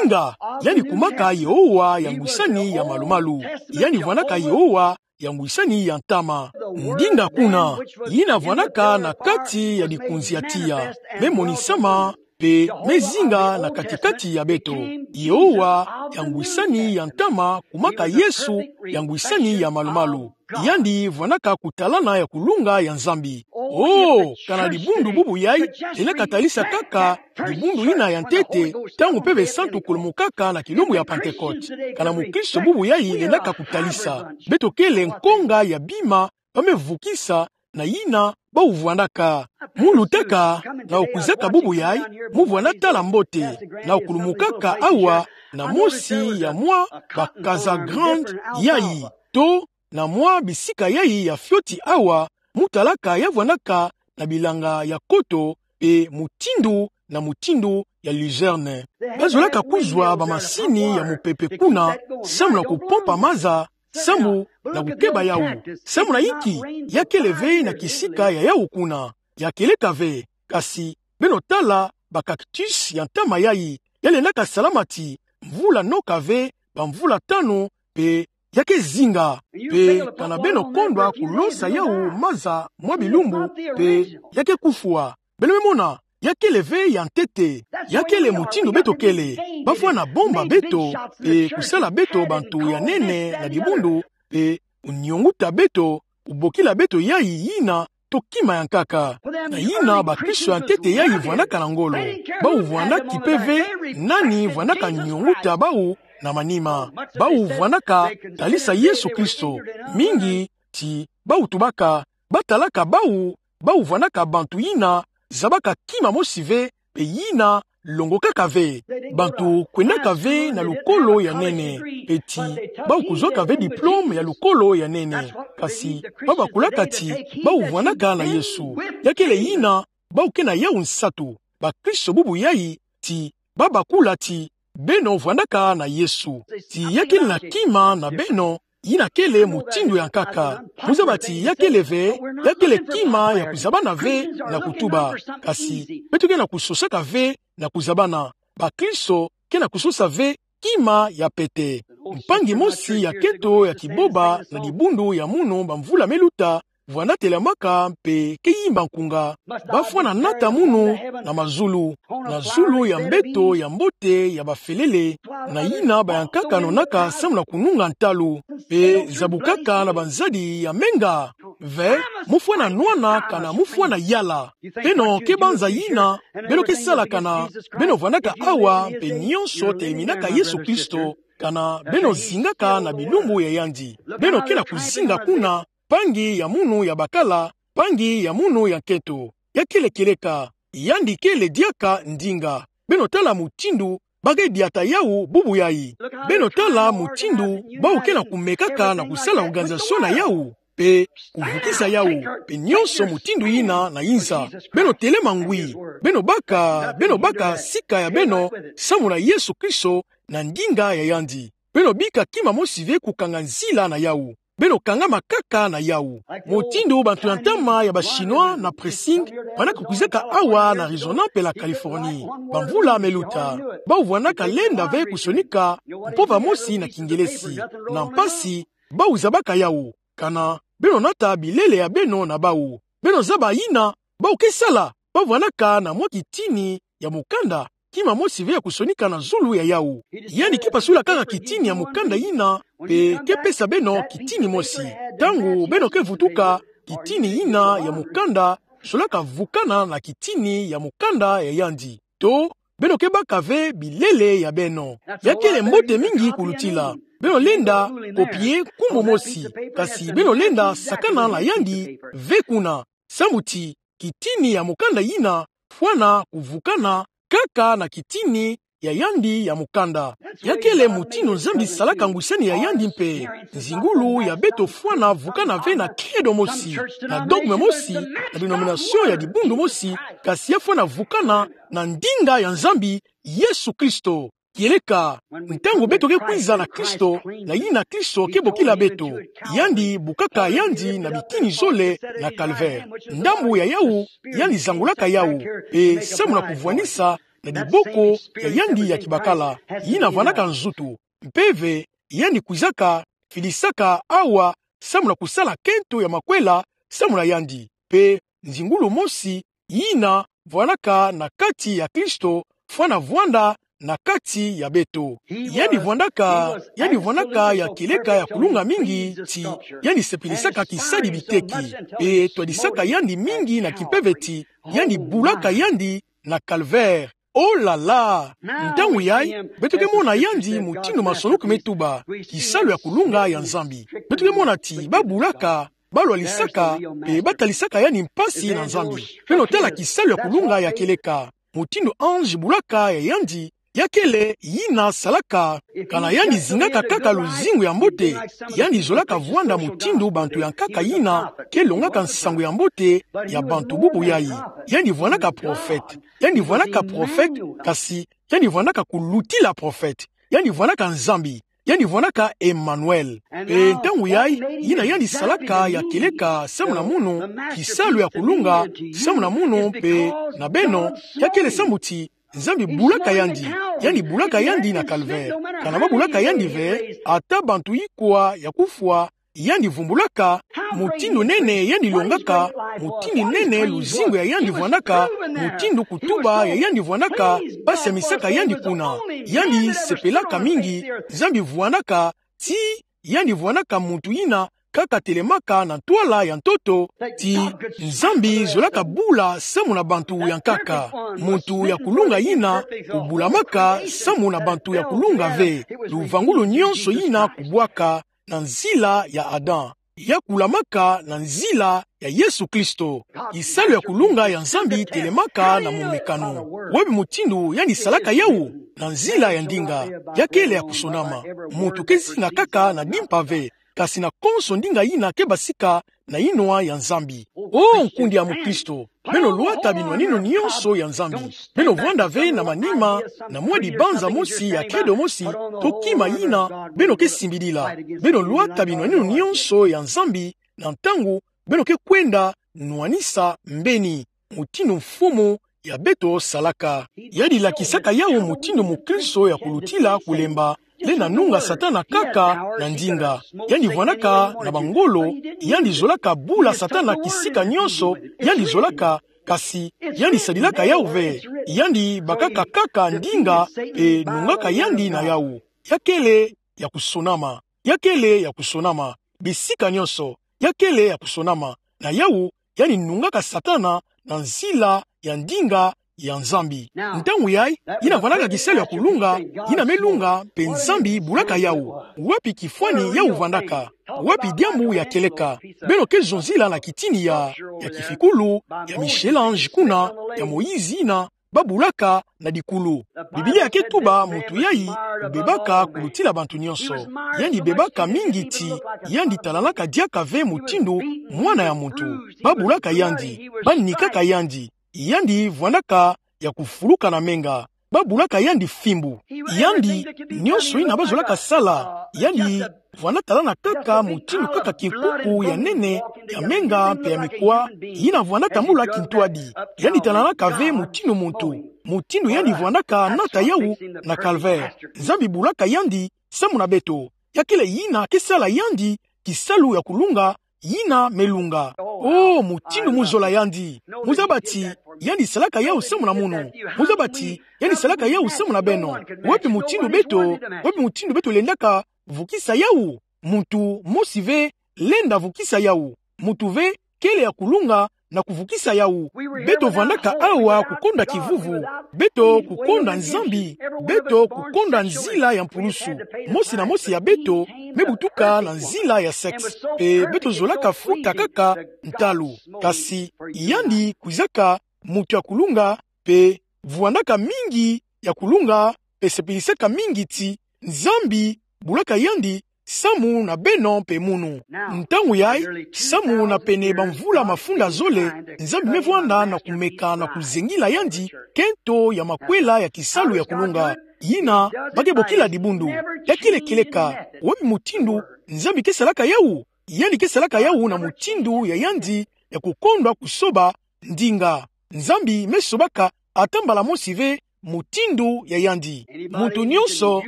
Inga, yandi kumaka Yehowa ya ngwisani ya malu-malu. Yandi vwanaka Yehowa ya ngwisani ya ntama. Ndinga kuna, yina vwanaka na kati ya likunzi ya tiya, me monisama, pe me zinga na kati-kati ya beto. Yehowa ya ngwisani ya ntama kumaka Yesu ya ngwisani ya malu-malu. Yandi vwanaka kutalana ya kulunga ya Nzambi. Oh, kana dibundu bubu yayi lenda katalisa kaka dibundu yina ya ntete, ntangu Mpeve Santu kulumukaka na kilumbu ya Pentekote. Kana mukristo bubu yayi lenda kakutalisa. Beto kele nkonga ya bima ba me vukisa na yina bau vwanaka. Mu lutaka na kukwizaka bubu yayi, mu vwana tala mbote, na kukulumukaka awa na mosi ya mwa bakaza grande yayi, to na mwa bisika yayi ya fioti awa, mu talaka ya vwanaka na bilanga ya koto, pe mutindu na mutindu ya luzerne. Ba zolaka kuzwa bamasini ya mupepe kuna, samu na kupompa maza, samu na kukeba yawu. Samu na inki? Ya kele ve na kisika ya yawu kuna. Ya kieleka ve, kasi beno tala bacactus ya ntama yayi, ya lendaka salama ti mvula noka ve, bamvula tanu, pe ya ke zinga. Pe kana beno kondwa kulosa yawu maza mwa bilumbu, pe ya ke kufwa. Beno me mona, ya kele ve ya ntete. Ya kele mutindu beto kele. Ba fwana bomba beto, pe kusala beto bantu ya nene na dibundu, pe kunionguta beto, kubokila beto yayi yina to kima ya nkaka. Na yina bakristo ya ntete yayi vwanaka na ngolo. Bau vwana kipe ve nani vwanaka nionguta bau na manima. Bau vwanaka talisa Yesu Kristo. Mingi ti bau tubaka, ba talaka bau, bau vwanaka bantu yina zabaka kima mosi ve, pe yina longokaka ve. Bantu kwendaka ve na lukolo ya nene, pe ti bau kuzwaka ve diplome ya lukolo ya nene. Kasi ba bakulaka ti bau vwanaka na Yesu. Ya kele yina bau ke na yawu nsatu. Bakristo bubu yayi ti ba bakula ti beno vwanaka na Yesu. Ti ya kele na kima na beno yina kele mutindu ya nkaka. Muzaba ti ya kele ve, ya kele kima ya kuzabana ve na kutuba. Kasi beto ke na kusosaka ve na kuzabana. Bakristo ke na kusosa ve kima ya pete. Mpangi mosi ya kento ya kiboba na dibundu ya munu bamvula meluta, vwanda telamaka mpe ke yimba nkunga. Bafwana nata munu na mazulu, na zulu ya mbeto ya mbote ya bafelele, na yina bayankaka nonaka samu na kununga ntalu, mpe zabukaka na banzadi ya menga. Ve, mufwana nwana kana mufwana yala. Beno ke banza yina, beno ke sala kana, beno vwandaka awa, mpe nyonso teleminaka Yesu Kristo, kana beno zingaka na bilumbu ya yandi. Beno ke na kuzinga kuna, mpangi ya munu ya bakala, mpangi ya munu ya nkento. Ya kele kieleka, yandi kele diaka ndinga. Beno tala mutindu ba ke diata yawu bubu yayi. Beno tala mutindu bawu ke na kumekaka na kusala organisation na yawu, mpe kuvukisa yawu, mpe nyonso mutindu yina na inza. Beno telema ngwi, beno baka, beno baka sika ya beno samu na Yesu Kristo na ndinga ya yandi. Beno bika kima mosi ve kukanga nzila na yawu. Beno kangama kaka na yawu. Mutindu bantu ya ntama ya ba Chinois na pressing, bana kukwizaka awa na Arizona mpe la Californie. Bamvula meluta, bawu vwandaka lenda ve kusonika mpova mosi na Kingelesi. Na mpasi, bawu zabaka yawu. Kana beno nata bilele ya beno na bawu. Beno zaba yina bawu ke sala, bawu vwandaka na mwa kitini ya mukanda, kima mosi ve ya kusonika na zulu ya yawu. Yandi ke pasulakaka kitini ya mukanda yina, mpe ke pesa beno kitini mosi. Ntangu beno ke vutuka, kitini yina ya mukanda solaka vukana na kitini ya mukanda ya yandi. To, beno ke baka ve bilele ya beno. Ya kele mbote mingi kulutila. Beno lenda copier nkumbu mosi, kasi beno lenda sakana na yandi ve kuna. Samu ti kitini ya mukanda yina fwana kuvukana kaka na kitini ya yandi ya mukanda. Ya kele mutindu Nzambi salaka ngwisani ya yandi mpe. Nzingulu ya beto fwana vukana ve na credo mosi, na dogme mosi, na denomination ya dibundu mosi, kasi ya fwana vukana na ndinga ya Nzambi, Yesu Kristo. Kieleka, ntangu beto ke kwiza na Kristo, na yina Kristo ke bokila beto, yandi bukaka yandi na bitini zole na Calvaire. Ndambu ya yawu, yandi zangulaka yawu, mpe samu na kuvwanisa na diboko ya yandi ya kibakala, yina vwandaka nzutu. Mpe ve, yandi kwizaka, fidisaka awa, samu na kusala kento ya makwela samu na yandi. Mpe nzingulu mosi, yina vwandaka na kati ya Kristo, fwana vwanda na kati ya beto. Yandi vwandaka, yandi vwandaka ya kieleka ya kulunga mingi ti yandi sepilisaka kisadi biteki. Mpe twadisaka yandi mingi na kimpeve ti yandi bulaka yandi na Calvaire. Oh là là! Ntangu yayi, beto ke mona yandi mutindu masoloku me tuba, kisalu ya kulunga ya Nzambi. Beto ke mona ti ba bulaka, ba lwalisaka, mpe ba talisaka yandi mpasi na Nzambi. Beno tala kisalu ya kulunga ya kieleka. Mutindu ange bulaka ya yandi, ya kele yina salaka, kana yandi zingaka kaka luzingu ya mbote, yandi zolaka vwanda mutindu bantu ya nkaka yina ke longaka nsangu ya mbote ya bantu bubu yayi. Yandi vwandaka prophète. Yandi vwandaka prophète, kasi yandi vwandaka kulutila prophète. Yandi vwandaka Nzambi. Yandi vwandaka Emmanuel. Mpe ntangu yayi, yina yandi salaka ya kieleka samu na munu, kisalu ya kulunga samu na munu mpe na beno, ya kele samu ti Nzambi bulaka yandi, yandi bulaka yandi na Calvaire. Kana ba bulaka yandi ve, ata bantu ikwa ya kufwa, yandi vumbulaka, mutindu nene yandi longaka, mutindu nene luzingu ya yandi vwandaka, mutindu kutuba ya yandi vwandaka, ba semisaka yandi kuna. Yandi sepelaka mingi, Nzambi vwandaka, ti yandi vwandaka muntu yina kaka telemaka na ntwala ya ntoto, ti Nzambi zolaka bula samu na bantu ya nkaka. Muntu ya kulunga yina kubulamaka samu na bantu ya kulunga ve. Luvangulu nyonso yina kubwaka na nzila ya Adam, ya kulamaka na nzila ya Yesu Kristo. Kisalu ya kulunga ya Nzambi telemaka na momekano. Wapi mutindu yandi salaka yawu? Na nzila ya ndinga. Ya kele ya kusonama. Muntu ke zinga kaka na dimpa ve, kasi na konso ndinga yina ke basika na inwa ya Nzambi. O nkundi ya mukristo, beno lwata binwaninu nionso ya Nzambi. Beno vwanda ve na manima na mwa dibanza mosi ya kedo mosi, to kima yina beno ke simbidila. Beno lwata binwaninu nionso ya Nzambi na ntangu beno ke kwenda nwanisa mbeni, mutindu mfumu ya beto salaka. Yandi lakisaka yawu mutindu mukristo ya kulutila kulemba, lenda nunga Satana kaka na ndinga. Yandi vwandaka na bangolo, yandi zolaka bula Satana kisika nionso yandi zolaka, kasi yandi sadilaka yawu ve. Yandi bakaka kaka ndinga, mpe nungaka yandi na yawu. Ya kele ya kusonama. Ya kele ya kusonama. Bisika nionso, ya kele ya kusonama. Na yawu, yandi nungaka Satana na nzila ya ndinga ya Nzambi. Ntangu yayi, yina vwandaka kisalu ya kulunga, yina me lunga, mpe Nzambi bulaka yawu. Wapi kifwani yawu vwandaka? Wapi diambu ya kieleka? Beno ke zonzila na kitini ya, ya kifikulu, ya Michel-Ange kuna, ya Moïse yina babulaka na dikulu. Biblia ke tuba muntu yayi bebaka kulutila bantu nionso. Yandi bebaka mingi ti yandi talanaka diaka ve mutindu mwana ya muntu. Babulaka yandi, banikaka yandi. Yandi vwandaka ya kufuluka na menga. Babulaka yandi fimbu. Yandi, nionso yina bazolaka sala, yandi vwanda talana kaka mutindu kaka kikuku ya nene, ya menga mpe ya mikwa, yina vwanda tambula kintwadi. Yandi talanaka ve mutindu muntu, mutindu yandi vwandaka nata yawu na calvaire. Nzambi bulaka yandi samu na beto. Ya kele yina ke sala yandi kisalu ya kulunga, yina me lunga. O, mutindu mu zola yandi. Mu zaba ti yandi salaka yawu samu na munu. Mu zaba ti yandi salaka yawu samu na beno. Wapi mutindu beto, wapi mutindu beto lendaka vukisa yawu? Muntu mosi ve lenda vukisa yawu. Muntu ve kele ya kulunga na kuvukisa yawu. Beto vwandaka awa kukonda kivuvu. Beto kukonda Nzambi. Beto kukonda nzila ya mpulusu. Mosi na mosi ya beto me butuka na nzila ya sexe. Mpe beto zolaka futa kaka ntalu. Kasi yandi kwizaka muntu ya kulunga, mpe vwandaka mingi ya kulunga, mpe sepilisaka mingi ti Nzambi bulaka yandi samu na beno mpe munu. Ntangu yayi, samu na pene bamvula mafunda zole, Nzambi me vwanda na kumeka na kuzengila yandi kento ya makwela ya kisalu ya kulunga, yina ba ke bokila dibundu. Ya kele kieleka. Wapi mutindu Nzambi ke salaka yawu? Yandi ke salaka yawu na mutindu ya yandi ya kukondwa kusoba ndinga. Nzambi me sobaka ata mbala mosi ve mutindu ya yandi. Muntu nionso,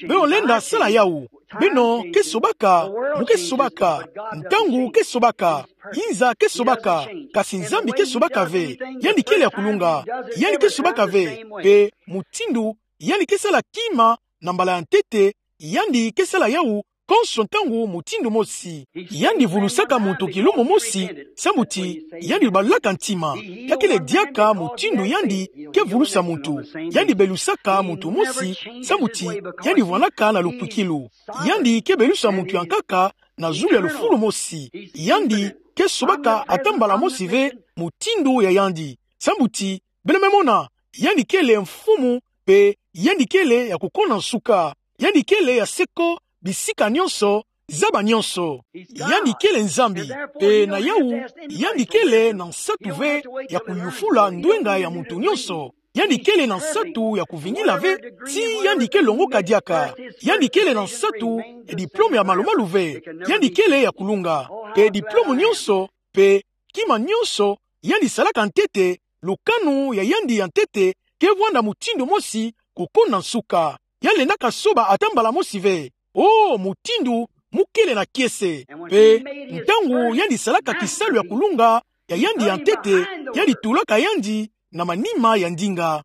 beno lenda sala yawu. Beno ke sobaka, mu ke sobaka. Ntangu ke sobaka. Inza ke sobaka. Kasi Nzambi ke sobaka ve. Yandi kele ya kulunga. Yandi ke sobaka ve. Mpe mutindu yandi ke sala kima na mbala ya ntete, yandi ke sala yawu konso ntangu mutindu mosi. Yandi vulusaka muntu kilumbu mosi, samu ti yandi balaka ntima. Ya kele diaka mutindu yandi ke vulusa muntu. Yandi belusaka muntu mosi, samu ti yandi vwandaka na lukwikilu. Yandi ke belusa muntu ya nkaka na zulu ya lufulu mosi. Yandi ke sobaka ata mbala mosi ve mutindu ya yandi. Samu ti, beno me mona, yandi kele mfumu, mpe yandi kele ya kukona nsuka. Yandi kele ya seko, bisika nionso, zaba nionso. Yandi kele Nzambi, mpe na yawu, yandi kele na nsatu ve ya kuyufula ndwenga ya muntu nionso. Yandi kele na nsatu ya kuvingila ve ti yandi ke longoka diaka. Yandi kele na nsatu ya diplome ya malumalu ve. Yandi kele ya kulunga. Mpe diplome nionso, mpe kima nionso yandi salaka ntete, lukanu ya yandi ya ntete ke vwanda mutindu mosi kukona nsuka. Ya lendaka soba ata mbala mosi ve. O, mutindu mu kele na kiese. Mpe ntangu yandi salaka kisalu ya kulunga ya yandi ya ntete, yandi tulaka yandi na manima ya ndinga.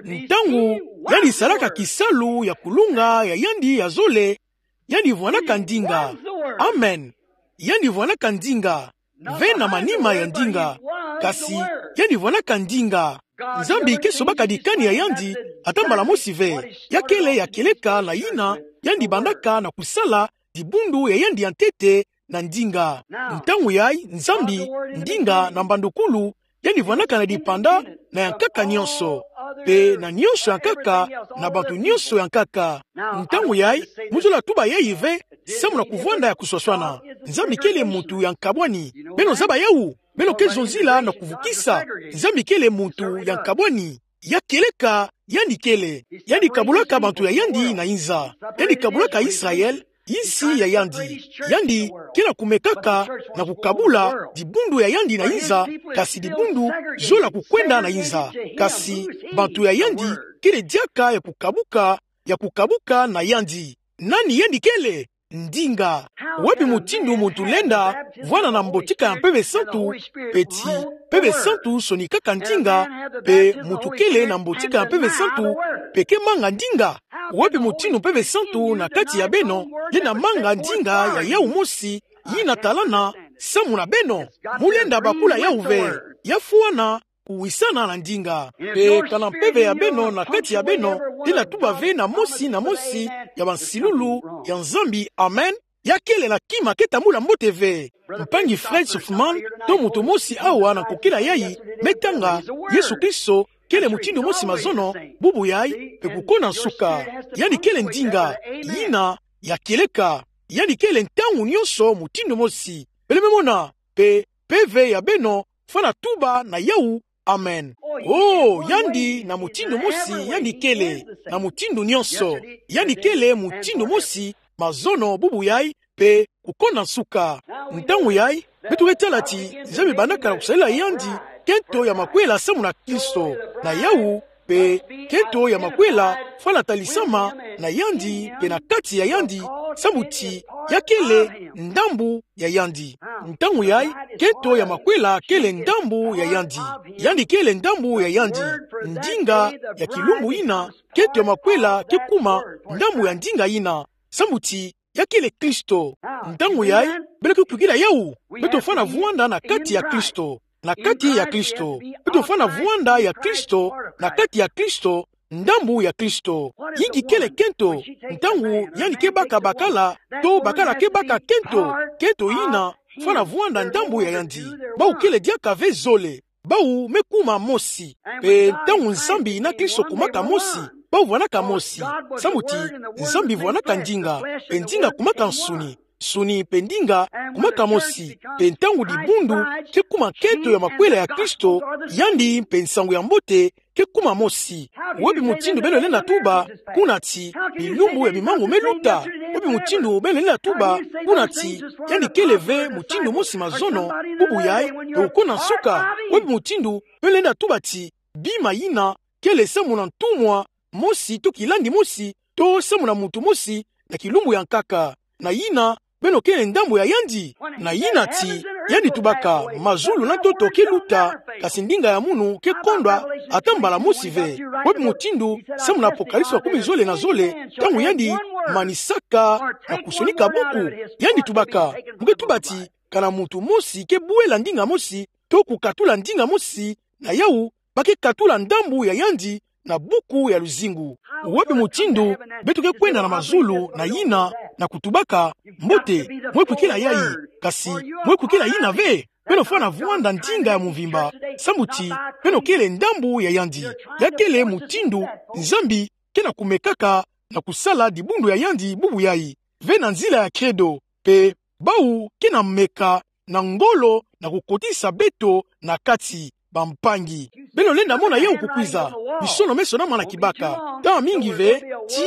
Ntangu yandi salaka kisalu ya kulunga ya yandi ya zole, yandi vwandaka ndinga. Amen. Yandi vwandaka ndinga ve na manima ya ndinga. Kasi yandi vwandaka ndinga. Nzambi ke sobaka dikani ya yandi ata mbala mosi ve. Ya kele ya kieleka na yina yandi bandaka na kusala dibundu ya yandi ya ntete na ndinga. Ntangu yayi, Nzambi, ndinga na mbandukulu, yandi vwandaka na dipanda na ya nkaka nionso, mpe na nionso ya nkaka, na bantu nionso ya nkaka. Ntangu yayi, mu zola tuba yeyi ve, samu na kuvwanda ya kuswaswana. Nzambi kele muntu ya nkabwani. Beno zaba yawu? Beno ke zonzila na kuvukisa. Nzambi kele muntu ya nkabwani. Ya kieleka, yandi kele. Yandi kabulaka bantu ya yandi na inza. Yandi kabulaka Israël, insi ya yandi. Yandi ke na kumekaka na kukabula dibundu ya yandi na inza, kasi dibundu zola kukwenda na inza. Kasi bantu ya yandi kele diaka ya kukabuka, ya kukabuka na yandi. Nani yandi kele? Ndinga. Wapi mutindu muntu lenda vwanda na mbotika ya Mpeve Santu, pe ti Mpeve Santu sonikaka ndinga, pe muntu kele na mbotika ya Mpeve Santu, pe ke manga ndinga? Wapi mutindu Mpeve Santu na kati ya beno lenda manga ndinga ya yawu mosi yina talana samu na beno? Mu lenda bakula yawu ve. Ya fwana kuwisana na ndinga. Pe kana mpeve ya beno na kati ya beno lenda tuba ve na mosi na mosi ya bansilulu ya Nzambi, amen, ya kele na kima ke tambula mbote ve. Mpangi Fred Southerman, to muntu mosi awa na nkokila yayi, me tanga: Yesu Kristo kele mutindu mosi mazono, bubu yayi, pe kukona nsuka. Yandi kele ndinga yina ya kieleka. Yandi kele ntangu nyonso mutindu mosi. Beno me mona? Pe mpeve ya beno fwana tuba na yawu, amen. Oh, yandi na mutindu mosi yandi kele, na mutindu nyonso. Yandi kele mutindu mosi mazono, bubu yayi, pe kukona nsuka. Ntangu yayi, beto ke tala ti Nzambi bandaka na kusalela yandi kento ya makwela samu na Kristo. Na yawu, pe kento ya makwela fwana talisama na yandi pe na kati ya yandi, samu ti ya kele ndambu ya yandi. Ntangu yayi, kento ya makwela kele ndambu ya yandi. Yandi kele ndambu ya yandi. Ndinga ya kilumbu yina, kento ya makwela ke kuma ndambu ya ndinga yina, samu ti ya kele Kristo. Ntangu yayi, beno ke kwikila yawu? Beto fwana vwanda na kati ya Kristo. Na kati ya Kristo. Beto fwana vwanda ya Kristo, na kati ya Kristo, ndambu ya Kristo. Inki kele kento? Ntangu yandi ke baka bakala, to bakala ke baka kento, kento yina fwana vwanda ndambu ya yandi. Bawu kele diaka ve zole. Bawu me kuma mosi. Pe ntangu Nzambi na Kristo kumaka mosi, bawu vwanaka mosi. Samu ti Nzambi vwanaka ndinga, pe ndinga kumaka nsuni. Nsuni pe ndinga kumaka mosi. Pe ntangu dibundu ke kuma kento ya makwela ya Kristo, yandi pe nsangu ya mbote ke kuma mosi. Wapi mutindu beno lenda tuba kuna ti bilumbu ya bimangu me luta? Wapi mutindu beno lenda tuba kuna ti yandi kele ve mutindu mosi mazono, bubu yayi, pe kukona nsuka? Wapi mutindu beno lenda tuba ti bima yina kele samu na ntumwa mosi to kilandi mosi, to samu na muntu mosi na kilumbu ya nkaka? Na yina, beno kele ndambu ya yandi. Na yina ti yandi tubaka: mazulu na ntoto ke luta, kasi ndinga ya munu ke kondwa ata mbala mosi ve. Wapi mutindu samu na Apocalypse makumi zole na zole, ntangu yandi manisaka na kusonika buku, yandi tubaka: Mu ke tuba ti kana muntu mosi ke bwela ndinga mosi, to kukatula ndinga mosi, na yawu ba ke katula ndambu ya yandi na buku ya luzingu. Wapi mutindu beto ke kwenda na mazulu na yina na kutubaka: Mbote, mwe kwikila yayi, kasi mwe kwikila yina ve? Beno fwana vwanda ndinga ya mvimba, samu ti beno kele ndambu ya yandi. Ya kele mutindu Nzambi ke na kumekaka na kusala dibundu ya yandi, bubu yayi, ve na nzila ya credo. Pe bawu ke na meka na ngolo na kukotisa beto na kati, bampangi. Beno lenda mona yawu kukwiza. Bisono meso na mana kibaka. Ntangu mingi ve, ti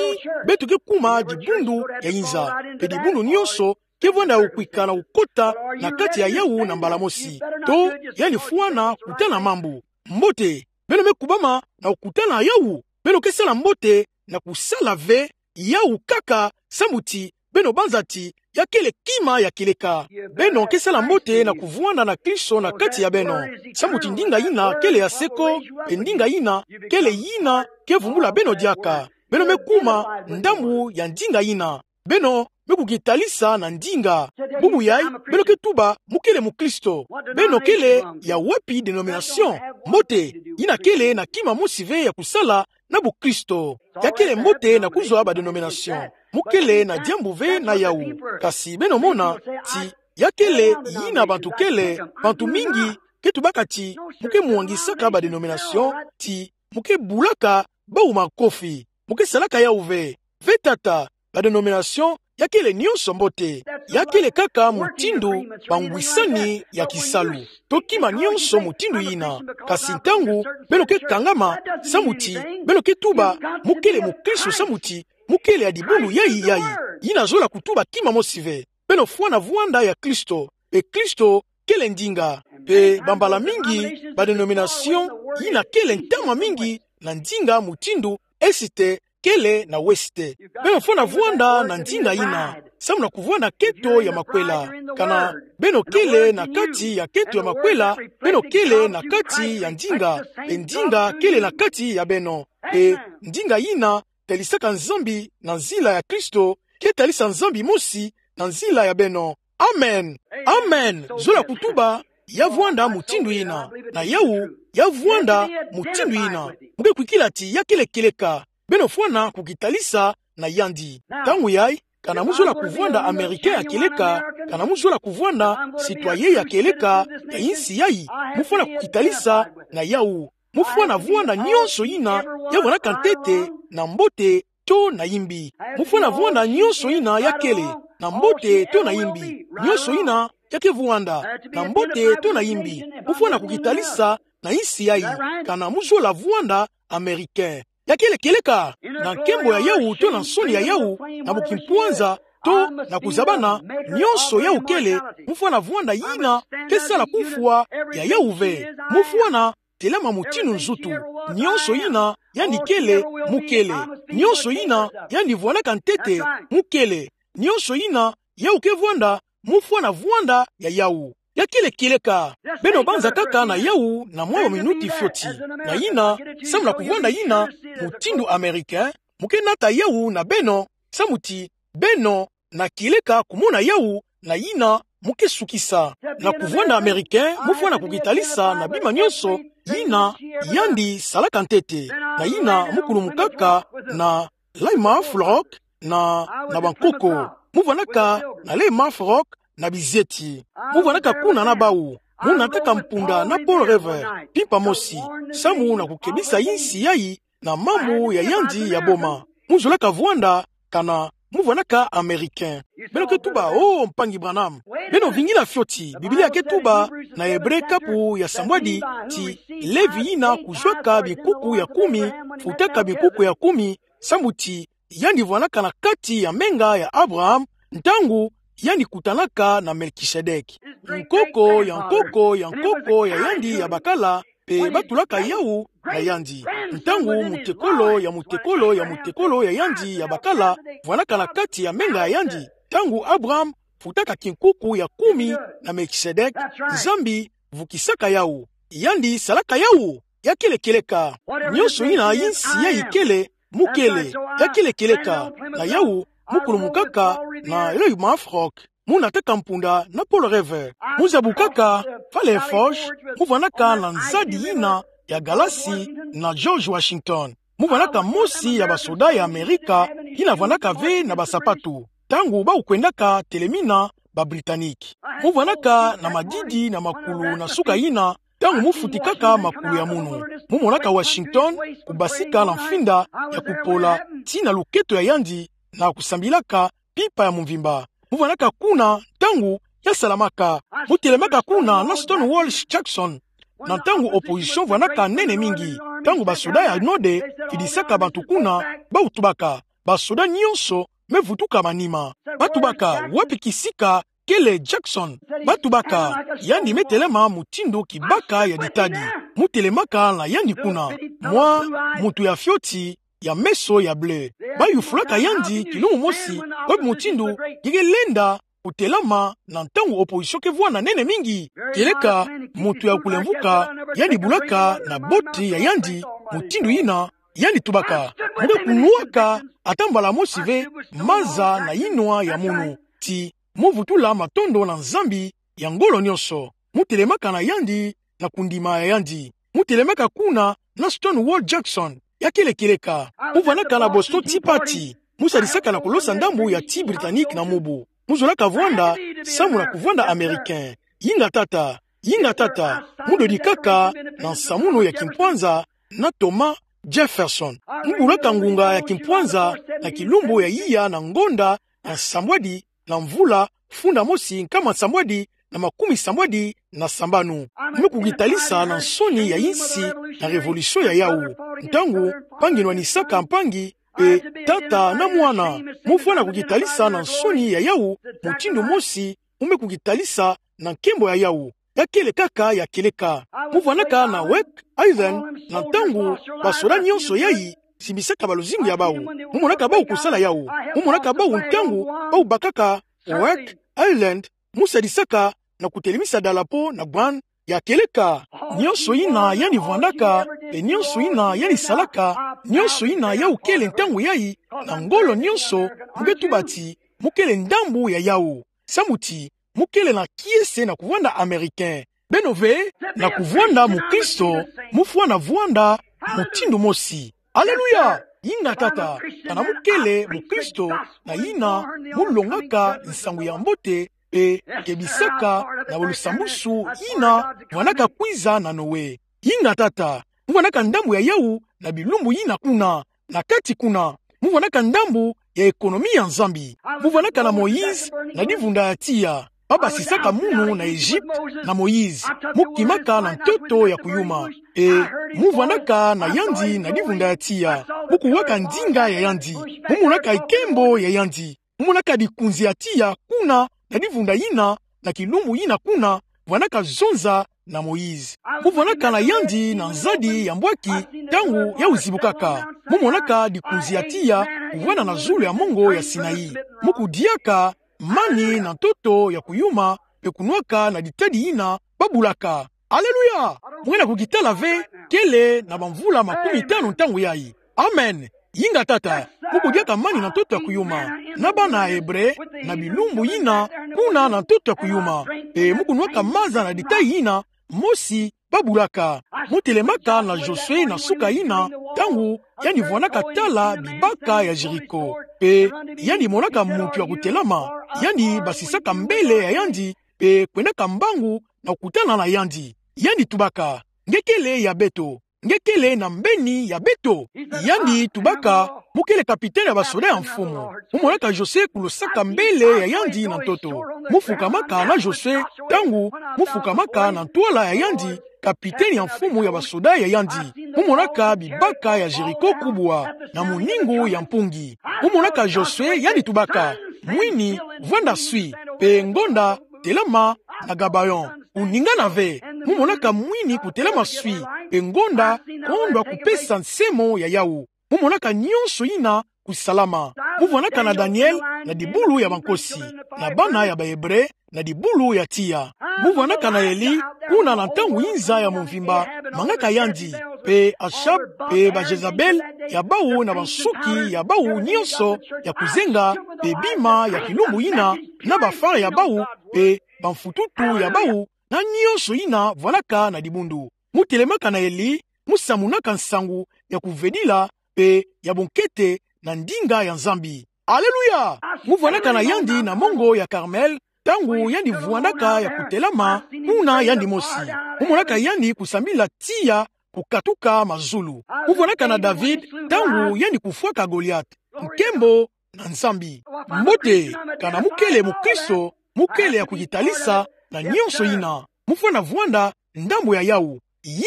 beto ke kuma dibundu ya inza, pe dibundu nyonso ke vwanda ya kukwika na kukota na kati ya yawu na mbala mosi. To yandi fwana kutana mambu. Mbote, beno me kubama na kukutana yawu. Beno ke sala mbote na kusala ve yawu kaka, samu ti beno banza ti ya kele kima ya kieleka. Beno ke sala mbote na kuvwanda na Kristo na kati ya beno, samu ti ndinga yina kele ya seko, pe ndinga yina kele yina ke vumbula beno diaka. Beno me kuma ndambu ya ndinga yina. Beno me kukitalisa na ndinga. Bubu yayi, beno ke tuba: Mu kele mukristo. Beno kele ya wapi denomination? Mbote, yina kele na kima mosi ve ya kusala na bukristo. Ya kele mbote na kuzwa badenomination. Mu kele na diambu ve na yawu. Kasi beno mona ti ya kele yina bantu kele, bantu mingi ke tubaka ti mu ke mwangisaka badenomination, ti mu ke bulaka bawu makofi. Mu ke salaka yawu ve. Ve tata, badenomination ya kele nionso mbote, ya kele kaka mutindu bangwisani ya kisalu. To kima nionso mutindu yina, kasi ntangu beno ke kangama, samu ti beno ke tuba, mu kele mukristo samu ti mu kele ya dibundu yayi yayi, yina zola kutuba kima mosi ve. Beno fwana vwanda ya Kristo, mpe Kristo kele ndinga. Mpe bambala mingi, ba denomination yina kele ntama mingi na ndinga mutindu Est kele na Ouest. Beno fwana vwanda na ndinga yina, samu na kuvwanda keto ya makwela. Kana beno kele na kati ya keto ya makwela, beno kele na kati ya ndinga, mpe ndinga kele na kati ya beno. Mpe ndinga yina talisaka Nzambi na nzila ya Kristo, ke talisa Nzambi mosi na nzila ya beno. Amen. Amen. Zola kutuba ya vwanda mutindu yina, na yawu ya vwanda mutindu yina. Mu ke kwikila ti ya kele kieleka. Beno fwana kukitalisa na yandi. Ntangu yayi, kana mu zola kuvwanda Américain ya kieleka, kana mu zola kuvwanda citoyen ya kieleka ya insi yayi, mu fwana kukitalisa na yawu. Mu fwana vwanda nionso yina ya vwandaka ntete, na mbote to na yimbi. Mu fwana vwanda nionso yina ya kele, na mbote to na yimbi. Nionso yina ya ke vwanda, na mbote to na yimbi, mu fwana kukitalisa na insi yayi, kana mu zola vwanda Américain. Ya kele kieleka, na nkembo ya yawu to na nsoni ya yawu, na bukimpwanza to na kuzabana, nionso yawu kele, mu fwana vwanda yina ke sala kufwa ya yawu ve. Mu fwana telama mutindu nzutu. Nionso yina yandi kele, mu kele. Nionso yina yandi vwandaka ntete, mu kele. Nionso yina yawu ke vwanda, mu fwana vwanda ya yawu. Ya kele kieleka. Beno banza kaka na yawu na mwa ba minuti fioti. Na yina, samu na kuvwanda yina mutindu Américain, mu ke nata yawu na beno, samu ti beno na kieleka kumona yawu, na yina mu ke sukisa. Na kuvwanda Américain, mu fwana kukitalisa na bima nionso yina yandi salaka ntete. Na yina mu kulumukaka na Plymouth Rock na, na bankoko. Mu vwandaka na Plymouth Rock na bizieti. Mu vwandaka kuna na bawu. Mu nataka mpunda na Pearl River mpimpa mosi, samu na kukebisa insi yayi na mambu ya yandi ya boma. Mu zolaka vwanda kana mu vwandaka Américain. Beno ke tuba: "Oh, mpangi Branham, beno vingila fioti. Biblia ke tuba na Ebre kapu ya sambwadi ti Levi yina kuzwaka binkuku ya kumi, futaka binkuku ya kumi, samu ti yandi vwandaka na kati ya menga ya Abraham, ntangu yandi kutanaka na Melkisedek." Nkoko ya nkoko ya nkoko ya yandi ya bakala, mpe batulaka yawu na yandi. Ntangu mutekolo ya mutekolo ya mutekolo ya yandi ya bakala vwandaka na kati ya menga ya yandi, ntangu Abraham futaka kinkuku ya kumi na Melkisedek, Nzambi vukisaka yawu. Yandi salaka yawu. Ya kele kieleka. Nionso yina insi yayi kele, mu kele. Ya kele kieleka. Na yawu, mu kulumukaka na Plymouth Rock. Mu nataka mpunda na Pearl River. Mu zabukaka Valley Forge, mu vwandaka na nzadi yina ya galasi na George Washington. Mu vwandaka mosi ya basoda ya Amerika yina vwandaka ve na basapatu, ntangu bawu kwendaka telemina ba Britanniques. Mu vwandaka na madidi na makulu na suka yina, ntangu mu futikaka makulu ya munu. Mu monaka Washington kubasika na mfinda ya kupola tii na luketo ya yandi na kusambilaka mpimpa ya mvimba. Mu vwandaka kuna ntangu ya salamaka. Mu telemaka kuna na Stonewall Jackson, na ntangu opposition vwandaka nene mingi. Ntangu basoda ya node fidisaka bantu kuna, bawu tubaka: "Basoda nionso me vutuka manima." Batubaka: "Wapi kisika kele Jackson?" Batubaka: "Yandi me telema mutindu kibaka ya ditadi." Mu telemaka na yandi kuna, mwa muntu ya fioti ya meso ya bleu. Bayufulaka yandi kilumbu mosi: "Wapi mutindu gi ke lenda kutelama na ntangu opposition ke vwanda nene mingi?" Kieleka, muntu ya kulemvuka, yandi bulaka na boti ya yandi mutindu yina, yandi tubaka: "Mu ke kunwaka ata mbala mosi ve maza na yinwa ya munu, ti mu vutula matondo na Nzambi ya ngolo nionso." Mu telemaka na yandi na kundima ya yandi. Mu telemaka kuna na Stonewall Jackson. Ya kele kieleka. Mu vwandaka na Boston Tea Party. Mu sadisaka na kulosa ndambu ya tii Britannique na mubu. Mu zolaka vwanda samu na kuvwanda Americain. Yinga tata, yinga tata, mu dodikaka na nsamunu ya kimpwanza na Thomas Jefferson. Mu bulaka ngunga ya kimpwanza na kilumbu ya iya na ngonda na sambwadi, na mvula funda mosi nkama sambwadi na makumi sambwadi na sambanu. Mu me kukitalisa na nsoni ya insi na révolution ya yawu. Ntangu mpangi nwanisaka mpangi, mpe tata na mwana, mu fwana kukitalisa na nsoni ya yawu, mutindu mosi mu me kukitalisa na nkembo ya yawu. Ya kele kaka, ya kieleka. Mu vwanaka na Oak Island na ntangu basoda nyonso yayi simbisaka baluzingu ya bawu. Mu monaka bawu kusala yawu. Mu monaka bawu ntangu bawu bakaka Oak Island, mu sadisaka na kutelemisa dalapo na Guam. Ya kieleka. Nyonso yina yandi vwandaka, mpe nyonso yina yandi salaka, nyonso yina yawu kele ntangu yayi, na ngolo nyonso, mu ke tuba ti mu kele ndambu ya yawu. Samu ti mu kele na kiese na kuvwanda Américain. Beno ve, na kuvwanda mukristo, mu fwana vwanda mutindu mosi. Aleluya! Inga tata, kana mu kele mukristo na yina mu longaka nsangu ya mbote, mpe kebisaka na lusambwasu yina vwanaka kwiza na Noe. Inga tata, mu vwanaka ndambu ya yawu na bilumbu yina kuna, na kati kuna. Mu vwanaka ndambu ya économie ya Nzambi. Mu vwanaka na Moïse na divunda ya tiya. Ba basisaka munu na Egypte na Moïse. Mu kimaka na ntoto ya kuyuma. E, mu vwanaka na yandi na divunda ya tiya. Mu kuwaka ndinga ya yandi. Mu monaka nkembo ya yandi. Mu monaka dikunzi ya tiya kuna na divunda yina, na kilumbu yina kuna, vwanaka zonza na Moïse. Mu vwanaka na yandi na nzadi ya mbwaki ntangu yawu zibukaka. Mu monaka dikunzi ya tiya kuvwanda na zulu ya mongo ya Sinaï. Mu kudiaka mani na ntoto ya kuyuma, mpe kunwaka na ditadi yina ba bulaka. Aleluya! Mu ke na kukitala ve, kele na bamvula makumi tanu ntangu yayi. Amen. Inga tata, mu kudiaka mani na ntoto ya kuyuma. Na bana Hébreu, na bilumbu yina, kuna na ntoto ya kuyuma. Mpe mu kunwaka maza na ditayi yina, mosi ba bulaka. Mu telemaka na Josué na suka yina, ntangu yandi vwanaka tala bibaka ya Jéricho. Mpe yandi monaka muntu ya kutelama, yandi basisaka mbele ya yandi, mpe kwendaka mbangu na kukutana na yandi. Yandi tubaka: Nge kele ya beto? Nge kele na mbeni ya beto? Yandi tubaka: Mu kele capitaine ya basoda ya mfumu. Mu monaka Josué kulosaka mbele ya yandi na ntoto. Mu fukamaka na Josué, ntangu mu fukamaka na ntwala ya yandi, capitaine ya mfumu ya basoda ya yandi. Mu monaka bibaka ya Jéricho kubwa, na muningu ya mpungi. Mu monaka Josué, yandi tubaka: Mwini, vwanda swi, mpe ngonda, telama na Gabaon. Kuningana ve, mu monaka mwini kutelama swi, mpe ngonda kondwa kupesa nsemo ya yawu. Mu monaka nyonso yina kusalama. Mu vwanaka na Daniel na dibulu ya bankosi, na bana ya ba Hébreu na dibulu ya tiya. Mu vwanaka na Elie, kuna na ntangu inza ya mvimba, mangaka yandi, mpe Achab, mpe ba Jezabel ya bawu na bansuki ya bawu nyonso ya kuzenga, mpe bima ya kilumbu yina, na ba phare ya bawu, mpe bamfututu ya bawu, na nyonso yina vwanaka na dibundu. Mu telemaka na Elie, mu samunaka nsangu ya kuvedila mpe ya bonkete na ndinga ya Nzambi. Aleluya! Mu vwanaka na yandi na mongo ya Carmel, ntangu yandi vwandaka ya kutelama, kuna yandi mosi. Mu monaka yandi kusambila tiya kukatuka mazulu. Mu vwanaka na David, ntangu yandi kufwaka Goliath. Nkembo na Nzambi. Mbote, kana mu kele mukristo, mu kele ya kukitalisa na nyonso yina. Mu fwana vwanda ndambu ya yawu.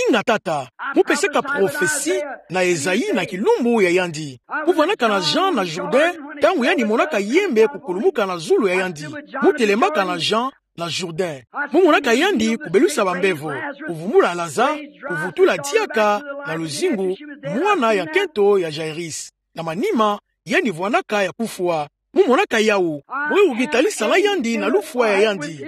Inga tata, mu pesaka prophetie na Esaïe na kilumbu ya yandi. Mu vwanaka na Jean na Jourdain, ntangu yandi monaka yembe kukulumuka na zulu ya yandi. Mu telemaka na Jean na Jourdain. Mu monaka yandi kubelusa bambevo, kuvumbula Lazare, kuvutula diaka na luzingu mwana ya nkento ya Jairus. Na manima, yandi vwanaka ya kufwa. Mu monaka yawu, mu ke kukitalisa na yandi na lufwa ya yandi.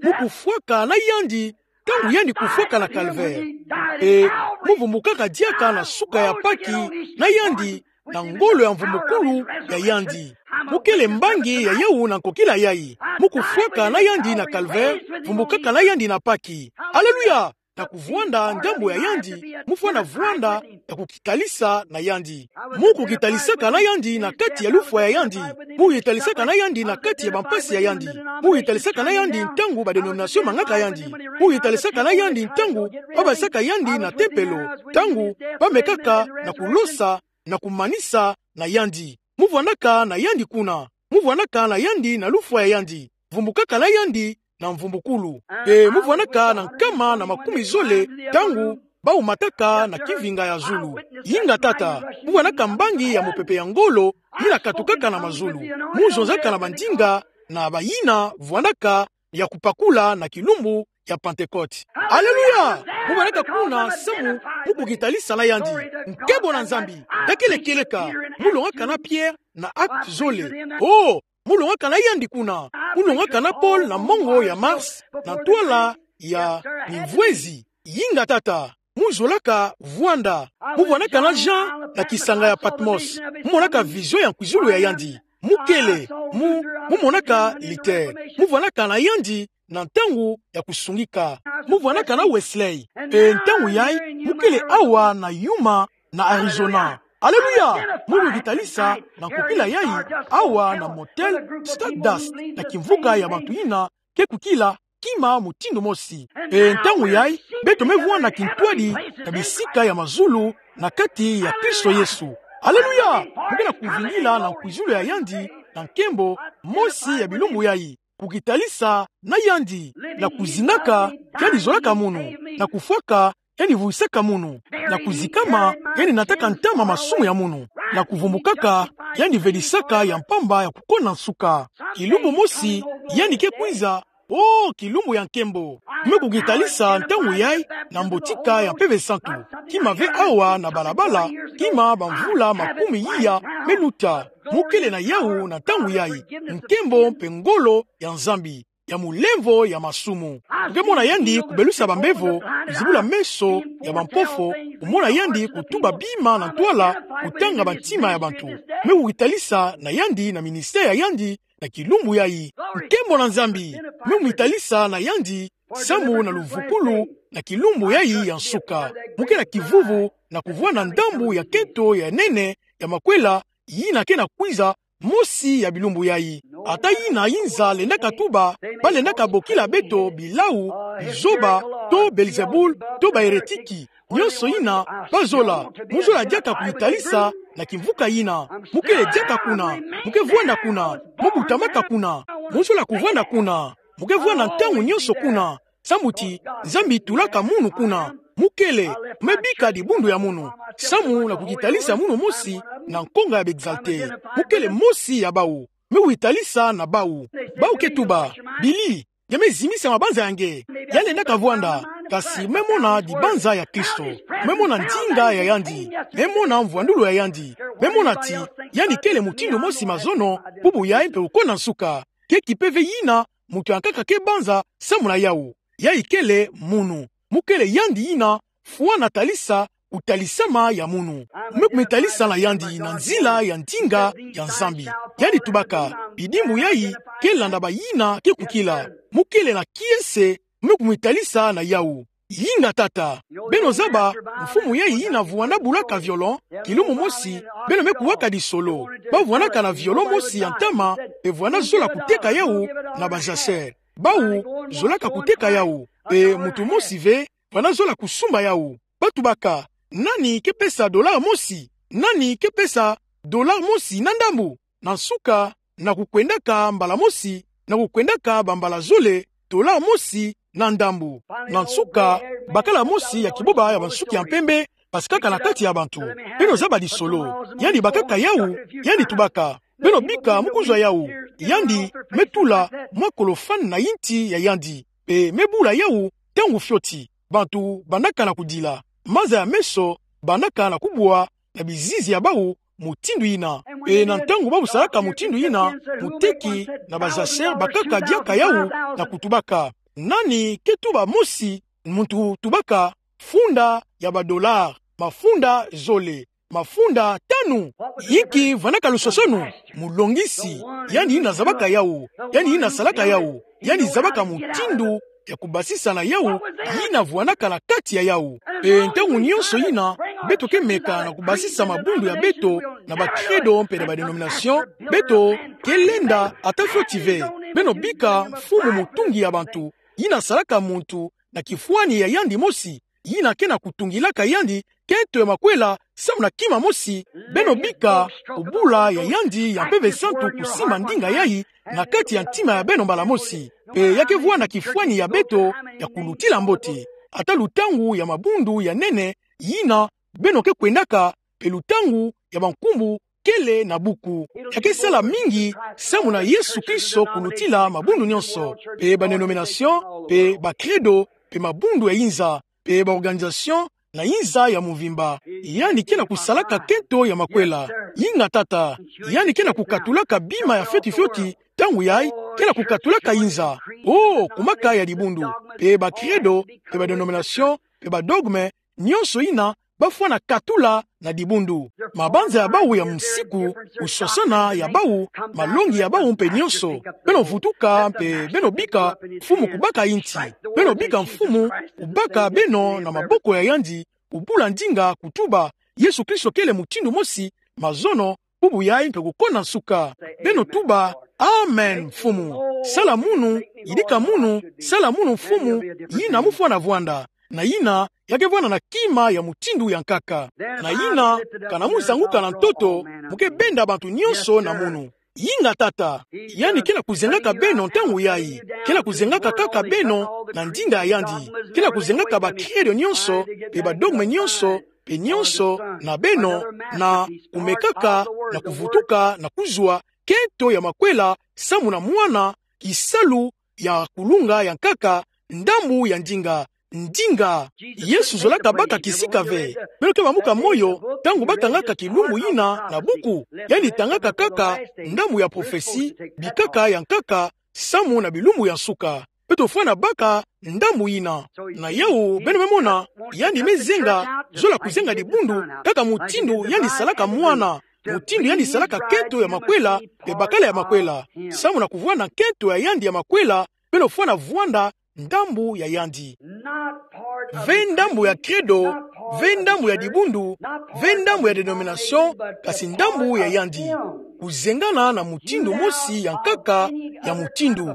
Mu kufwaka na yandi, ntangu yandi kufwaka na calvaire. E, mu vumbukaka diaka na suka ya Paki na yandi, na ngolo ya mvumbukulu ya yandi. Mu kele mbangi ya yawu na nkokila yayi. Mu kufwaka na yandi na calvaire, vumbukaka na yandi na Paki. Aleluya! Na kuvwanda ndambu ya yandi, mu fwana vwanda ya kukitalisa na yandi. Mu kukitalisaka na yandi na kati ya lufwa ya yandi. Mu kukitalisaka na yandi na kati ya bampasi ya yandi. Mu kukitalisaka na yandi ntangu ba dénomination mangaka yandi. Mu kukitalisaka na yandi ntangu ba basaka yandi na tempelo. Ntangu ba mekaka na kulosa na kumanisa na yandi. Mu vwandaka na yandi kuna. Muvwanaka na yandi na lufwa ya yandi. Vumbukaka na yandi na mvumbukulu. Mpe muvwanaka na nkama na makumi zole ntangu baumataka na kivinga ya zulu. Yinga tata, muvwanaka mbangi ya mupepe ya ngolo yina katukaka na mazulu. Muzonzaka na bandinga na bayina vwanaka ya kupakula na kilumbu ya Pentekote. Aleluya! Muvwanaka kuna samu mu kukitalisa na yandi. Nkembo na Nzambi. Takele kieleka, mulongaka na Pierre na Actes zole. Oh, mulongaka na yandi kuna. Mulongaka na Paul na mongo ya Mars na ntwala ya mimvwezi. Yinga tata, muzolaka vwanda. Muvwanaka na Jean na kisanga ya Patmos. Mumonaka vision ya nkwizulu ya yandi. Mukele, mu, mumonaka lite. Muvwanaka na yandi na ntangu ya kusungika. Muvwanaka na Wesley. Mpe ntangu yayi, mukele awa na Yuma na Arizona. Aleluya! Mu kukitalisa na nkokila yayi, awa na Motel Stardust, na kimvuka ya bantu yina ke kukila kima mutindu mosi. Mpe ntangu yayi, beto me vwanda kintwadi na bisika ya mazulu na kati ya Kristo Yesu. Aleluya! Mu ke na kuvingila na nkwizulu ya yandi na nkembo mosi ya bilumbu yayi. Kukitalisa na yandi, na kuzingaka, yandi zolaka munu, na kufwaka, yandi vuisaka munu, na kuzikama, yandi nataka ntama masumu ya munu, na kuvumbukaka, yandi vedisaka ya mpamba ya kukonda nsuka. Kilumbu mosi, yandi ke kwiza, oh, kilumbu ya nkembo. Mu kukitalisa ntangu yayi na mbotika ya Mpeve Santu. Kima ve awa na balabala, kima bamvula makumi iya me luta. Mukele na yawu na ntangu yayi. Nkembo mpe ngolo ya Nzambi ya mulemvo ya masumu. Mu ke mona yandi kubelusa bambevo, kuzibula meso ya bampofu, kumona yandi kutuba bima na ntwala, kutanga bantima ya bantu. Mu ke kukitalisa na yandi na ministère ya yandi na kilumbu yayi. Nkembo na Nzambi. Mu ke kumitalisa na yandi samu na luvukulu na kilumbu yayi ya nsuka. Mu ke na kivuvu na kuvwanda ndambu ya keto ya nene ya makwela yina ke na kwiza mosi ya bilumbu yayi. Ata yina yinza lendaka tuba, balendaka bokila beto bilawu, bizoba, to Belzebul, to baheretiki. Nyonso yina bazola, mu zola diaka kukitalisa na kimvuka yina. Mu kele diaka kuna, mu ke vwanda kuna, mu butamaka kuna, mu zola kuvwanda kuna, mu ke vwanda ntangu nyonso kuna. Samu ti Nzambi tulaka munu kuna. Mu kele, me bika dibundu ya munu. Samu na kukitalisa munu mosi na nkonga ya ba exalté. Mu kele mosi ya bawu. Me witalisa na bawu. Bawu ke tuba, Billy, nge me zimisa mabanza ya nge. Ya lendaka vwanda, kasi me mona dibanza ya Kristo. Me mona ndinga ya yandi. Me mona mvwandulu ya yandi. Me mona ti yandi kele mutindu mosi mazono, bubu yayi mpe uko na nsuka. Ke kipe ve yina muntu yankaka ke banza samu na yawu. Yayi kele munu. Mu kele yandi yina fwana talisa kutalisama ya munu. Me kumitalisa na yandi na nzila ya ndinga ya Nzambi. Yandi tubaka, bidimbu yayi ke landa bayina ke kukila. Mu kele na kiese, me kumitalisa na yawu. Yinga tata. Beno zaba, mfumu yayi yina vwanda bulaka violon, kilumbu mosi, beno me kuwaka disolo. Ba vwandaka na violon mosi ya ntama, mpe vwanda zola kuteka yawu na ba jachère. Bawu zolaka kuteka yawu, mpe muntu mosi ve vwanda zola kusumba yawu. Ba tubaka, nani ke pesa dollar mosi? Nani ke pesa dollar mosi na ndambu? Na nsuka, na kukwendaka mbala mosi, na kukwendaka bambala zole, dollar mosi na ndambu. Na nsuka, bakala mosi ya kiboba ya bansuki ya mpembe basikaka na kati ya bantu. Beno zaba disolo. Yandi bakaka yawu, yandi tubaka, beno bika mu kuzwa yawu. Yandi me tula mwa colophane na yinti ya yandi, mpe me bula yawu ntangu fioti. Bantu bandaka na kudila. Maza ya meso bandaka na kubwa na bizizi ya bawu mutindu yina. Mpe na ntangu bawu salaka mutindu yina, muteki na ba jachère bakaka diaka yawu na kutubaka, nani ke tuba mosi? Muntu tubaka, funda ya ba dollar, mafunda zole, mafunda tanu. Yinki vwandaka lusosonu? Mulongisi, yandi yina zabaka yawu, yandi yina salaka yawu, yandi zabaka mutindu ya kubasisa na yawu yina vwandaka na kati ya yawu. Mpe ntangu nyonso yina beto ke meka na kubasisa mabundu ya beto na ba credo mpe na ba dénomination, beto ke lenda ata fioti ve. Beno bika Mfumu Mutungi ya bantu, yina salaka muntu na kifwani ya yandi mosi, yina ke na kutungilaka yandi kento ya makwela samu na kima mosi, beno bika kubula ya yandi ya Mpeve Santu kusimba ndinga yayi na kati ya ntima ya beno mbala mosi. Pe ya kevwanda kifwani ya beto ya kulutila mbote. Ata lutangu ya mabundu ya nene yina beno ke kwendaka, pe lutangu ya bankumbu kele na buku. Ya kesala mingi samu na Yesu Kristo kulutila mabundu nyonso, pe ba-denomination, pe ba-credo, pe mabundu ya inza, pe ba-organisation na inza ya mvimba. Yandi ke na kusalaka nkento ya makwela. Inga tata. Yandi ke na kukatulaka bima ya fioti fioti, ntangu yayi, ke na kukatulaka inza. Oh, kumaka ya dibundu, pe ba-credo, pe ba-denomination, pe ba-dogme, nyonso yina bafwana katula na dibundu. Mabanza ya bawu ya musiku, kuswaswana ya bawu, malongi ya bawu mpe nyonso. Beno vutuka mpe beno bika Mfumu kubaka yinti. Beno bika Mfumu kubaka beno na maboko ya yandi, kubula ndinga kutuba Yesu Kristo kele mutindu mosi, mazono, bubu yayi mpe kukona nsuka. Beno tuba: Amen, Mfumu. Sala munu, yidika munu, sala munu, Mfumu, yina mufwana vwanda. Na yina, ya kevwanda na kima ya mutindu ya nkaka. Na yina, kana muzanguka na ntoto, mu kebenda bantu nyonso na munu. Inga tata. Yandi ke na kuzengaka beno ntangu yayi. Ke na kuzengaka kaka beno na ndinga ya yandi. Ke na kuzengaka ba-credo nyonso, pe ba-dogme nyonso, pe nyonso na beno, na kumekaka na kuvutuka na kuzwa nkento ya makwela samu na mwana, kisalu ya kulunga ya nkaka, ndambu ya ndinga. Ndinga. Yesu zolaka baka kisika ve. Beno ke bamuka moyo ntangu batangaka kilumbu yina na buku. Yandi tangaka kaka ndambu ya prophetie, bikaka ya nkaka, samu na bilumbu ya nsuka. Beto fwana baka ndambu yina. Na yawu, beno me mona, yandi me zenga, zola kuzenga dibundu, kaka mutindu yandi salaka mwana, mutindu yandi salaka nkento ya makwela, pe bakala ya makwela. Samu na kuvwanda nkento ya yandi ya makwela, beno fwana vwanda ndambu ya yandi. Ve ndambu ya credo, ve ndambu ya dibundu, ve ndambu ya denomination, kasi ndambu ya yandi. Kuzengana na mutindu mosi ya nkaka ya mutindu.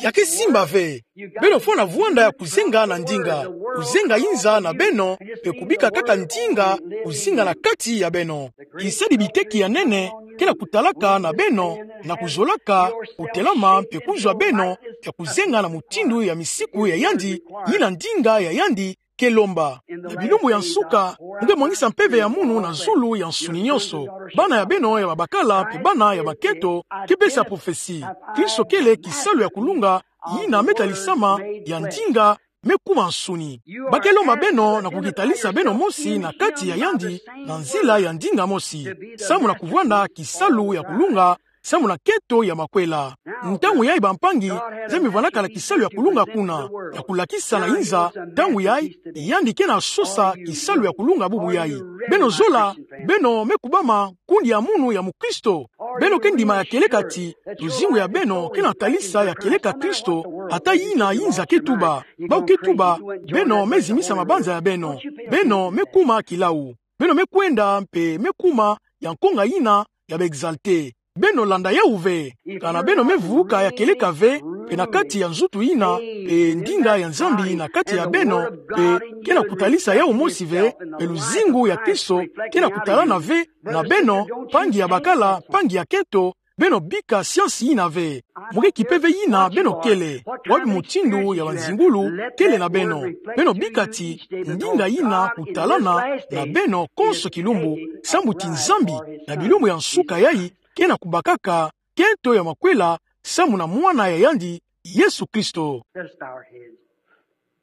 Ya ke simba ve. Beno fwana vwanda ya kuzenga na ndinga. Kuzenga inza na beno, pe kubika kaka ndinga kuzinga na kati ya beno. Kisadi biteki ya nene ke na kutalaka na beno, na kuzolaka kutelama mpe kuzwa beno ya kuzenga na mutindu ya misiku ya yandi, yina ndinga ya yandi ke lomba. Na bilumbu ya nsuka, mu ke mwangisa mpeve ya munu na zulu ya nsuni nyonso. Bana ya beno ya babakala mpe bana ya bankento ke pesa prophetie. Kristo kele kisalu ya kulunga, yina me talisama ya ndinga, me kuma nsuni. Ba ke lomba beno na kukitalisa beno mosi na kati ya yandi, na nzila ya ndinga mosi. Samu na kuvwanda kisalu ya kulunga, samu na nkento ya makwela. Ntangu yayi bampangi, Nzambi vwandaka na kisalu ya kulunga kuna, ya kulakisa na inza, ntangu yayi, yandi ke na sosa kisalu ya kulunga bubu yayi. Beno zola, beno me kubama nkundi ya munu ya mukristo. Beno ke ndima ya kieleka ti, luzingu ya beno ke na talisa ya kieleka Kristo, ata yina inza ke tuba. Bawu ke tuba, beno me zimisa mabanza ya beno. Beno me kuma kilau. Beno me kwenda mpe me kuma ya nkonga yina ya ba exalté. Beno landa yawu ve. Kana beno me vuka ya kieleka ve, pe na kati ya nzutu yina, pe ndinga ya Nzambi na kati ya beno, pe ke na kutalisa yawu mosi ve, pe luzingu ya Kristo ke na kutalana ve na beno, mpangi ya bakala, mpangi ya nkento, beno bika siansi yina ve. Mu ke kipe ve yina beno kele, wapi mutindu ya banzingulu kele na beno. Beno bika ti, ndinga yina kutalana na beno konso kilumbu, samu ti Nzambi, na bilumbu ya nsuka yayi, ke na kubakaka nkento ya makwela, samu na mwana ya yandi, Yesu Kristo.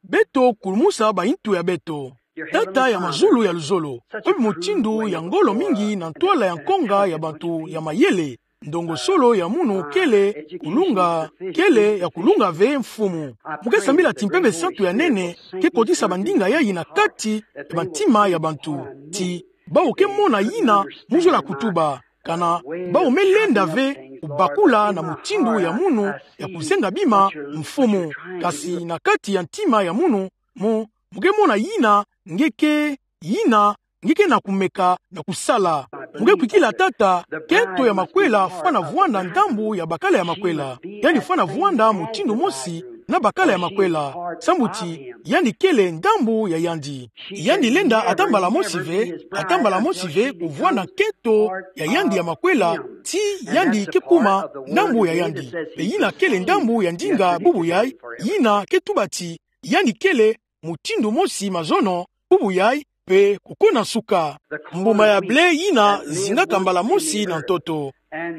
Beto kulumusa bayintu ya beto. Tata ya mazulu ya luzolo, wapi mutindu ya ngolo mingi na ntwala ya nkonga ya bantu ya mayele, ndongosolo ya munu kele kulunga, kele ya kulunga ve Mfumu. Mu ke sambila ti Mpeve Santu ya nene ke kotisa bandinga yayi na kati ya bantima ya bantu. Ti bawu ke mona yina mu zola kutuba. Kana bawu me lenda ve kubakula na mutindu ya munu ya kuzenga bima Mfumu. Kasi na kati ya ntima ya munu, mu, mu ke mona yina nge ke, yina nge ke na kumeka na kusala. Mu ke kwikila tata, nkento ya makwela fwana vwanda ndambu ya bakala ya makwela. Yandi fwana vwanda mutindu mosi na bakala ya makwela, samu ti yandi kele ndambu ya yandi. Yandi lenda ata mbala mosi ve, ata mbala mosi ve kuvwanda nkento ya yandi ya makwela, ti yandi ke kuma ndambu ya yandi. Pe yina kele ndambu ya ndinga bubu yai, yina ke tuba ti yandi kele mutindu mosi mazono bubu yai, pe kukona nsuka. Mbuma ya ble yina zingaka mbala mosi na ntoto,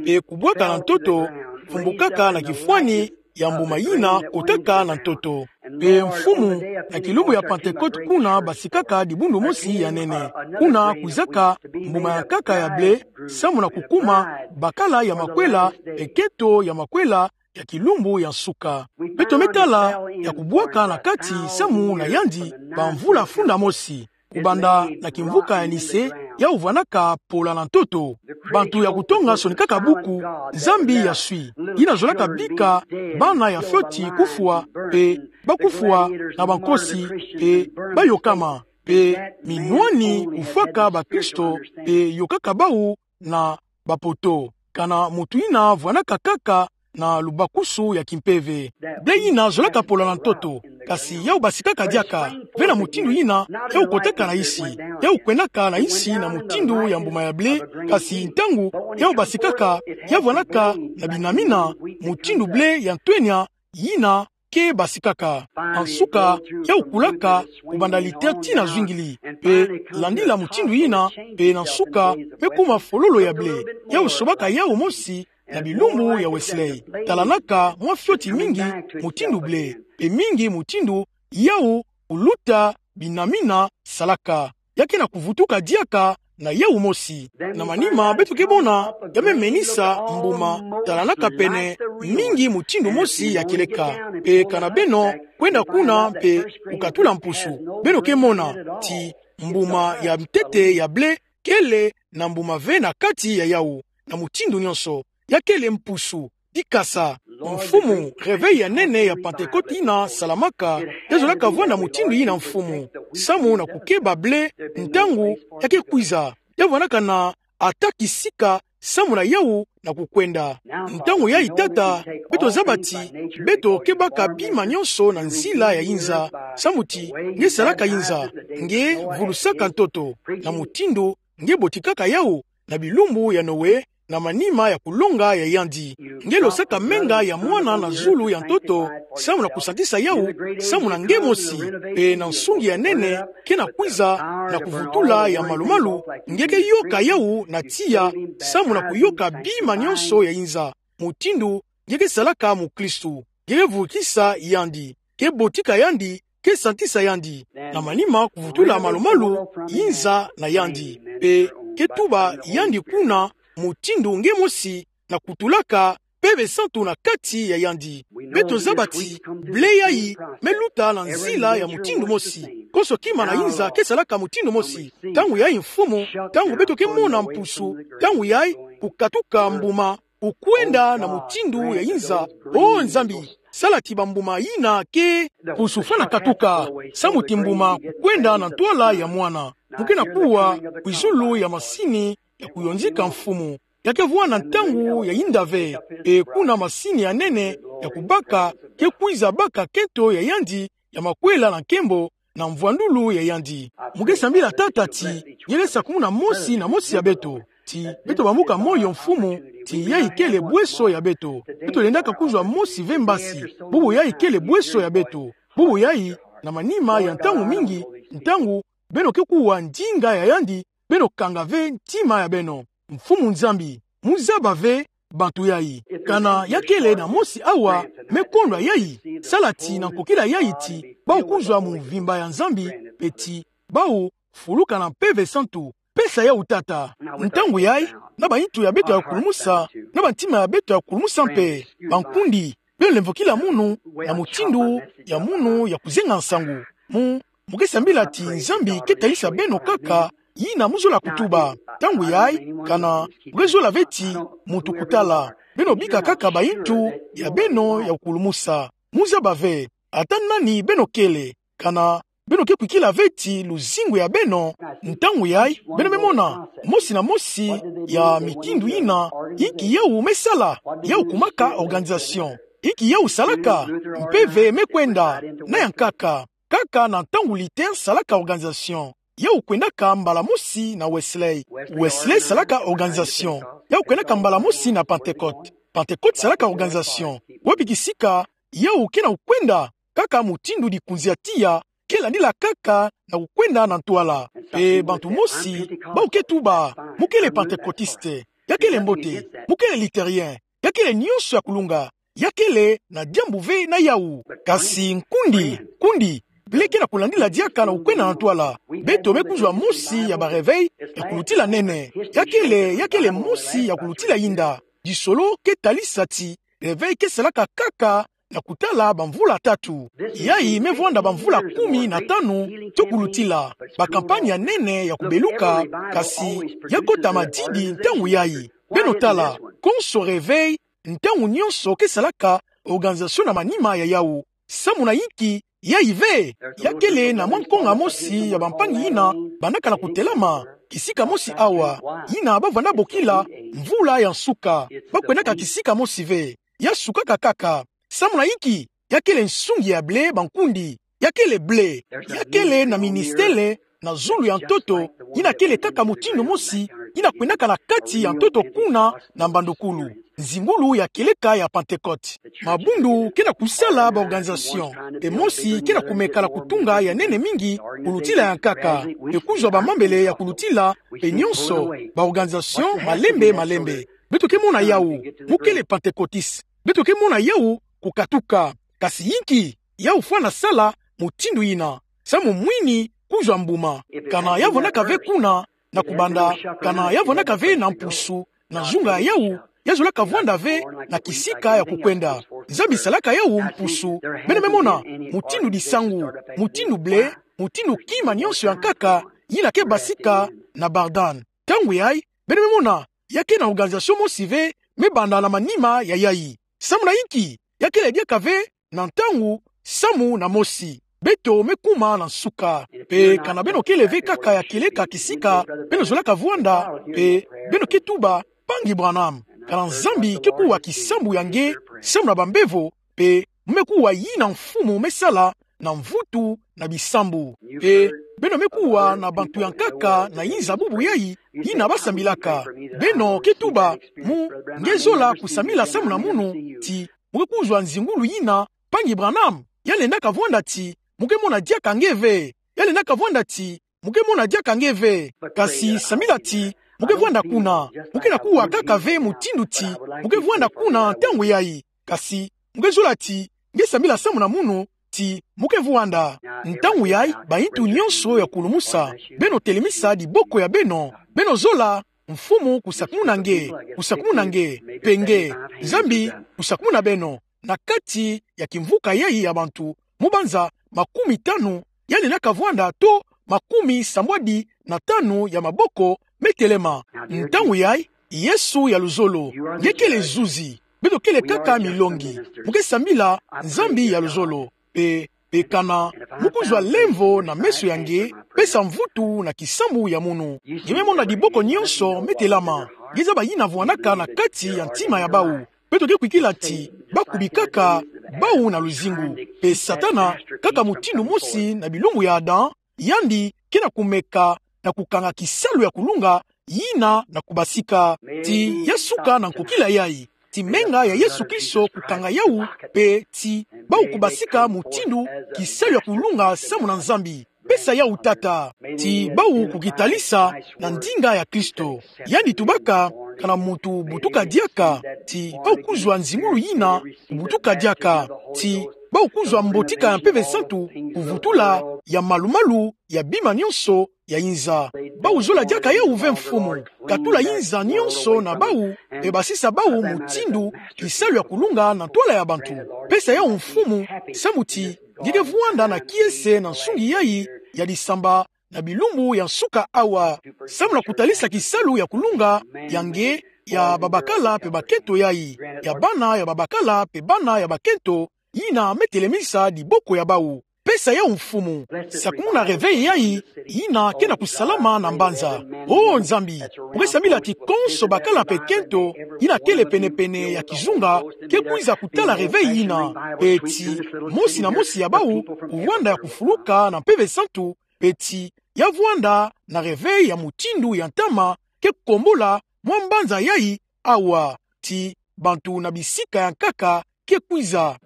pe kubwaka na ntoto, fumbukaka na kifwani ya mbuma yina kotaka na ntoto. Pe Mfumu, na kilumbu ya Pentekote kuna basikaka dibundu mosi ya nene. Kuna kwizaka mbuma ya nkaka ya ble, samu na kukuma bakala ya makwela, pe nkento ya makwela ya kilumbu ya nsuka. Beto me tala ya kubwaka na kati samu na yandi bamvula funda mosi, kubanda na kimvuka ya Nicée, yau vwandaka pola na ntoto. Bantu ya kutonga sonikaka buku Nzambi ya swi, yina zolaka bika bana ya fioti kufwa, pe bakufwa na bankosi, pe bayokama, pe minwani kufwaka bakristo, pe yokaka bau na bapoto. Kana mutu yina vwandaka kaka na lubakusu ya kimpeve. Ble yina zolaka pola na ntoto, kasi yau basikaka diaka ve na mutindu yina yau kotaka na nsi. Yau kwendaka na nsi na mutindu ya mbuma ya ble, kasi ntangu yau basikaka, ya vwandaka na binamina mutindu ble ya ntwenya yina ke basikaka. Na nsuka, yau kulaka kubanda liter tii na zwingili, pe landila mutindu yina, pe na nsuka me kuma fololo ya ble. Yau sobaka yau mosi na bilumbu ya Wesley. Talanaka mwa fioti mingi mutindu ble, pe mingi mutindu yau kuluta binamina salaka. Ya ke na kuvutuka diaka na yau mosi. Na manima beto ke mona ya me menisa mbuma, talanaka pene mingi mutindu mosi ya kieleka. Pe kana beno kwenda kuna pe kukatula mpusu, beno ke mona ti mbuma ya ntete ya ble kele na mbuma ve na kati ya yau, na mutindu nyonso. Ya kele mpusu, dikasa. Mfumu, réveil ya nene ya Pentekote yina salamaka, ya zolaka vwanda mutindu yina, Mfumu. Samu na kukeba ble, ntangu ya ke kwiza, ya vwandaka na ata kisika samu na yau na kukwenda. Ntangu yai, Tata, beto zaba ti beto ke baka bima nyonso na nzila ya inza, samu ti nge salaka inza, nge vulusaka ntoto, na mutindu nge botikaka yau na bilumbu ya Noe, na manima ya kulonga ya yandi. Nge losaka menga ya mwana na zulu ya ntoto, samu na kusantisa yau, samu na nge mosi, pe na nsungi ya nene ke na kwiza na kuvutula ya malumalu, nge ke yoka yau na tiya, samu na kuyoka bima nyonso ya inza. Mutindu nge ke salaka mukristu, nge ke vukisa yandi, ke botika yandi, ke santisa yandi, na manima kuvutula malumalu inza na yandi, pe ke tuba yandi kuna mutindu nge mosi, na kutulaka Mpeve Santu na kati ya yandi. Beto zaba ti ble yai me luta na nzila ya mutindu mosi. Konso kima na inza ke salaka mutindu mosi. Ntangu yai, Mfumu, ntangu beto ke mona mpusu, ntangu yai kukatuka mbuma, kukwenda na mutindu ya inza. O Nzambi, sala ti bambuma yina ke mpusu fwana katuka, samu ti mbuma kukwenda na ntwala ya mwana. Mu ke na kuwa kwizulu ya masini ya kuyonzika, Mfumu. Ya ke vwanda ntangu ya inda ve, pe kuna masini ya nene ya kubaka ke kwiza baka nkento ya yandi ya makwela na nkembo na mvwandulu ya yandi. Mu ke sambila, Tata, ti nge ke sakumuna mosi na mosi ya beto, ti beto bamuka moyo, Mfumu, ti yai kele bweso ya beto. Beto lendaka kuzwa mosi ve mbasi, bubu yai kele bweso ya beto. Bubu yai, na manima ya ntangu mingi, ntangu beno ke kuwa ndinga ya yandi, beno kanga ve ntima ya beno. Mfumu Nzambi, mu zaba ve bantu yai. Kana ya kele na mosi awa me kondwa yai, sala ti na nkokila yai ti bau kuzwa mu mvimba ya Nzambi, pe ti bau fuluka na Mpeve Santu. Pesa yau, Tata. Ntangu yai, na bayintu ya beto ya kulumusa, na bantima ya beto ya kulumusa mpe, bankundi, beno lemvokila munu na mutindu ya munu ya kuzenga nsangu. Mu, mu ke sambila ti Nzambi ke talisa beno kaka yina mu zola kutuba. Ntangu yai, kana mu ke zola ve ti muntu kutala. Beno bika kaka bayintu ya beno ya kulumusa. Mu zaba ve, ata nani beno kele, kana beno ke kwikila ve ti luzingu ya beno. Ntangu yai, beno me mona mosi na mosi ya mitindu yina, inki yau me sala. Yau kumaka organisation. Inki yawu salaka? Mpeve me kwenda. Na ya nkaka, kaka na ntangu Luther salaka organisation, yawu kwendaka mbala mosi na Wesley. Wesley salaka organisation, yawu kwendaka mbala mosi na Pentecôte. Pentecôte salaka organisation. Wapi kisika yawu ke na kwenda? Kaka mutindu likunzi ya tiya ke landila kaka na kukwenda na ntwala. Mpe bantu mosi, bawu ke tuba, mu kele Pentecôtiste, ya kele mbote, mu kele Lutherien, ya kele nionso ya kulunga, ya kele na diambu ve na yawu. Kasi nkundi, nkundi, blé ke na kulandila diaka na kukwenda na ntwala. Beto me kuzwa mosi ya ba réveil ya kulutila nene. Ya kele, ya kele mosi ya kulutila yinda. Disolo ke talisa ti réveil ke salaka kaka na kutala bamvula tatu. Yayi me vwanda bamvula kumi na tanu to kulutila. Ba campagne ya nene ya kubeluka, kasi ya kota madidi ntangu yayi. Beno tala, konso réveil, ntangu nionso ke salaka organisation na manima ya yawu. Samu na inki? Yayi ve, ya kele na mwa nkonga mosi ya bampangi yina bandaka na kutelama kisika mosi awa, yina bavwanda bokila mvula ya nsuka. Bakwendaka kisika mosi ve, ya sukaka kaka. Samu na inki? Ya kele nsungi ya blé, bankundi. Ya kele blé. Ya kele na ministele na zulu ya ntoto, yina kele kaka mutindu mosi yina kwendaka na kati ya ntoto kuna na mbandukulu. Nzingulu ya kieleka ya Pentecôte. Mabundu ke na kusala ba organisation, mpe mosi ke na kumeka na kutunga ya nene mingi kulutila ya nkaka, mpe kuzwa bamambele ya kulutila, mpe nionso, ba organisation malembe malembe. Beto ke mona yawu, mu kele Pentecôtiste. Beto ke mona yawu kukatuka. Kasi inki? Yawu fwana sala mutindu yina. Samu mwini kuzwa mbuma. Kana ya vwandaka ve kuna na kubanda, kana ya vwandaka ve na mpusu na zunga ya yawu, ya zolaka vwanda ve na kisika ya kukwenda. Nzambi salaka yawu mpusu. Beno me mona mutindu disangu, mutindu blé, mutindu kima nionso ya nkaka yina ke basika na Bardane. Ntangu yayi, beno me mona, ya ke na organisation mosi ve me banda na manima ya yayi. Samu na inki? Ya kele diaka ve na ntangu, samu na mosi. Beto me kuma na nsuka. Mpe kana beno kele ve kaka ya kieleka kisika beno zolaka vwanda, mpe beno ke tuba: Mpangi Branham, kana Nzambi ke kuwa kisambu ya nge samu na bambevo, mpe mu me kuwa yina Mfumu me sala na mvutu na bisambu. Mpe beno me kuwa na bantu ya nkaka na yinza bubu yayi, yina basambilaka. Beno ke tuba: Mu, nge zola kusambila samu na munu ti mu ke kuzwa nzingulu yina, Mpangi Branham? Ya lendaka vwanda ti mu ke mona diaka nge ve. Ya lendaka vwanda ti mu ke mona diaka nge ve. Kasi sambila ti mu ke vwanda kuna. Mu ke na kuwa kaka ve mutindu ti mu ke vwanda kuna ntangu yayi. Kasi mu ke zola ti nge sambila samu na munu ti mu ke vwanda. Ntangu yayi, bayintu nionso ya kulumusa, beno telemisa diboko ya beno. Beno zola Mfumu kusakumuna nge, kusakumuna nge, mpe nge, Nzambi kusakumuna beno na kati ya kimvuka yayi ya bantu, mu banza makumitanu, ya lendaka vwanda to makumisambwadi na tanu ya maboko me telema. Ntangu yayi, Yesu ya luzolo, nge kele zuzi. Beto kele kaka milongi. Mu ke sambila Nzambi ya luzolo. Mpe, mpe kana mu kuzwa lemvo na meso ya nge, pesa mvutu na kisambu ya munu. Nge me mona diboko nionso me telama. Nge zaba yina vwandaka na kati ya ntima ya bawu. Beto ke kwikila ti bakubikaka bawu na luzingu. Mpe Satana, kaka mutindu mosi na bilumbu ya Adam, yandi ke na kumeka na kukanga kisalu ya kulunga yina na kubasika. Ti ya suka na nkokila yayi. Ti menga ya Yesu Kristo kukanga yawu, mpe ti bawu kubasika mutindu kisalu ya kulunga samu na Nzambi. Pesa yawu, Tata. Ti bawu kukitalisa na ndinga ya Kristo. Yandi tubaka: Kana muntu butuka diaka, ti bawu kuzwa nzingulu yina kubutuka diaka. Ti bawu kuzwa mbotika ya Mpeve Santu kuvutula ya malumalu ya bima nionso ya yinza. Bawu zola diaka yawu ve: Mfumu, katula yinza nionso na bawu, mpe basisa bawu mutindu kisalu ya kulunga na ntwala ya bantu. Pesa yawu, Mfumu, samu ti nge ke vwanda na kiese na nsungi yayi ya disamba na bilumbu ya nsuka awa, samu na kutalisa kisalu ya kulunga ya nge, ya babakala mpe bakento yayi, ya bana ya babakala mpe bana ya bakento, yina me telemisa diboko ya bawu. Pesa yawu mfumu. Sakumuna réveil yayi, yina ke na kusalama na mbanza. O Nzambi, mu ke sambila ti konso bakala mpe kento, yina kele penepene ya kizunga, ke kwiza kutala réveil yina. Mpe ti mosi na mosi ya bawu, kuvwanda ya kufuluka na Mpeve Santu, mpe ti ya vwanda na réveil ya mutindu ya ntama, ke kombola mwa mbanza yayi, awa ti bantu na bisika ya nkaka ke kwiza.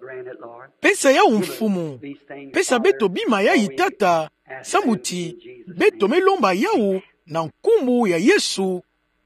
Pesa yawu mfumu. Pesa beto bima yayi, Tata, samu ti beto me lomba yawu na nkumbu ya Yesu.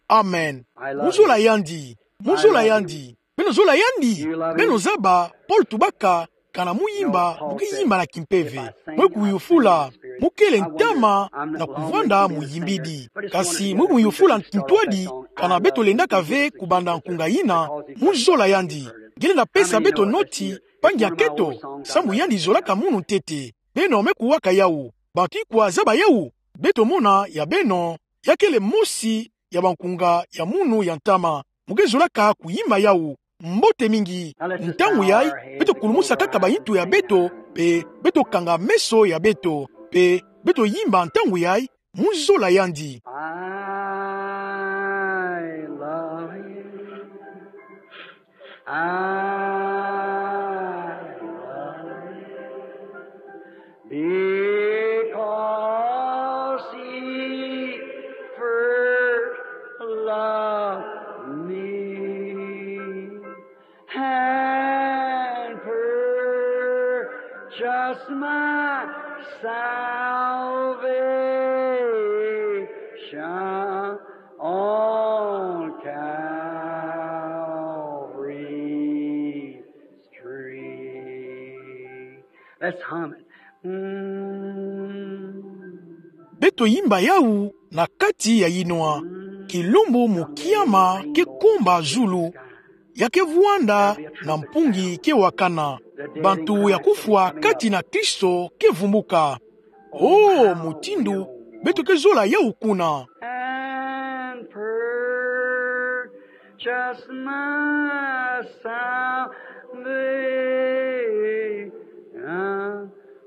Amen. Mu zola yandi. Mu zola yandi. Beno zola yandi. Beno zaba, Paul tubaka, kana mu yimba, mu ke yimba na kimpeve. Mwe kuyufula, mu kele ntama na kuvwanda muyimbidi. Kasi mwe kuyufula ntwadi, kana beto lendaka ve kubanda nkunga yina, mu zola yandi. Nge lenda pesa beto noti, mpangi ya kento, samu yandi zolaka munu ntete. Beno me kuwaka yawu. Bantu ikwa zaba yawu. Beto mona ya beno, ya kele mosi ya bankunga ya munu ya ntama. Mu ke zolaka kuyimba yawu. Mbote mingi. Ntangu yayi, beto kulumusa kaka bayintu ya beto, mpe beto kanga meso ya beto, mpe beto yimba ntangu yayi, mu zola yandi. I love him. I love him. Because he first loved me and purchased my salvation on Calvary's tree. Let's hum it. Mm. Beto yimba yawu na kati ya yinwa. Kilumbu mu kiama ke komba zulu. Ya ke vwanda na mpungi ke wakana. Bantu ya kufwa kati na Kristo ke vumbuka. O, mutindu beto ke zola yawu kuna. And purchase my salvation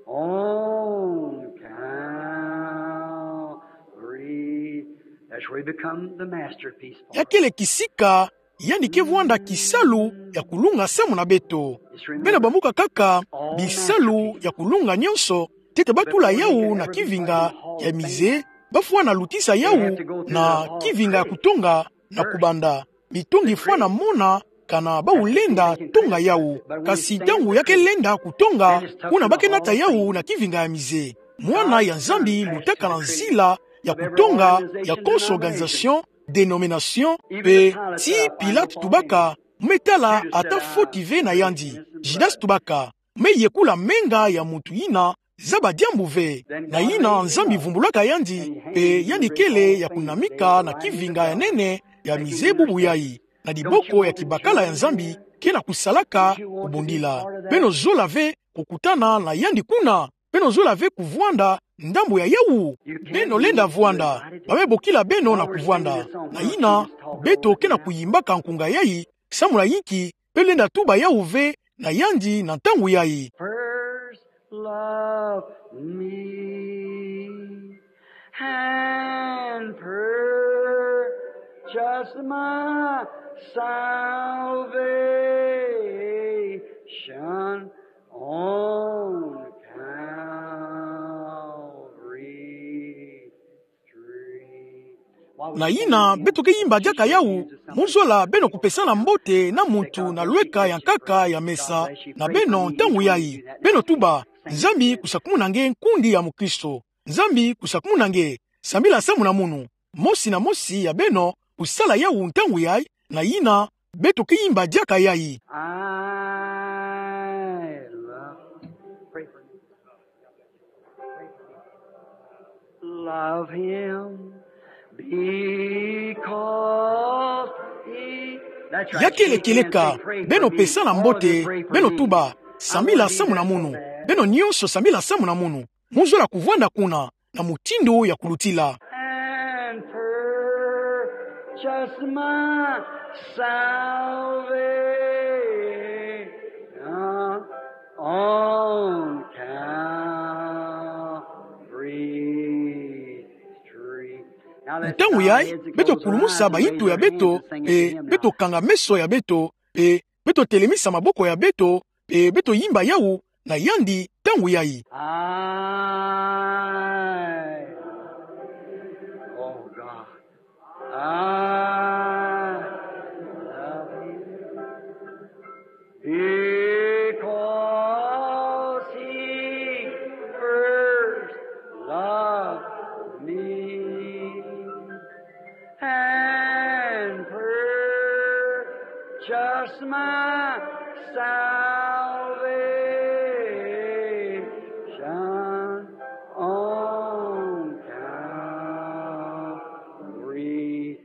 on Calvary. That's where he become the masterpiece for us. Ya kele kisika, yandi ke vwanda kisalu ya kulunga samu na beto. Beno bambuka kaka, bisalu ya kulunga nyonso, ntete ba tula yawu na kivinga ya mize, ba fwana lutisa yawu na kivinga ya kutonga na kubanda. Mitungi fwana mona kana bawu lenda tonga yawu. Kasi ntangu ya ke lenda kutonga, kuna ba ke nata yawu na kivinga ya mize. Mwana ya Nzambi lutaka na nzila ya kutonga ya konso organisation, dénomination, mpe ti Pilate tubaka, me tala ata foti ve na yandi. Judas tubaka, me yekula menga ya muntu yina, zaba diambu ve. Na yina Nzambi vumbulaka yandi, mpe yandi kele ya kunamika na kivinga ya nene ya mize bubu yayi. Na diboko ya kibakala ya Nzambi, ke na kusalaka kubundila. Beno zola ve kukutana na yandi kuna. Beno zola ve kuvwanda ndambu ya yawu. Beno lenda vwanda. Ba me bokila beno na kuvwanda. Na yina, beto ke na kuyimbaka nkunga yayi, samu na yinki, beno lenda tuba yawu ve na yandi na ntangu yayi. First love me and purchase my salvation on Calvary. Na yina, beto ke yimba diaka yawu, mu zola beno kupesana mbote na muntu na lweka ya nkaka ya mesa na beno ntangu yayi. Beno tuba, Nzambi kusakumuna nge nkundi ya mukristo. Nzambi kusakumuna nge, sambila samu na munu. Mosi na mosi ya beno kusala yawu ntangu yayi, na yina, beto ke yimba diaka yayi. I love, pray for me. Love him because he, that's right. Ya kele kieleka, beno pesana mbote, beno tuba, sambila samu na munu. Beno nyonso sambila samu na munu. Mu zola kuvwanda kuna, na mutindu ya kulutila. And purchase my salvation on Calvary. Ntangu yai, beto kulumusa baito ya beto, pe beto kanga meso ya beto, pe beto telemisa maboko ya beto, pe beto yimba yawu na yandi ntangu yai. I, oh God, I love you because he first loved me and purchased my salvation on Calvary.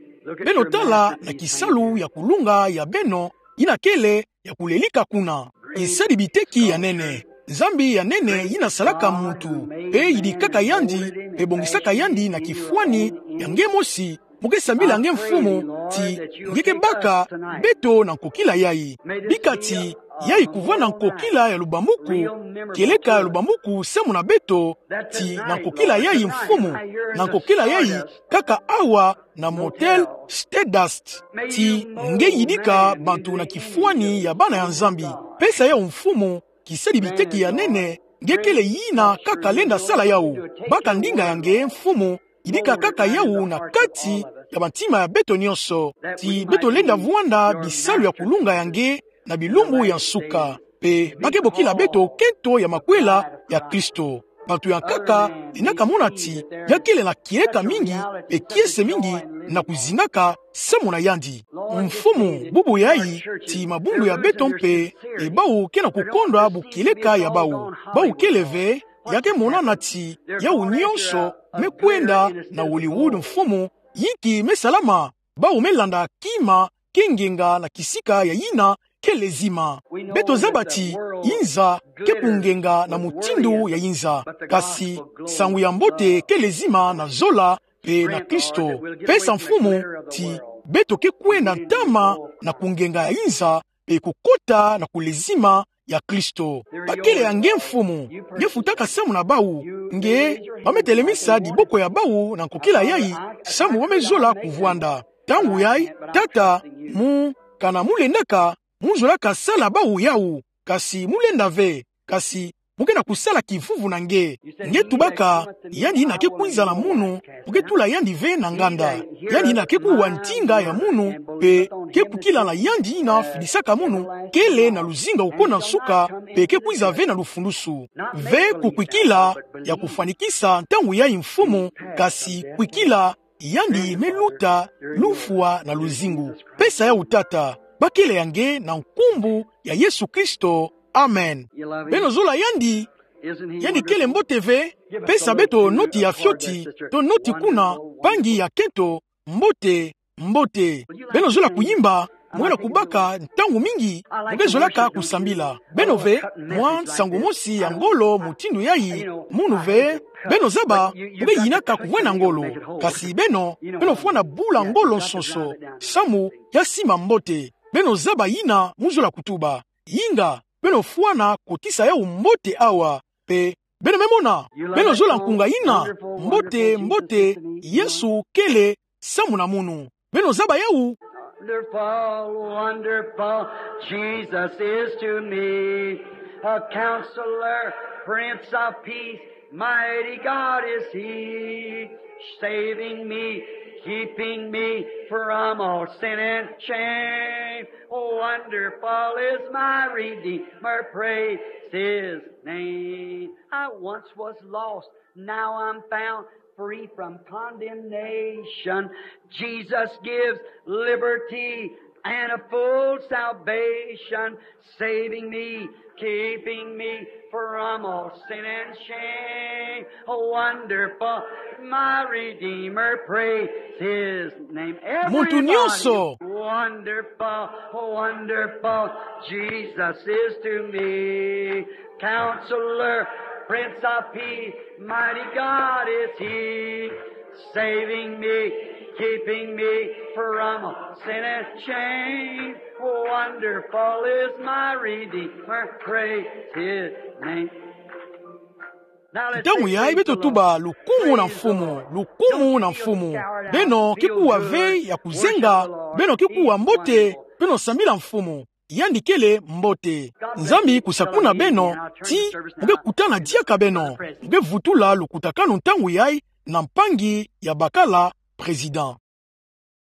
Beno tala na kisalu ya kulunga ya beno, yina kele ya kulelika kuna. Kisadi biteki ya nene. Nzambi ya nene yina salaka muntu, pe yidikaka yandi, pe bongisaka yandi na kifwani ya nge mosi, mo ke sambila nge Mfumu, ti nge ke baka beto na nkokila yai. Bika ti yai kuvwanda nkokila ya lubambuku, kieleka ya lubambuku samu na beto, ti na nkokila yai Mfumu, na nkokila yai kaka awa na Motel Stardust. Ti nge yidika bantu na kifwani ya bana ya Nzambi. Pesa yawu Mfumu, kisadi biteki ya nene, nge kele yina kaka lenda sala yawu. Baka ndinga ya nge Mfumu, yidika kaka yawu na kati ya bantima ya beto nyonso. Ti beto lenda vwanda bisalu ya kulunga ya nge na bilumbu ya nsuka. Pe ba ke bokila beto kento ya makwela ya Kristo. Bantu ya nkaka lendaka mona ti ya kele na kieleka mingi, pe kiese mingi na kuzingaka samu na yandi. Mfumu, bubu yai, ti mabundu ya beto mpe, e bawu ke na kukondwa bu kieleka ya bawu. Bawu kele ve, ya ke monana ti yawu nyonso me kwenda na Hollywood Mfumu, yinki me salama, bawu me landa kima ke ngenga na kisika ya yina kele zima. Beto zaba ti yinza ke kungenga na mutindu ya yinza. Kasi nsangu ya mbote kele zima na zola pe na Kristo. Pesa Mfumu ti beto ke kwenda ntama na kungenga ya yinza, pe kukota na kulezima ya Kristo. Ba kele ya nge Mfumu, nge futaka samu na bawu, nge ba me telemisa diboko ya bawu na nkokila yai, samu ba me zola kuvwanda. Ntangu yai, Tata, mu, kana mu lendaka, mu zolaka sala bawu yawu, kasi mu lenda ve, kasi mu ke na kusala kivuvu na nge. Nge tubaka, yandi yina ke kwiza na munu, mu ke tula yandi ve na nganda. Yandi yina ke kuwa ndinga ya munu, pe ke kukila na yandi yina fidisaka munu, kele na luzinga uko na nsuka, pe ke kwiza ve na lufulusu. Ve kukwikila ya kufwanikisa ntangu yai Mfumu, kasi kwikila yandi me luta lufwa na luzingu. Pesa yawu Tata, ba kele ya nge na nkumbu ya Yesu Kristo. Amen. Beno zola yandi, yandi kele mbote ve, pesa beto noti ya fioti, to noti kuna, mpangi ya kento, mbote, mbote. Beno zola kuyimba, mwela kubaka ntangu mingi, mu ke zolaka kusambila. Beno ve, mwa nsangu mosi ya ngolo mutindu yai, munu ve, beno zaba, mu ke yinaka kuvwena ngolo. Kasi beno, beno fwana bula ngolo nsonso, samu ya sima mbote. Beno zaba yina mu zola kutuba. Yinga, beno fwana kotisa yawu mbote awa, pe beno me mona, beno zola nkunga yina, mbote, mbote, Yesu kele samu na munu. Beno zaba yawu. Wonderful, wonderful, Jesus is to me a counselor, Prince of Peace, mighty God is he, saving me, keeping me from all sin and shame. Wonderful is my Redeemer, praise his name. I once was lost, now I'm found, free from condemnation. Jesus gives liberty and a full salvation, saving me, keeping me from all sin and shame. Wonderful, my Redeemer, praise his name. Muntu nyonso. Everybody, wonderful, wonderful, Jesus is to me. Counselor, Prince of Peace, mighty God is he, saving me, keeping me from sin and shame. Wonderful is my Redeemer, praise his name. Ntangu yai beto tuba: Lukumu na Mfumu, lukumu na Mfumu. Beno ki kuwa vei ya kuzenga, beno ki kuwa mbote, beno sambila Mfumu. Yandi kele mbote. Nzambi kusa kuna beno, ti mu ke kutana diaka beno, mu ke vutula lukutakanu ntangu yai na mpangi ya bakala président.